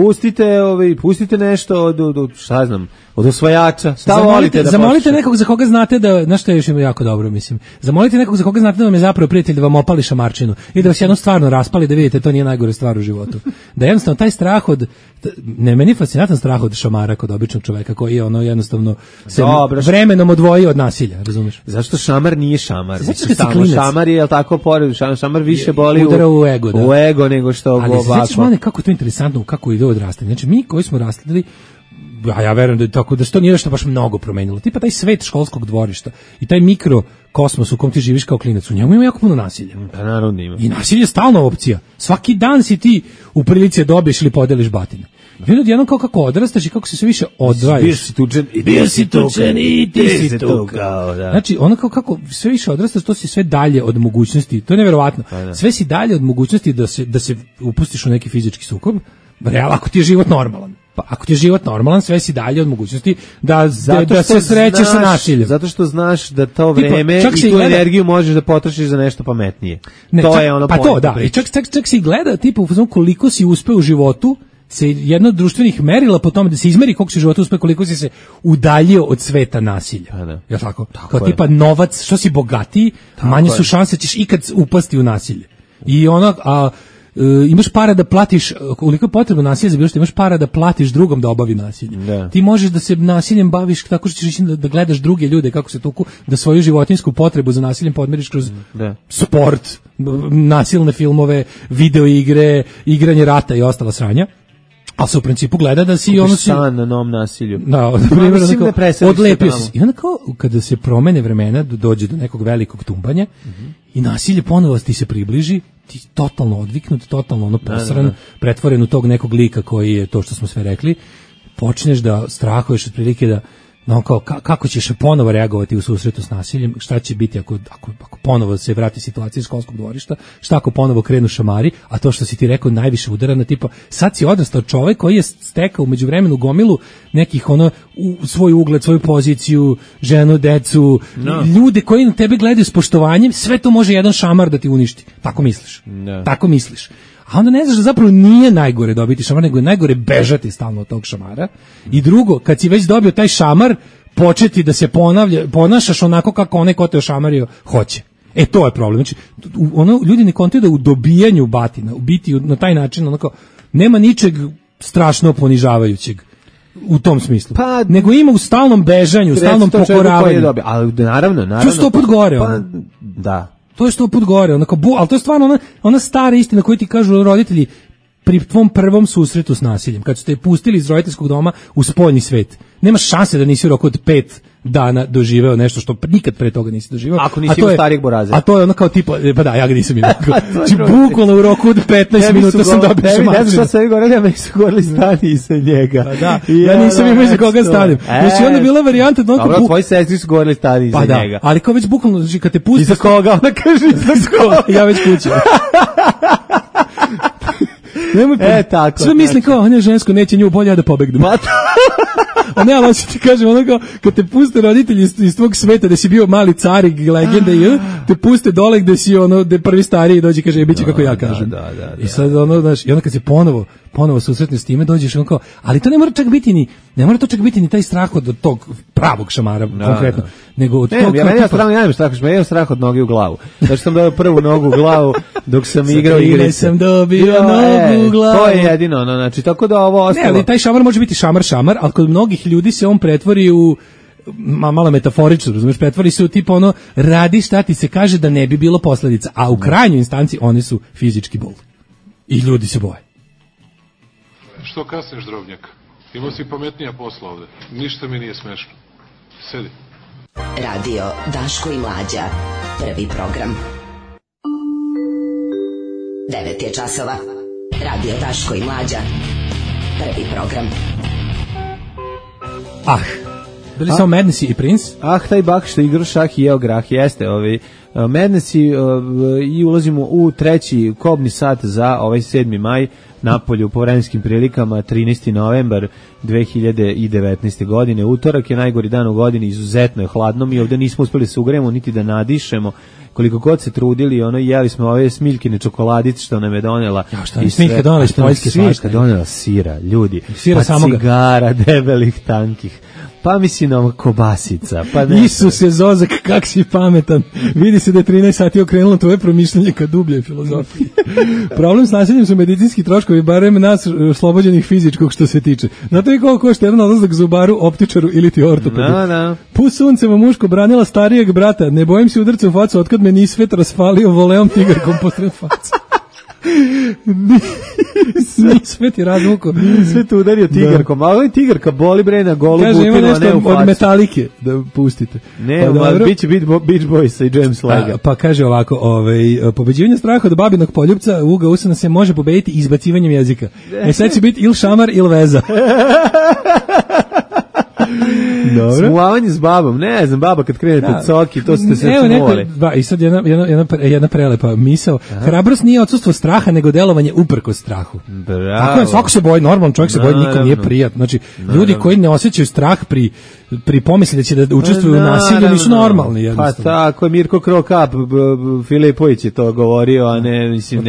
Pustite nešto od šta znam, od osvajača. Šta volite da zamolite nekog za koga znate da, znaš šta je još jako dobro, mislim. Zamolite nekog za koga znate da vam je zapravo prijatelj da vam opali šamarčinu i da vas jedno stvarno raspali da vidite to nije najgore stvar u životu. Da jednostavno taj strah od meni je fascinantan strah od šamara kod običnog čoveka koji je ono jednostavno se vremenom odvoji od nasilja, razumeš? Zašto šamar nije šamar? Šamar je tako pored, šamar više boli u ego nego što ovako. Ali sećaš mene kako je to interesantno, kako ide odrastanje. Znači mi koji smo rastali, ja verujem da je tako, da se to nije nešto baš mnogo promenilo. Tipa taj svet školskog dvorišta i taj mikrokosmos u kom ti živiš kao klinac, u njemu ima jako puno nasilja. Pa naravno ima. I nasilje je stalna opcija. Svaki dan si ti u prilici dobiješ ili podeliš batine. Vidim jednom kao kako odrastaš i kako se sve više odvajaš. Bio si tučen i ti si tukao. Znači, ono kako sve više odrastaš, to si sve dalje od mogućnosti, to je neverovatno. Sve si dalje od mogućnosti da se upustiš u neki fizički sukob, ako ti je život normalan. Pa ako ti je život normalan, sve si dalje od mogućnosti da se srećeš sa nasiljem. Zato što znaš da to vreme i tu energiju možeš da potrošiš za nešto pametnije. To je ono pa to, da. I čak si gleda, tipa, koliko si uspeo u životu, se jedno od društvenih merila po tome da se izmeri koliko si u životu uspeo, koliko si se udaljio od sveta nasilja. Je li tako? Kao tipa novac, što si bogatiji, manje su šanse ćeš ikad upasti u nasilje. I ono, imaš para da platiš, koliko je potrebno nasilje za bilo što, imaš para da platiš drugom da obavi nasilje. Ti možeš da se nasiljem baviš tako što ćeš ići da gledaš druge ljude kako se tuku, da svoju životinsku potrebu za nasiljem podmiriš kroz sport, nasilne filmove, video igre, igranje rata i ostala sranja. Ali se u principu gleda da si ono san na novom nasilju. Da, na primjer, odlepio si. I onda kao, kada se promene vremena, dođe do nekog velikog tumbanja i nasilje ponovo ti se približi, ti totalno odviknut, totalno ono posran, pretvoren u tog nekog lika koji je to što smo sve rekli, počneš da strahuješ otprilike da kao, kako ćeš ponovo reagovati u susretu s nasiljem, šta će biti ako ponovo se vrati situacija iz školskog dvorišta, šta ako ponovo krenu šamari, a to što si ti rekao najviše udara na tipa, sad si odrastao čovjek koji je stekao u međuvremenu gomilu nekih svoj ugled, svoju poziciju, ženu, decu, ljude koji na tebe gledaju s poštovanjem, sve to može jedan šamar da ti uništi. Tako misliš. Tako misliš. A onda ne znaš da zapravo nije najgore dobiti šamar, nego je najgore bežati stalno od tog šamara. I drugo, kad si već dobio taj šamar, početi da se ponašaš onako kako onaj ko te ošamario hoće. To je problem. Znači, ljudi ne kontaju da u dobijanju batina, u biti na taj način, onako, nema ničeg strašno ponižavajućeg u tom smislu. Nego ima u stalnom bežanju, u stalnom pokoravanju. Ali naravno. To je 100 put gore. Da. To je 100 put gore, ali to je stvarno ona stara istina koju ti kažu roditelji pri tvom prvom susretu s nasiljem, kad su te pustili iz roditeljskog doma u spoljni svet. Nema šanse da nisi u roku od 5 dana doživeo nešto što nikad pre toga nisi doživeo. Ako nisi imao starijeg boraza. A to je ono kao tipa, pa da, ja ga nisam imao. Znači, bukvalno u roku od 15 minuta sam dobio šamačinu. Ne znam šta se vi govorili, a meni su govorili stani iza njega. Ja nisam imao iza koga stanim. Znači, onda bila varijanta... Dobro, tvoji sestri su govorili stani iza njega. Ali kao već bukvalno, znači, kad te pusti... Iza koga? Ona kaže iza koga. Ja već kuću. Tako. Sve mislim kao, on je žensko, neće nju, bolje ja da pobegnem. A ne, ali ti kažem, ono kao, kad te puste roditelji iz tvog sveta, da si bio mali carig, legenda i te puste dole gde si gde prvi stariji dođe i kaže, bit će kako ja kažem. I sad znaš, i onda kad se ponovo susretne s time, dođeš on kao, ali to ne mora čak biti ni taj strah od tog pravog šamara, konkretno, nego od tog... Ja nemam strah od noge u glavu. Znači sam dobio prvu nogu u glavu dok sam igrao igrice. Sam dobio nogu u glavu. To je jedino, znači, tako da ovo ostalo... Ne, ali taj šamar može biti šamar, ali kod mnogih ljudi se on pretvori u malo metaforično, razumiješ, pretvori se u tipa radi šta ti se kaže da ne bi bilo posljedica, a u krajnjoj instanci one su fizički bol. I ljudi se boje. Što kasniš, drobnjak? Imao si pametnija posla ovde. Ništa mi nije smešno. Sedi. Radio Daško i Mlađa. Prvi program. 9 je časova. Radio Daško i Mlađa. Prvi program. Bili samo Madness i Prince? Taj bak što igra šah i jeo grah, jeste Madness i ulazimo u treći kobni sat za ovaj 7. maj napolju po vremenskim prilikama 13. novembar 2019. godine. Utorak je najgori dan u godini, izuzetno je hladno, mi ovde nismo uspeli se ugrejemo niti da nadišemo, koliko god se trudili, jeli smo ove smiljkine čokoladice što nam je donela. Smiljka donela iz Poljske, smiljka donela sira, ljudi, sira samoga, cigara debelih tankih, pa mislim kobasica, pa ne. Isuse Zozak, kak si pametan. Vidi se da je 13 sati okrenulo tvoje promišljanje ka dubljoj filozofiji. Problem s nasiljem su medicinski troškovi, barem nas oslobođenih fizičkog što se tiče. Znate li koliko košta jedan odlazak zubaru, optičaru ili ti ortopedu? Pus sunceva muško branila starijeg brata, ne bojim se udarca u facu, otkad me nisvet rasfalio voleom tigarkom posred facu. Nisvet je razvuko. Nisvet udario tigarkom, a ovo je tigarka boli bre na golu butinu, a ne u facu. Kaže, ima nešto od Metalike da pustite. Ne, bit će Beach Boys i James Lega. Pa kaže ovako, pobeđivanje straha od babinog poljupca Uga Usana se može pobediti izbacivanjem jezika. Sad će biti il šamar il veza. Smuvavanje s babom, ne znam, baba kad krene pod soki, to ste se smuvali. I sad jedna prelepa misao. Hrabrost nije odsustvo straha, nego delovanje uprkos strahu. Bravo. Tako je, svako se boji, normalan čovjek se boji, nikom nije prijatno. Znači, ljudi koji ne osjećaju strah pri pomisli da će da učestvuju u nasilju nisu normalni, jednostavno. Pa tako je, Mirko Krokap, Filipović je to govorio, a ne, mislim,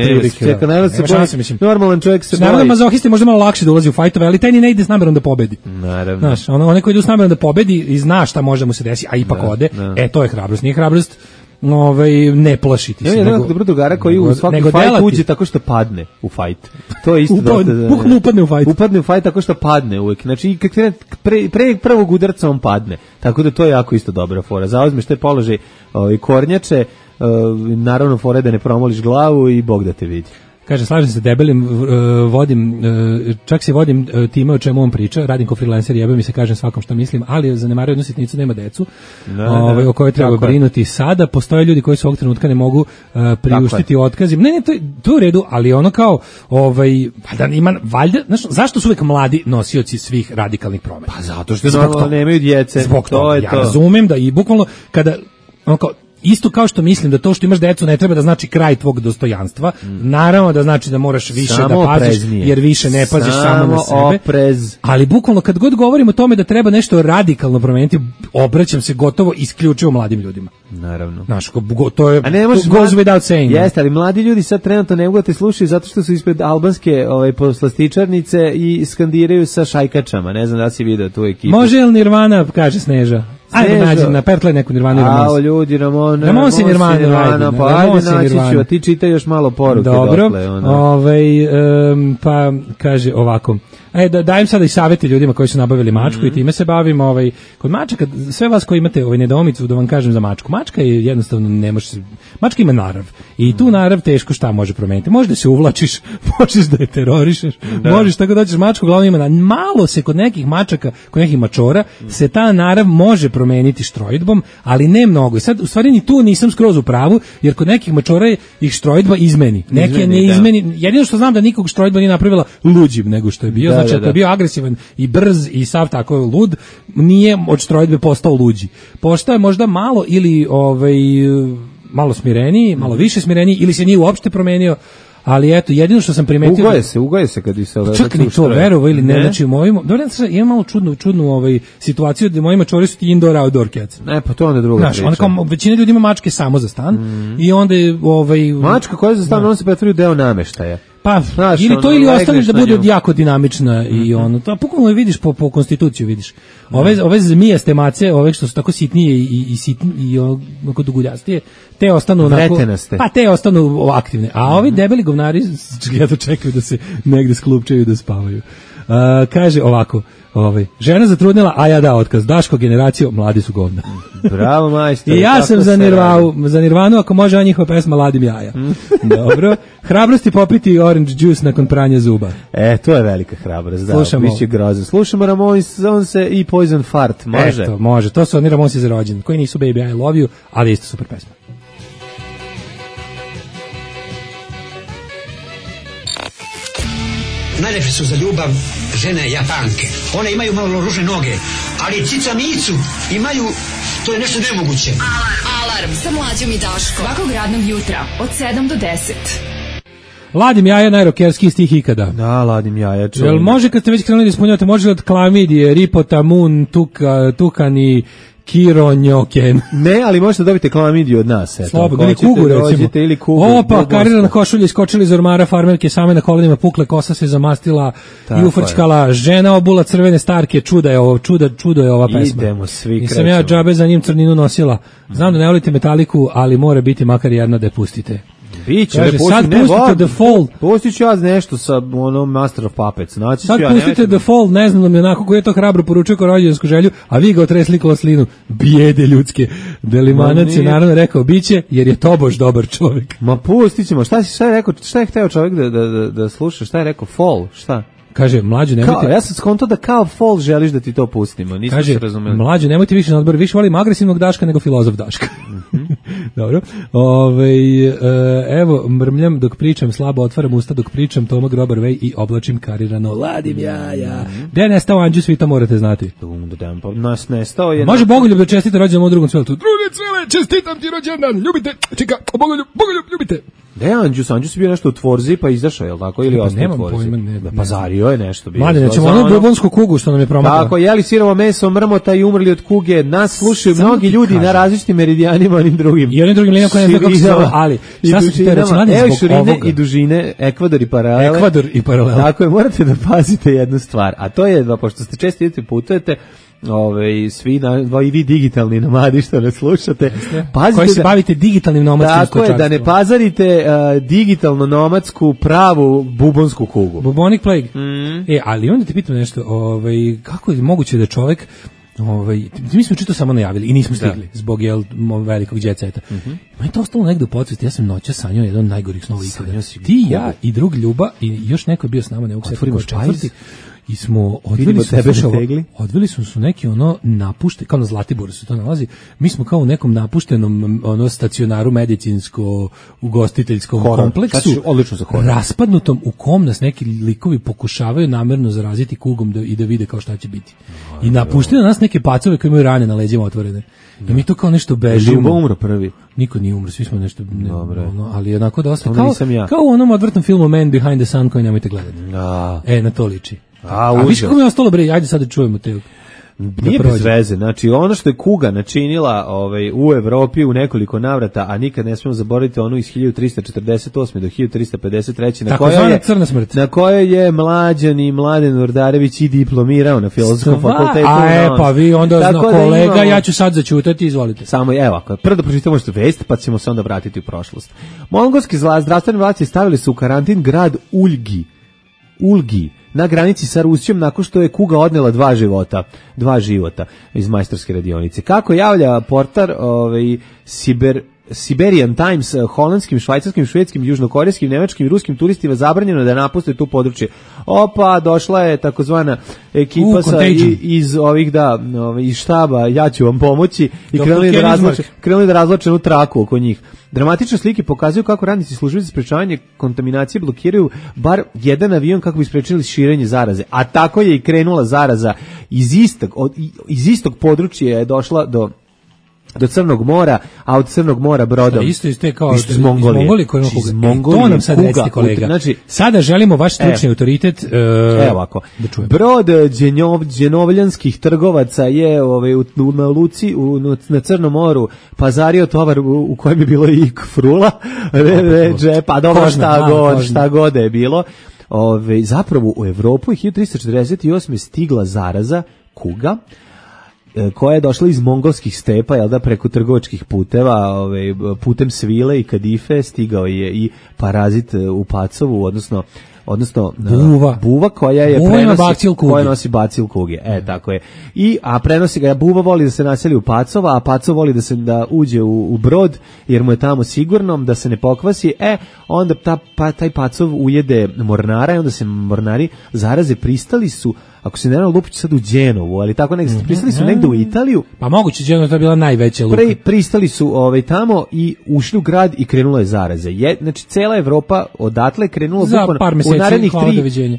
normalan čovjek se boji. Naravno, mazohisti možda malo lakše da ulazi u fajtove, ali taj ni ne ide s namerom da pobedi. Naravno. Znaš, onaj koji ide s namerom da pobedi i zna šta može mu se desi, a ipak ode, to je hrabrost. Nije hrabrost ne plašiti se. Nema dobro drugara koji u svaki fajt uđe tako što padne u fajt. To je isto bukvalno upadne u fajt. Upadne u fajt tako što padne uvek. Znači, pre prvog udarca on padne. Tako da to je jako isto dobra fora. Zauzmeš taj položaj kornjače, naravno fora da ne promoliš glavu i Bog da te vidi. Kaže, slažem se debelim, čak se vodim time o čemu on priča, radim kao freelancer, jebe mi se, kažem svakom šta mislim, ali zanemario jednu sitnicu, nema decu, o kojoj treba brinuti sada. Postoje ljudi koji se ovog trenutka ne mogu priuštiti otkazim. Ne, to je u redu, ali ono kao, valjda, zašto su uvek mladi nosioci svih radikalnih promena? Pa zato što nemaju djece. Zbog toga, ja razumem da i bukvalno kada, ono kao, isto kao što mislim da to što imaš decu ne treba da znači kraj tvog dostojanstva, naravno da znači da moraš više samo da paziš, jer više ne paziš samo na sebe. Oprez. Ali bukvalno kad god govorimo o tome da treba nešto radikalno promeniti, obraćam se gotovo isključivo mladim ljudima. Naravno. Znaš, to je goes without saying. Jeste, ali mladi ljudi sad trenutno ne mogu da te slušaju zato što su ispred albanske poslastičarnice i skandiraju sa šajkačama. Ne znam da si video tu ekipu. Može li Nirvana, kaže Sneža? Ajde nađi, napertle neku Nirvanu. Ao, ljudi, Ramon si Nirvana, pa ajde naći ću, a ti čitaj još malo poruke. Dobro, pa kaže ovako, dajem sada i savjeti ljudima koji su nabavili mačku i time se bavim. Kod mačaka, sve vas koji imate nedoumicu, da vam kažem za mačku. Mačka je jednostavno, ne može se, mačka ima narav i tu narav teško šta može promeniti. Možeš da se uvlačiš, možeš da je terorišeš, možeš tako da ćeš mačku, glavno ima malo se kod nekih mačaka, kod nekih mačora, se ta narav može promeniti štrojdbom, ali ne mnogo. I sad, u stvari, ni tu nisam skroz u pravu, jer kod nekih mačora ih štrojdba izmeni. Neke ne izmeni. Jedino što znam da nikog štrojdba nije napravila luđim nego što je bio. Znači, ako je bio agresivan i brz i sav tako lud, nije od štrojdbe postao luđi. Postao je možda malo ili malo smireniji, malo više smireniji, ili se nije uopšte promenio. Ali eto, jedino što sam primetio... Ugoje se kad bi se... Čak ni to, verovo ili ne, znači u mojim... Dobro, imam malo čudnu situaciju da moji mačori su ti indoor-outdoor cats. Ne, pa to onda druga priča. Znaš, kao većina ljudi ima mačke samo za stan i onda mačka koja je za stan, on se pretvori u deo nameštaja. Pa, znaš, ili to ili ostaneš da bude jako dinamična i ono, to pokojno vidiš po konstituciju, vidiš. Ove zmijaste mace, ove što su tako sitnije i onako duguljastije, te ostanu onako... Vretenaste. Pa te ostanu aktivne. A ovi debeli govnari jedno čekaju da se negde sklupčaju i da spavaju. Kaže ovako, žena zatrudnila, a ja dao otkaz. Daško generaciju, mladi su govna. Bravo, majstor. I ja sam za Nirvanu, ako može, a njihova pesma Ladim jaja. Dobro. Hrabrosti popiti orange juice nakon pranja zuba. To je velika hrabrost, da. Biće grozno. Slušamo Ramonse i Poison Fart, može? Eto, može. To su oni Ramonsi za rođendan, koji nisu Baby I Love You, ali isto super pesma. Najlepše su za ljubav žene Japanke. One imaju malo ružne noge, ali cicanicu imaju, to je nešto nemoguće. Alarm sa Mlađom i Daškom. Svakog radnog jutra od 7 do 10. Ladim jaja, najrokerskiji stih ikada. Da, ladim jaja. Jel može kad ste već krenuli da ispunjavate, može od klamidije, ripotamun, tukani, kironjoken. Ne, ali možete dobiti klamidiju od nas. Slobodno, ili kugu recimo. Ili kugu. Opa, karirana košulja iskočili iz ormara, farmerke same na kolenima pukle, kosa se zamastila i ufrčkala, žena obula crvene starke, čudo je ova pesma. Idemo svi krećemo. Nisam ja džabe za njim crninu nosila. Znam da ne volite Metaliku, ali mora biti makar jedna da je pustite. Biće, sad pustite The Fall. Pustit ću ja nešto sa Master of Puppets. Sad pustite The Fall, ne znam da mi onako koji je to hrabro poručio kao rođensku želju, a vi ga otresli koslinu. Bijede ljudske. Delimanac je naravno rekao biće, jer je tobož dobar čovjek. Ma pustit ćemo. Šta je hteo čovjek da sluša? Šta je rekao? Fall? Šta? Kaže, Mlađo, nemojte... Ja sam skonto da kao Fall želiš da ti to pustimo. Nisam se razumeli. Mlađo, nemojte više na odbor, više volim agresivnog Daška nego filozof Daška. Dobro. Evo, mrmljam dok pričam, slabo otvaram usta dok pričam, Toma Grobar Vej i oblačim karirano. Ladim jaja. Gde je nestao Anđus, vi to morate znati. Nas nestao je... Može Bogoljub da čestite rođendan u drugom cveletu. Drugi cvele, čestitam ti rođendan, ljubite, čeka, Bogoljub, ljubite. Da je Anđus je bio nešto u Tvorzi pa izašao, je li tako? Ili ostao u Tvorzi? Pazario je nešto bio. Mladine, ćemo onu bubonsku kugu što nam je promakla. Tako, jeli sirovo meso, mrmota i umrli od kuge. Nas slušaju mnogi ljudi na različitim meridijanima, onim drugim. I onim drugim linijama koje ne znam kako se zove, ali šta su te reći, mladine, zbog ovoga? I dužine, Ekvador i paralele. Tako je, morate da pazite jednu stvar, a to je, pošto ste često idete putujete, svi i vi digitalni nomadi što ne slušate, pazite koji se bavite digitalnim nomadskim stočarstvom. Tako je, da ne pazarite digitalno nomadsku pravu bubonsku kugu. Bubonic plague. Ali onda te pitam nešto, kako je moguće da čovjek mi smo čito samo najavili i nismo stigli zbog velikog djeceta. Ma je to ostalo negde u podsvesti. Ja sam noćas sanjao jedan od najgorih snova ikada. Ti, ja i drug Ljuba i još neko je bio s nama, ne uksetimo četvrti. I smo odveli su neki napušte, kao na Zlatiboru se to nalazi. Mi smo kao u nekom napuštenom stacionaru medicinsko ugostiteljskom kompleksu, odlično za horor, raspadnutom, u kom nas neki likovi pokušavaju namerno zaraziti kugom i da vide kao šta će biti. I napuštaju nas neke pacove koji imaju rane na leđima otvorene. I mi to kao nešto bežimo. Ljubo umro prvi. Niko nije umro, svi smo nešto, ali onako dosta kao u onom odvrtnom filmu Man Behind the Sun koji nemojte gledati. Na to liči. A viš kako mi je ostalo, bre, ajde sad da čujemo te. Nije bez veze, znači ono što je kuga načinila u Evropi u nekoliko navrata, a nikad ne smemo zaboraviti onu iz 1348. do 1353. na kojoj je Mladen Urdarević i diplomirao na Filozofskom fakultetu. Pa vi onda kolega, ja ću sad začutati, izvolite. Samo, evo, prvo da pročitamo što vest, pa ćemo se onda vratiti u prošlost. Mongolski zdravstvene vlasti stavili su u karantin grad Ulgi na granici sa Rusijom nakon što je kuga odnela dva života iz majstorske radionice. Kako javlja portar Siberian Times, holandskim, švajcarskim, švedskim, južnokorejskim, nemačkim i ruskim turistima zabranjeno da napuste tu područje. Došla je takozvana ekipa iz iz štaba, ja ću vam pomoći, i krenuli da razvlače jednu traku oko njih. Dramatične slike pokazuju kako radnici službe za sprečavanje kontaminacije blokiraju bar jedan avion kako bi sprečili širenje zaraze. A tako je i krenula zaraza iz istog područja je došla do Crnog mora, a od Crnog mora brodom. Isto kao iz Mongolije. To nam sad recite, kolega. Znači, sada želimo vaš stručni autoritet. Evo ovako. Brod dženovljanskih trgovaca je na luci na Crnom moru pazario tovar u kojem je bilo i frula, pa dobro, šta god je bilo. Zapravo u Evropu je 1348. stigla zaraza kuga, koja je došla iz mongolskih stepa, preko trgovačkih puteva, putem svile i kadife stigao je i parazit u Pacovu, odnosno buva koja nosi bacil kuge. Tako je. A prenosi ga, buva voli da se naseli u Pacova, a Pacov voli da uđe u brod, jer mu je tamo sigurno, da se ne pokvasi. Onda taj Pacov ujede mornara i onda se mornari zaraze. Pristali su, ako se ne znam, lupići sad u Đenovu, ali tako pristali su negde u Italiju. Pa moguće, Đenova to je bila najveća luka. Pristali su tamo i ušli u grad i krenulo je zaraze. Znači, cela Evropa odatle krenula za par meseci,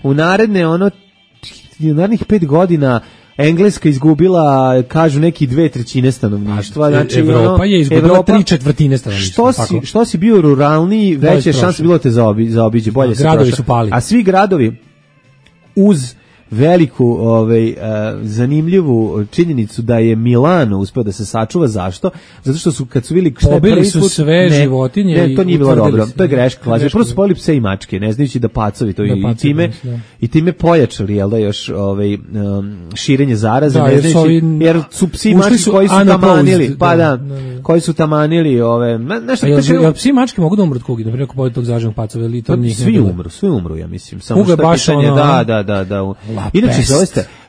u narednih 5 godina Engleska izgubila, kažu neki 2/3 stanovništva. Znači, Evropa je izgubila 3/4 stanovništva. Što si bio ruralniji, veće šanse bilo te zaobiđe, bolje se prošao. Gradovi su pali. A svi gradovi uz veliku zanimljivu činjenicu da je Milano uspeo da se sačuva. Zašto? Zato što su, kad su vidjeli pobili su sve životinje. Ne, to nije bilo dobro. To je greška. Prvo su pobili pse i mačke, ne znajući da pacovi to i time pojačali, još širenje zaraze, ne znajući, jer su psi i mačke koji su tamanili. Koji su tamanili nešto. Psi i mačke mogu da umru od kugi, na primjer, ako pobili tog zaraženog pacova, ili to njih ne bilo? Svi umru, ja mislim. Samo što pitanje, da.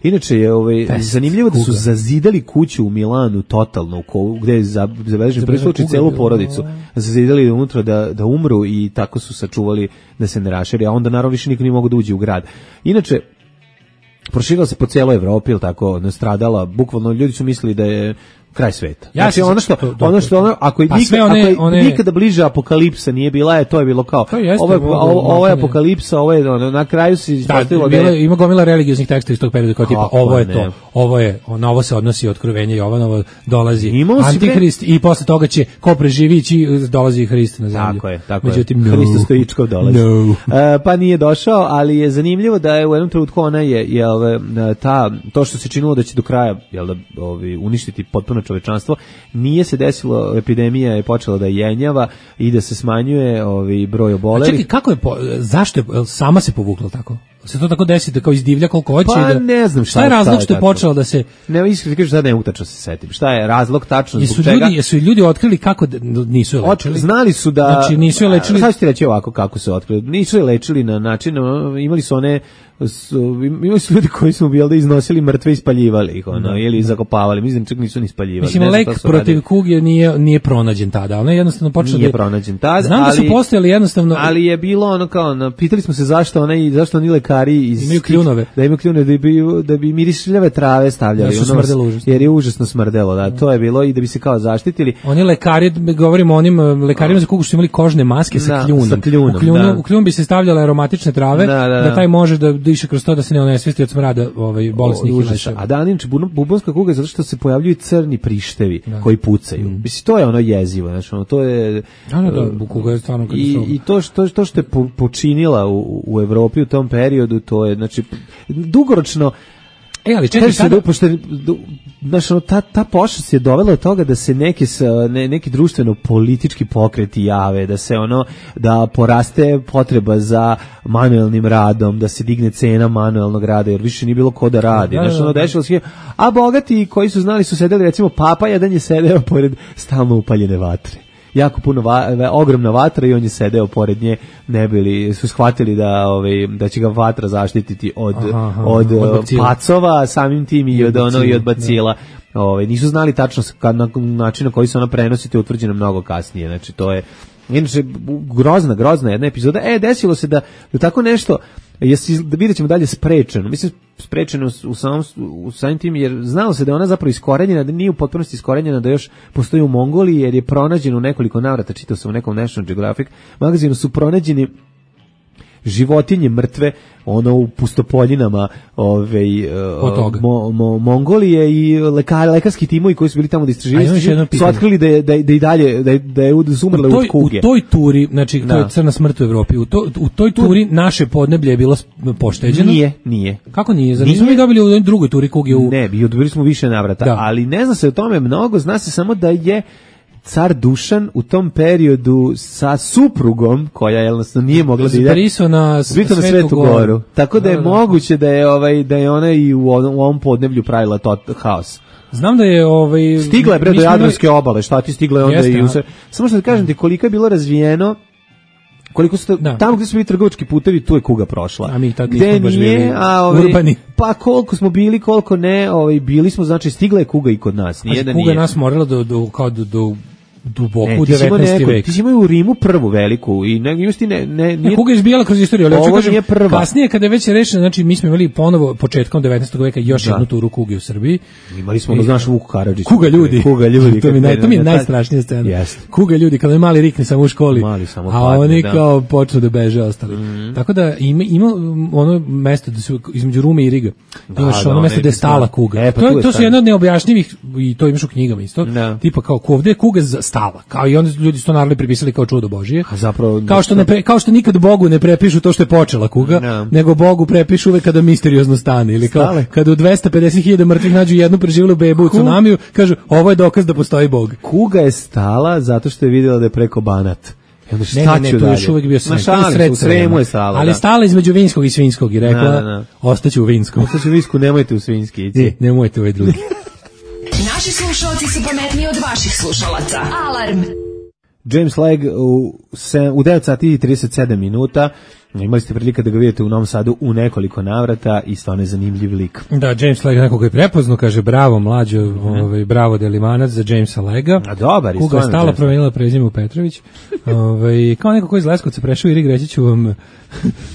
Inače je zanimljivo da su zazidali kuću u Milanu totalno, gde je zabeležen prvi slučaj celu porodicu. Zazidali unutra da umru i tako su sačuvali da se ne raširi, a onda naravno više niko nije mogu da uđe u grad. Inače, proširila se po celoj Evropi, ili tako, nastradala, bukvalno ljudi su mislili da je kraj sveta. Ja Znači ako nikada bliže apokalipsa nije bila, to je bilo kao ovo je apokalipsa, ovo je na kraju se ispostavilo da ima gomila religioznih tekstova iz tog perioda kao tipa ovo je to, na ovo se odnosi otkrovenje Jovanovo, dolazi Antihrist i posle toga će ko preživi dolazi Hrist na zemlju. Tako je. Međutim, Hristo Stojičkov dolazi. Pa nije došao, ali je zanimljivo da je u jednom trenutku ona to što se činilo da će do kraja uništiti potpuno čovečanstvo, nije se desilo, epidemija je počela da jenjava i da se smanjuje broj obolelih. Čekaj, kako je, zašto je, sama se povukla tako? Se to tako desi da kao izdivlja koliko hoće? Pa ne znam šta je razlog što je počela da se... Ne, iskreno kažem, sad ne mogu tačno se setim. Šta je razlog tačno zbog čega? Jesu ljudi otkrili kako nisu je lečili? Znali su da... Znači nisu je lečili... Sad ću ti reći ovako kako se otkrili. Nisu je lečili na način, imali su ljudi koji su iznosili mrtve i spaljivali ih, ili zakopavali, mislim čak nisu ni spaljivali. Mislim, lek protiv kuge nije pronađen tada, ona je jednostavno počela nije pronađen tada, znam da su postojali jednostavno... Ali je bilo ono kao, pitali smo se zašto oni lekari imaju kljunove. Da imaju kljunove, da bi mirišljave trave stavljali, jer je užasno smrdelo, da, to je bilo i da bi se kao zaštitili. Oni lekari, govorimo o onim lekarima za kugu što su imali kožne maske sa kljunom. U kljun bi se stavljale aromatične trave, da taj može da diše kroz to da se ne onesvesti od smrada bolesnih leševa. A inače bubonska kuga je zato što se pojavljuju crni prištevi koji pucaju. Mislim, to je ono jezivo, znači to je... Da, kuga je stvarno katastrofalna. I to što je počinila u Evropi u tom periodu, to je, znači, dugoročno... Ali čekaj sada... Ta pošast je dovela od toga da se neki društveno-politički pokreti jave, da se da poraste potreba za manuelnim radom, da se digne cena manuelnog rada, jer više nije bilo ko da radi. Dešalo se, a bogati koji su znali su sedeli, recimo Papa jedan je sedeo pored stalno upaljene vatre. Jako puno ogromna vatra i on je sedeo pored nje, ne bili su shvatili da će ga vatra zaštititi od pacova, samim tim i od bacila. Nisu znali tačno način na koji se ona prenosi, to je utvrđeno mnogo kasnije. Znači to je inače grozna jedna epizoda. Desilo se da tako nešto vidjet ćemo dalje sprečeno. Mislim, sprečeno u samim tim, jer znalo se da je ona zapravo iskorenjena, da nije u potpunosti iskorenjena, da još postoji u Mongoliji, jer je pronađeno u nekoliko navrata, čitao sam u nekom National Geographic magazinu, su pronađeni životinje mrtve u pustopoljinama Mongolije i lekarski timovi koji su bili tamo da istraživaju su otkrili da i dalje da je umrle od kuge. U toj turi, znači to je crna smrt u Evropi, u toj turi naše podneblje je bilo pošteđeno? Nije. Kako nije? Zar nismo mi dobili u drugoj turi kuge? Ne, dobili smo više navrata, ali ne zna se o tome mnogo, zna se samo da je car Dušan u tom periodu sa suprugom, koja jednostavno nije mogla da ide, prisao na Svetu Goru. Tako da je moguće da je ona i u ovom podneblju pravila haos. Znam da je stigla je do Jadranske obale, šta ti stigla je onda samo što da kažem ti koliko je bilo razvijeno, koliko su tamo gdje su bili trgovački putevi, tu je kuga prošla. A mi tad nismo baš bili urbani. Pa koliko smo bili, koliko ne, bili smo, znači stigla je kuga i kod nas. Kuga nas morala do duboko u 19. vek. Ti si imao u Rimu prvu veliku i kuga je izbijala kroz istoriju, ali ovo nije prva. Kasnije kada je već rešeno, znači mi smo imali ponovo početkom 19. veka još jednu turu kuge u Srbiji. Imali smo znaš Vuku Karadžića. Kuga ljudi. To mi je najstrašnija scena. Kuga ljudi, kada je mali rikne samo u školi, a oni kao počnu da beže ostali. Tako da ima ono mesto da su između Rume i Riga. Imaš ono mesto gde je stala kuga. To su jedno od neobjašnjivih, i to imaš u knjigama isto, tipa kao ovde je kuga stala, kao i onda ljudi su to naravno pripisali kao čudo Božije. A zapravo kao što nikad Bogu ne prepišu to što je počela kuga, nego Bogu prepišu uvek kada misteriozno stane, ili kao kada u 250.000 mrtvih nađu jednu preživelu bebu u tsunamiju, kažu ovo je dokaz da postoji Bog. Kuga je stala zato što je vidjela da je preko Banat. Ne, to je još uvijek bio Sremu je stala. Ali stala između Vinskog i Svinjskog i rekla, ostaću u Vinskom. Ostaću u Vinsku, nemojte u Svinjski. Nemojte ovaj drugi. Naši slušalci su pametniji od vaših slušalaca. Alarm! James Legg u 9 sati i 37 minuta. Imali ste prilike da ga vidite u Novom Sadu u nekoliko navrata i stvarno je zanimljiv lik. Da, James Lega nekog je prepoznao, kaže bravo mlađo, bravo Delimanac za Jamesa Lega. A dobar je. Kuga je stala promenila prezime u Petrović. Kao neko koji iz Leskovca prešao Irig, reći ću vam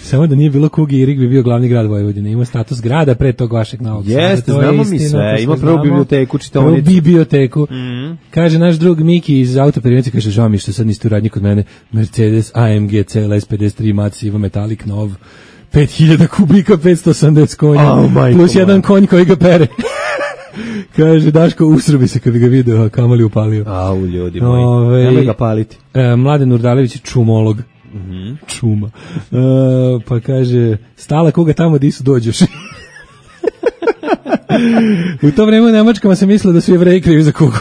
samo da nije bilo Kugi, Irig bi bio glavni grad Vojvodine. Ima status grada pre tog vašeg Novog Sada. Jeste, znamo mi sve. Ima prvu biblioteku, čitaonicu. Prvu biblioteku. Kaže naš drug Miki iz Autoperionica, kaže žao mi što sad niste u radnji kod mene. Mercedes AMG CLS 53 Massiva Metallic nov. 5000 kubika, 580 konja, plus jedan konj koji ga pere. Kaže, Daško, usrobi se kad bi ga video, a kamali upalio. Au, ljudi moji, nemoj ga paliti. Mladen Urdalević, čumolog. Čuma. Pa kaže, stala koga tamo di su dođeš. U to vreme u Nemačkama se mislilo da su Jevreji krivi za kugu.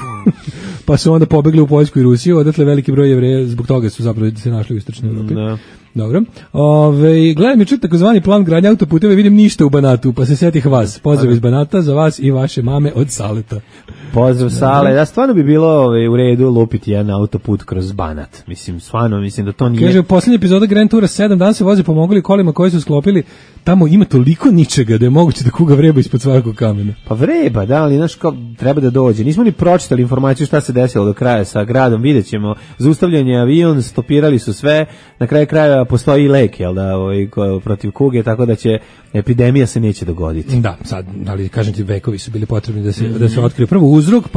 Pa su onda pobegli u Poljsku i Rusiju, odatle veliki broj Jevreja, zbog toga su zapravo se našli u istočnoj Evropi. Dobro. Gledam juče takozvani plan gradnje autoputeva, vidim ništa u Banatu, pa se setih vas. Pozdrav iz Banata za vas i vaše mame od Saleta. Pozdrav Sale. Da, stvarno bi bilo u redu lupiti jedan autoput kroz Banat. Mislim, stvarno, mislim da to nije... Kaže, u posljednji epizoda Grand Toura 7 dana se voze pomogli kolima koji su sklopili. Tamo ima toliko ničega da je moguće da kuga vreba ispod svakog kamena. Pa vreba, da, ali znaš kao treba da dođe. Nismo ni pročitali informaciju šta se desilo do kraja sa gradom, vidjet ćemo. Zaustavljen je avion, stopirali su sve, na kraju kraja postoji lek, jel da, protiv kuge, tako da će epidemija se neće dogoditi. Da, sad, ali kažem ti, vekovi su bili potrebni da se otkrije prvo uzrok,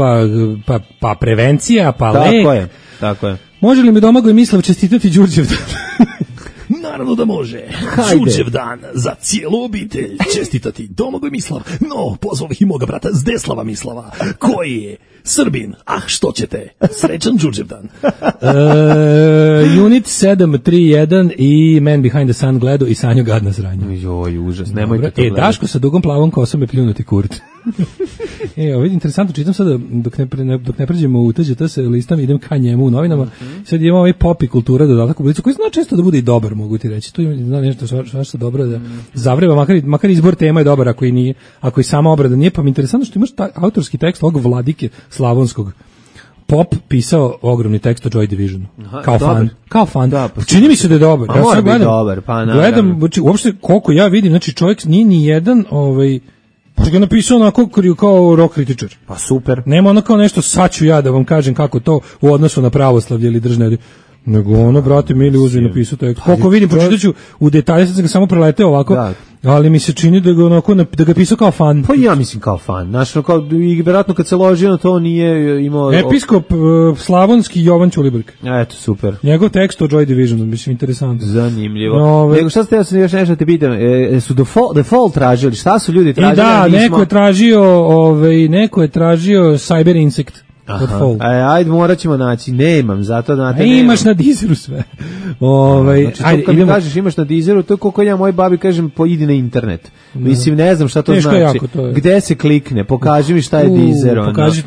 pa prevencija, pa lek. Tako je. Može li mi Domagoj Mislav čestitati Đurđevdan? Naravno da može. Đurđevdan za cijelu obitelj čestitati Domagoj Mislav. No, pozvao bih i moga brata Zdeslava Mislava, koji je Srbin. Ah, što ćete? Srećan Đurđevdan. Unit 731 i Man Behind the Sun gledao i sanju gadna sranja. Joj, užas, nemojte to gledati. Daško sa dugom plavom kosom je pljunuti kurt. Vidi, interesantno, čitam sada, dok ne pređemo u TGT se listam, idem ka njemu u novinama, sad imamo ovaj pop i kultura dodatak u Blicu, koji zna često da bude i dobar, mogu ti reći, tu ima nešto što dobro da zavreba, makar izbor tema je dobar, ako i sama obrada nije, pa mi interesantno što imaš autorski tekst ovog Vladike Slavonskog. Pop pisao ogromni tekst o Joy Divisionu. Kao fan. Da, pa čini mi se da je dobar. Ja sad gledam, uopšte koliko ja vidim, znači čovjek nije ni jedan, pa ga napisao onako kao rock kritičar. Pa super. Nema ono kao nešto, sad ću ja da vam kažem kako to u odnosu na pravoslavlje ili držne, nego ono, brate, mili uzvi napisao tekst. Koliko vidim, pročitaću u detalje, sad sam ga samo preleteo ovako, ali mi se čini da ga onako, da ga pisao kao fan. Pa ja mislim kao fan. Znaš, i vjerojatno kad se ložio na to nije imao... Episkop Slavonski Jovan Ćulibrk. Eto, super. Njegov tekst o Joy Divisionu, mislim, interesantno. Zanimljivo. Nego šta ste, ja sam još nešto te pitam, su default tražili, šta su ljudi tražili? Da, neko je tražio Cyber Insect. Ajde, morat ćemo naći, nemam, zato da imaš na Deezeru sve. Znači, kad mi kažeš imaš na Deezeru, to je koliko ja moj babi kažem, idi na internet. Mislim, ne znam šta to znači. Gde se klikne, pokaži mi šta je Deezer.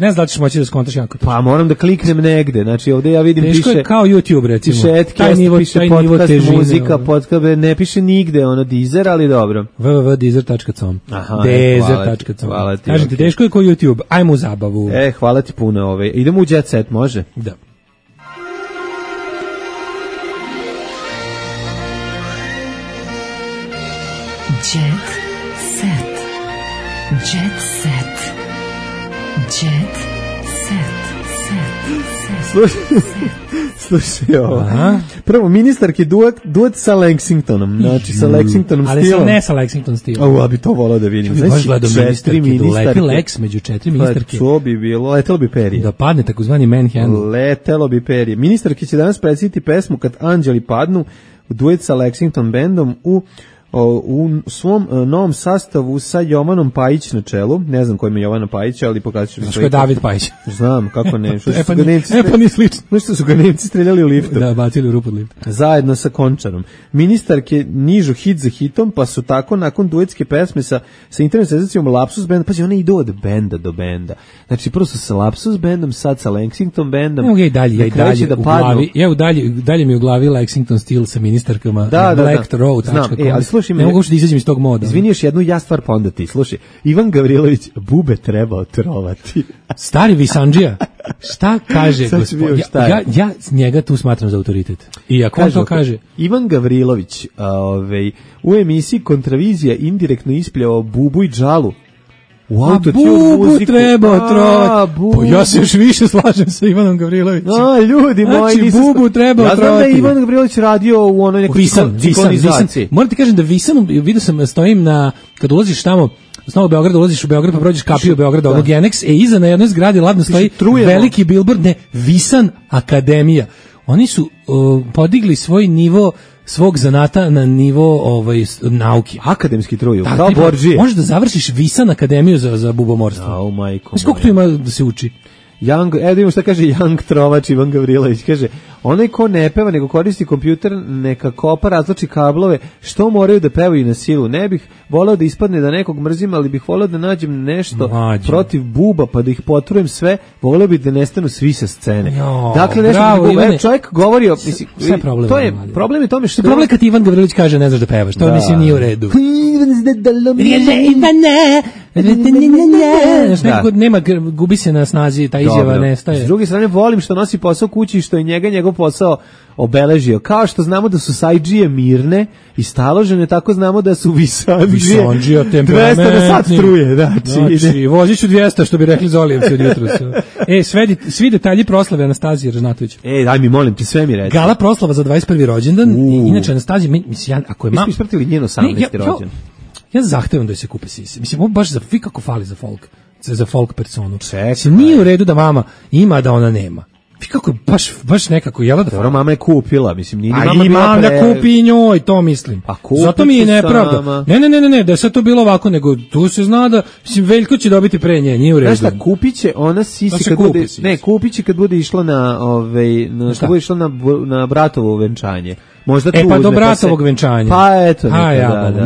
Ne znam da ćeš moći da skontaš jako to. Pa moram da kliknem negde, znači ovde ja vidim piše... Teško je kao YouTube, recimo. Piše Edcast, piše podcast, muzika, podcast, ne piše nigde ono Deezer, ali dobro. www.deezer.com Deezer.com. Kažem ti, teško je kao YouTube, ajmo u zabavu. Hvala ti puno. Idemo u Jet Set, može? Da. Jet Set. Jet Set. Jet Set. Slušaj ovo. Prvo, ministarki duet sa Lexingtonom. Znači, sa Lexingtonom stilom. Ali sam ne sa Lexington stilom. A bi to volao da vidim. Znači, četiri ministarke. Lex među četiri ministarke. To bi bilo, letelo bi perje. Da padne takozvani manhandle. Letelo bi perje. Ministarki će danas predstaviti pesmu Kad anđeli padnu, duet sa Lexington bandom u svom novom sastavu sa Jovanom Pajić na čelu. Ne znam ko ima Jovana Pajića, ali pokazat ću mi. Što je David Pajić? Znam, kako ne. Pa nije slično. Što su ga Nemci streljali u liftu. Da, bacili u rupu od lifta. Zajedno sa Končarom. Ministarke nižu hit za hitom, pa su tako nakon duetske pesme sa internet senzacijom Lapsus benda, pazi, one idu od benda do benda. Znači, prvo su sa Lapsus bandom, sad sa Lexington bandom. Evo ja i dalje u glavi mi u glavi Lexington stil sa ministarkama. Da. Black Road. Znam, ali slušaj, ne mogu da izađem iz tog moda. Izvini, još jednu ja stvar, pa onda ti. Slušaj, Ivan Gavrilović, bube treba otrovati. Stari Visandžija, šta kaže gospodin? Ja njega tu smatram za autoritet. I ako on to kaže... Ivan Gavrilović u emisiji Kontravizija indirektno ispljavao bubu i džalu. A bubu treba otrovati. Pa ja se još više slažem sa Ivanom Gavrilovićem. Ljudi moji, znači, bubu treba otrovati. Ja znam da je Ivan Gavrilović radio u onoj nekoj ciklonizaciji. Moram ti kažem da Visan, vidio sam, stojim kad ulaziš tamo, s Novog Beograda, ulaziš u Beograd, pa prođeš kapiju u Beograda, onog Genex, iza na jednoj zgradi ladno stoji veliki billboard, Visan Akademija. Oni su podigli svoj nivo svog zanata na nivo nauke. Akademski truju, kao Borđije. Možeš da završiš Visan Akademiju za bubomorstvo. Majko. Koliko tu ima da se uči? Da vidimo šta kaže Young Trovač Ivan Gavrilović, kaže, onaj ko ne peva nego koristi kompjuter neka kopa, razlači kablove, što moraju da pevaju na silu, ne bih voleo da ispadne da nekog mrzim, ali bih voleo da nađem nešto protiv buba, pa da ih potrujem sve, voleo bih da nestanu svi sa scene. Dakle, nešto čovjek govorio, mislim, to je problem je tome što... Problem kad Ivan Gavrilović kaže ne znaš da pevaš, to mislim nije u redu. Nema, gubi se na snazi, ta izjava nestaje. S druge strane, volim što nosi posao kući i što je njegov posao obeležio. Kao što znamo da su sajđije mirne i staložene, tako znamo da su Visandžije 200 na sat struje. Znači, vozit ću 200, što bi rekli Zolijevci od jutros. Svi detalji proslave Anastazije Ražnatović. Daj mi, molim ti, sve mi reći. Gala proslava za 21. rođendan. Inače, Anastazija, mislim, ako je mi smo ispratili njen 18. rođendan. Ja zahtevam da se kupe sise. Mislim, ovo baš vi kako fali za folk personu. Nije u redu da mama ima, da ona nema. Vi kako baš nekako jela da fali. Mama je kupila, mislim, nije mama ima da kupi njoj, to mislim. Zato mi je nepravda. Ne, da je sad to bilo ovako, nego tu se zna da, mislim, Veljko će dobiti pre nje, nije u redu. Znaš šta, kupiće ona sisi kad bude išla na bratovo venčanje. Možda pa do bratovog venčanja. Pa eto.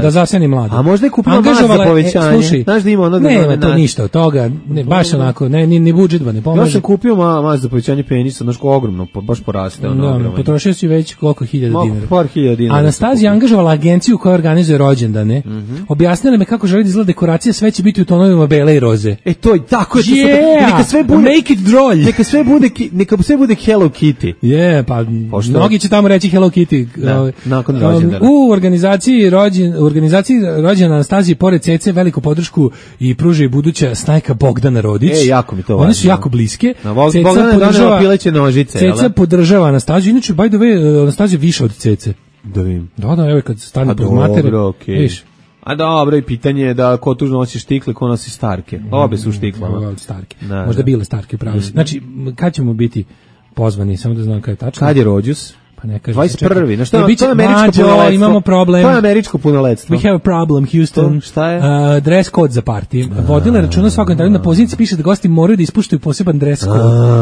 Da zaseni mladu. A možda je kupila mast za povećanje. Znaš da ima ono da... Nema to ništa od toga. Baš onako, ni budžetva ne pomaže. Ja sam kupio mast za povećanje penisa, znaš ko ogromno, baš poraste. Potrošio si već koliko hiljada dinara. Par hiljada dinara. Anastazija angažovala agenciju koja organizuje rođendane. Objasnila me kako želi da izgleda dekoracija, sve će biti u tonovima bele i roze. To je tako. Neka sve bude... Make it drolj. Neka sve bude Hello Kitty. Pa mnogi će tamo reći Hello Kitty. Nakon rođendana. U organizaciji rođendana Anastazije pored Cece veliku podršku i pruža i buduća snajka Bogdana Rodić. Jako mi to važno. One su jako bliske. Bogdana donela pileće nožice. Ceca podržava Anastaziju. Inače, by the way, Anastazija više od Cece. Da vidim. Da, evo kad stane pod matere. Viš. A dobro, i pitanje je da ko tu nosi štikle, ko nosi starke. Obe su štiklama. Starke. Možda bile starke, pravo. Znači, kad ćemo biti pozvani, samo da znam kada je tačno. Kad je rođus? Pa ne kaže 21. Na što to je američko punoletstvo? Imamo problem. To je američko punoletstvo. We have a problem, Houston. Šta je? Dress code za party. Vodila računa svakom danu na poziciji piše da gosti moraju da ispuštaju poseban dress code.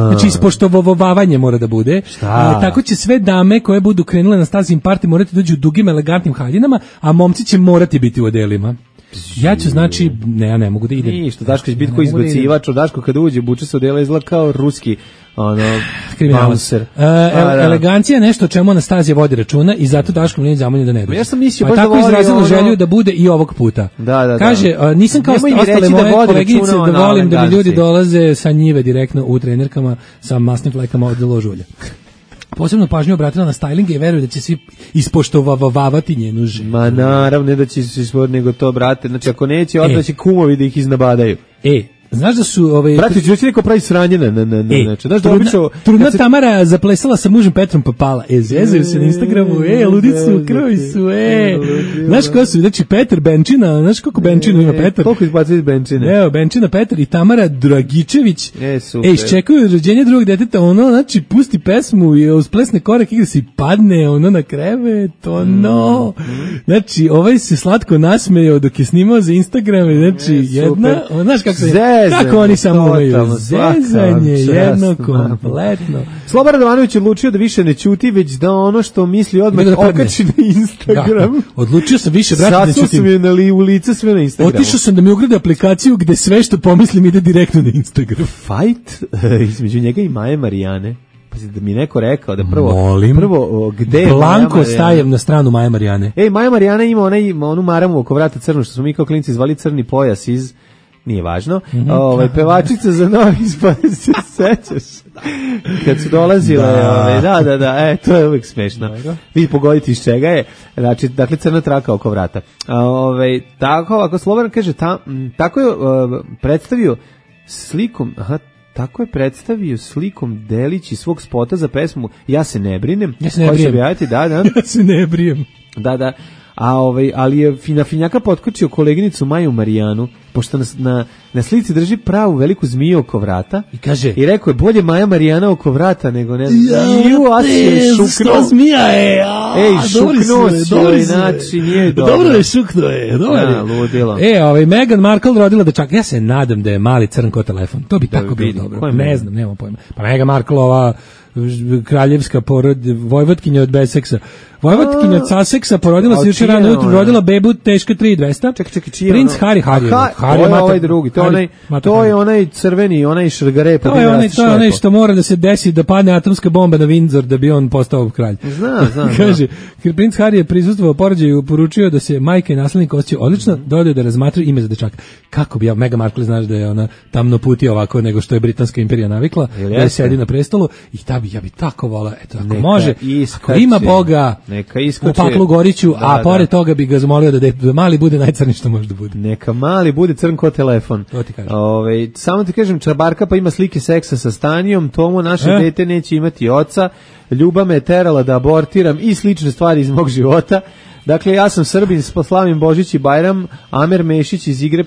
Znači ispoštovavanje mora da bude. Tako će sve dame koje budu krenule na Anastazijin party morati dođu u dugim elegantnim haljinama, a momci će morati biti u odelima. Ja ću, znači, ja ne mogu da idem. Ništa, Daško će biti koji izbacivač, Daško kada uđe, buče se odela, izgleda kao ruski bouncer. Elegancija je nešto o čemu Anastazija vodi računa i zato Daško Mlinić zamoljen da ne dođe. Ja sam mislio, pa tako izrazila želju da bude i ovog puta. Kaže, nisam kao ostale moje koleginice da volim da mi ljudi dolaze sa njive direktno u trenerkama sa masnim flekama od ložulja. Posebno pažnju obratila na styling i veruje da će svi ispoštovavati njenu ženu. Ma naravno, ne da će se ispoštovati, nego to, brate. Znači, ako neće, onda će kumovi da ih iznabadaju. Znaš da su... Brate, ću neko pravi sranje znaš da obično... Trudna Tamara zaplesala sa mužem Petrom Papala. Zezaju se na Instagramu, ludicu, krvi su, Znaš ko su? Znači, Petar Benčina, znaš koliko Benčina ima Petar? Koliko izbacuje iz Benčine? Evo, Benčina Petar i Tamara Dragičević. Super. Iščekuju rođenje drugog deteta, znači, pusti pesmu i uz plesne korak igra se i padne, na krevet, Znači, ovaj se slatko nasmejao dok je snimao za Instagram, znači, jedna, znaš kako se... Kako oni samo imaju zezanje, jedno kompletno. Sloba Radovanović odlučio da više ne ćuti, već da ono što misli odmah okači na Instagram. Odlučio sam više, brate, ne ćutim. Sasao sam je u lice sve na Instagramu. Otišao sam da mi ugrade aplikaciju gde sve što pomislim ide direktno na Instagram. Fight između njega i Maje Marijane. da mi neko rekao da prvo gde Blanko stajem na stranu Maje Marijane. Maja Marijana ima onu maramu oko vrata crnu, što smo mi kao klinci zvali crni pojas iz, nije važno, pevačica za Novi Spad, se sećaš? Kad su dolazile, da, to je uvijek smešno. Vi pogoditi iz čega je, znači, dakle, crna traka oko vrata. Tako, ako Slobodan kaže, tako je predstavio slikom, Delić iz svog spota za pesmu Ja se ne brinem. Ja se ne brijem. Da. Ali je finjaka potkočio koleginicu Maju Marijanu, pošto na slici drži pravu veliku zmiju oko vrata. I kaže, i rekao je, bolje Maja Marijana oko vrata nego ne znam. Što zmija je. Šuknuo si, znači nije dobro. Dobro je šuknuo je. Ludilo. Meghan Markle rodila dečaka. Ja se nadam da je mali crnko telefon. To bi tako bilo dobro. Ne znam, nemam pojma. Pa Meghan Markle, ova kraljevska vojvotkinja od Besseksa. Vojvotkinja od Sussexa porodila se juče rano ujutru, rodila bebu teška 3200. Čekaj, čiji je Princ Harry. To je ovaj drugi, to je onaj crveni, onaj šrgare. To je onaj što mora da se desi da padne atomska bomba na Windsor da bi on postao kralj. Znam. Kaže, princ Harry je prisustvovao porođaju i poručio da se majka i naslednik osjećaju odlično, dodao da razmatraju ime za dečaka. Kako bi ja, Meghan Markle, znaš da je ona tamno puti ovako nego što je britanska imperija navikla, da je sedi na prestolu i ja bi tako vola, eto, ako može, ako ima Boga u Paklu Goriću, a pored toga bi ga zamolio da mali bude najcrniji što može da bude. Neka mali bude crn ko telefon. To ti kažem. Samo ti kažem, Čabarka pa ima slike seksa sa Stanijom, Tomo naše dete neće imati oca, Ljuba me je terala da abortiram i slične stvari iz mog života. Dakle, ja sam Srbin, slavim Božić i Bajram, Amer Mešić iz Igre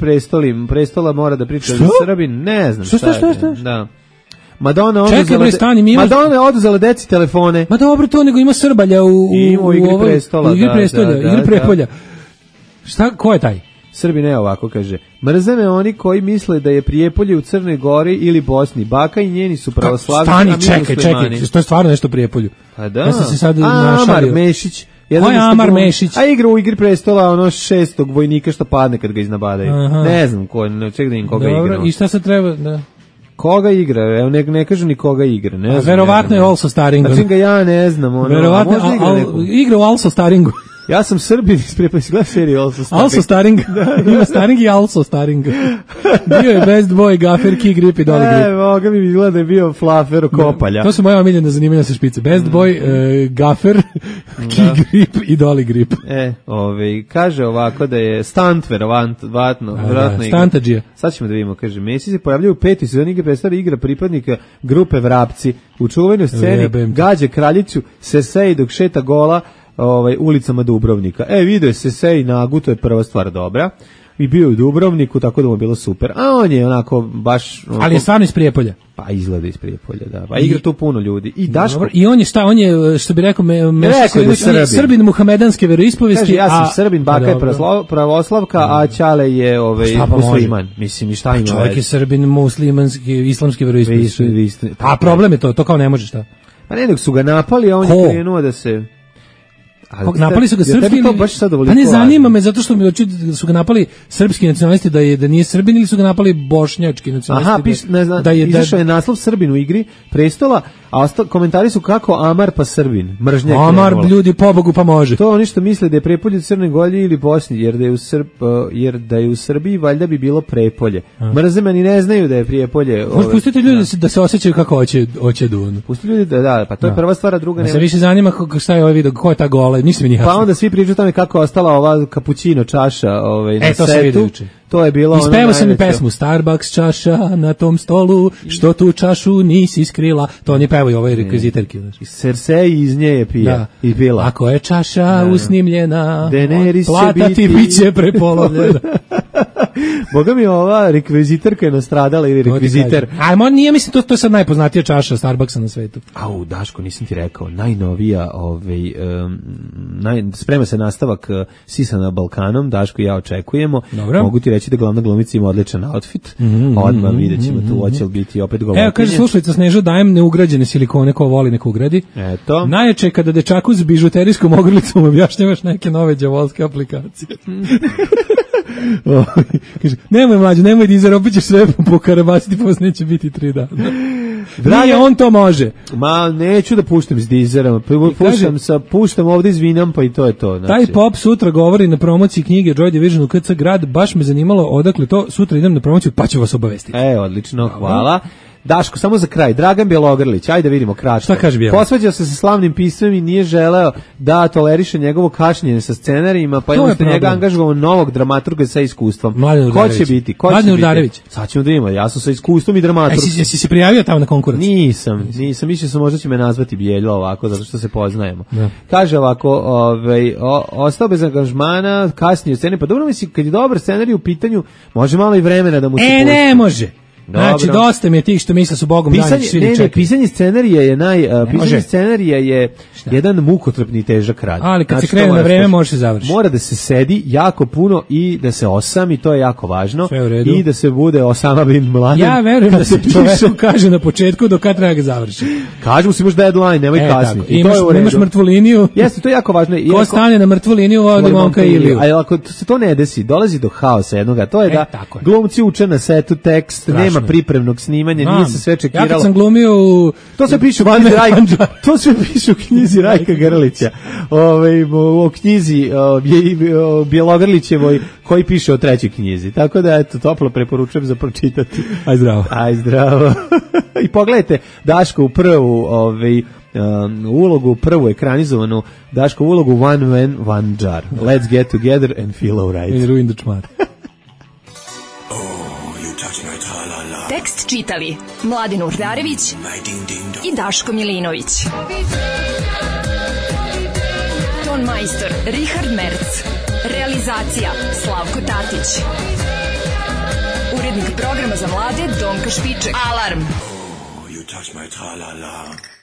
prestola mora da priča za Srbin, ne znam šta je. Da. Madonna je oduzela deci telefone. Ma dobro to, nego ima Srbalja u Igri prestola. Igri prepolja. Šta, ko je taj? Srbi ne ovako kaže. Mrze me oni koji misle da je Prijepolje u Crnoj Gori ili Bosni. Baka i njeni su pravoslavni. Čekaj, to je stvarno nešto Prijepolju. Pa da. Ja sam se sad Amar Mešić. Ko je Amar Mešić? A igra u Igri prestola ono 6. vojnika što padne kad ga iznabadaju. Ne znam ček da im koga igra. Dobro, i šta se treba da... Koga igra? Evo ne kažu ni koga igra. Ne znam. Verovatno je Also Staringo. Znači ga ja ne znam. Verovatno igra u Also Staringu. Ja sam Srbin iz Prepolja serije Also Staring. Also Staring. Ima Staring i Also Staring. Bio je Best Boy, Gaffer, Key Grip i Dolly Grip. Moga mi izgleda da je bio Flafer Kopalja. To su moja omiljena zanimanja sa špice. Best Boy, Gaffer, Key Grip i Dolly Grip. Kaže ovako da je stunt verovatno. Stantadžija. Sad ćemo da vidimo, kaže, Messi se pojavljaju u 5. sezoni Igre predstavlja igra pripadnika grupe Vrapci. U čuvenoj sceni gađa kraljicu Cersei dok šeta gola ulicama Dubrovnika. Video se Cersei nagu, to je prva stvar dobra. I bio u Dubrovniku, tako da mu je bilo super. A on je onako baš... Ali je stvarno iz Prijepolja. Pa izgleda iz Prijepolja, da. Pa igra tu puno ljudi. I Daško... I on je on je, što bi rekao, Srbin muhamedanske veroispovesti. Kaže, ja sam Srbin, baka je pravoslavka, a Ćale je musliman. Mislim, i šta ima? Čovjek je Srbin muslimanski, islamski veroispovesti. A problem je to kao ne može šta. Pa ne, dok su ga napali, a on je krenuo da se... Napali su ga srpski pa ne zanima me zato što su ga napali srpski nacionalisti da nije Srbin ili su ga napali bošnjački nacionalisti. Izašao je naslov Srbin u Igri prestola, a komentari su kako Amar pa Srbin. Mržnjak. Amar ljudi pobogu pa može. To oni što misle da je Prepolje u Crnoj Gori ili Bosni, jer da je u Srbiji valjda bi bilo Prepolje. Mrze me ni ne znaju da je Prijepolje. Pustite ljudi da se osjećaju kako hoće Dun. Pustite ljudi da, pa to je prva stvar, a druga nema. Se više zanima šta je ovaj video, ko je ta gola. Pa onda svi pričaju tamo kako je ostala ova kapućino čaša na to setu. To je bilo ono najveće. Ispevao sam i pesmu Starbucks čaša na tom stolu, što tu čašu nisi skrila. To oni pevaju ovoj rekviziterki. Cersei iz nje je pija i pila. Ako je čaša usnimljena, Daenerys plata ti biće prepolovljena. Boga mi ova rekviziterka je nastradala ili rekviziter. Ajmo, nije, mislim, to je sad najpoznatija čaša Starbucksa na svetu. Au, Daško, nisam ti rekao, najnovija, sprema se nastavak Sisa na Balkanom, Daško i ja očekujemo. Dobro. Mogu ti reći da glavna glumica ima odličan outfit. Odmah vidjet ćemo tu, hoće li biti opet golotinje. Evo, kaže slušalica Sneža, dajem neugrađene silikone, ko voli nek ugradi. Eto. Najjače je kada dečaku s bižuterijskom ogrlicom objašnjavaš neke nove đavolske aplikacije. Kaže, nemoj mlađo, nemoj dizer, opet ćeš sve pokarabasiti, posle neće biti 3 dana. Nije, on to može. Ma, neću da puštam iz Deezera, puštam ovde iz Vinampa i to je to. Znači. Taj pop sutra govori na promociji knjige Joy Division u KC Grad, baš me zanimalo odakle to, sutra idem na promociju, pa ću vas obavestiti. Odlično, hvala. Daško, samo za kraj, Dragan Bjelogrlić, ajde da vidimo kratko. Šta kaže Bjelo? Posvađao se sa slavnim pismom i nije želeo da toleriše njegovo kašnjenje sa scenarijima, pa je umesto njega angažovao novog dramaturga sa iskustvom. Ko će biti? Mladen Urdarević. Sad ćemo da vidimo, ja sam sa iskustvom i dramaturg. Jesi se prijavio tamo na konkurs? Nisam, mislio sam možda će me nazvati Bjeljo ovako, zato što se poznajemo. Da. Kaže ovako, ostao bez angažmana, kasnije u sceni, pa dobro misli, kad je dobar scenarij u pitanju, može malo i vremena da mu se pusti. Ne može. Znači, dosta mi je tih što misle su Bogom dani, svi čekaju. Pisanje scenarija je pisanje scenarija je jedan mukotrpni težak rad. Ali kad se krene na vreme može se završiti. Mora da se sedi jako puno i da se osami, to je jako važno. Sve u redu. I da se bude Osama bin Laden. Ja verujem da se čoveku kaže na početku do kad treba ga završiti. Kaže mu se imaš deadline, nemoj kasnije. Imaš mrtvu liniju. Jeste, to je jako važno. Ko stane na mrtvu liniju, vodi momka Iliju. Ali ako se to ne desi, dolazi do haosa jednoga. To je da glumci uče na setu tekst, nema pripremnog snimanja, nije se sve čekiralo. Ja kad sam glumio to sve piše u knjizi Rajka Grlića. O knjizi Bjelogrlićevoj koji piše o trećoj knjizi. Tako da eto, toplo preporučujem za pročitati. Aj zdravo. I pogledajte Daško u prvu ulogu, prvu ekranizovanu Daško ulogu One Man, One Jar. Let's get together and feel alright. I ruin the čmar. Tekst čitali Mladen Urdarević i Daško Milinović. Ton majstor Richard Merc. Realizacija Slavko Tatić. Urednik programa za mlade Donka Špiček. Alarm! You touch my tra-la-la.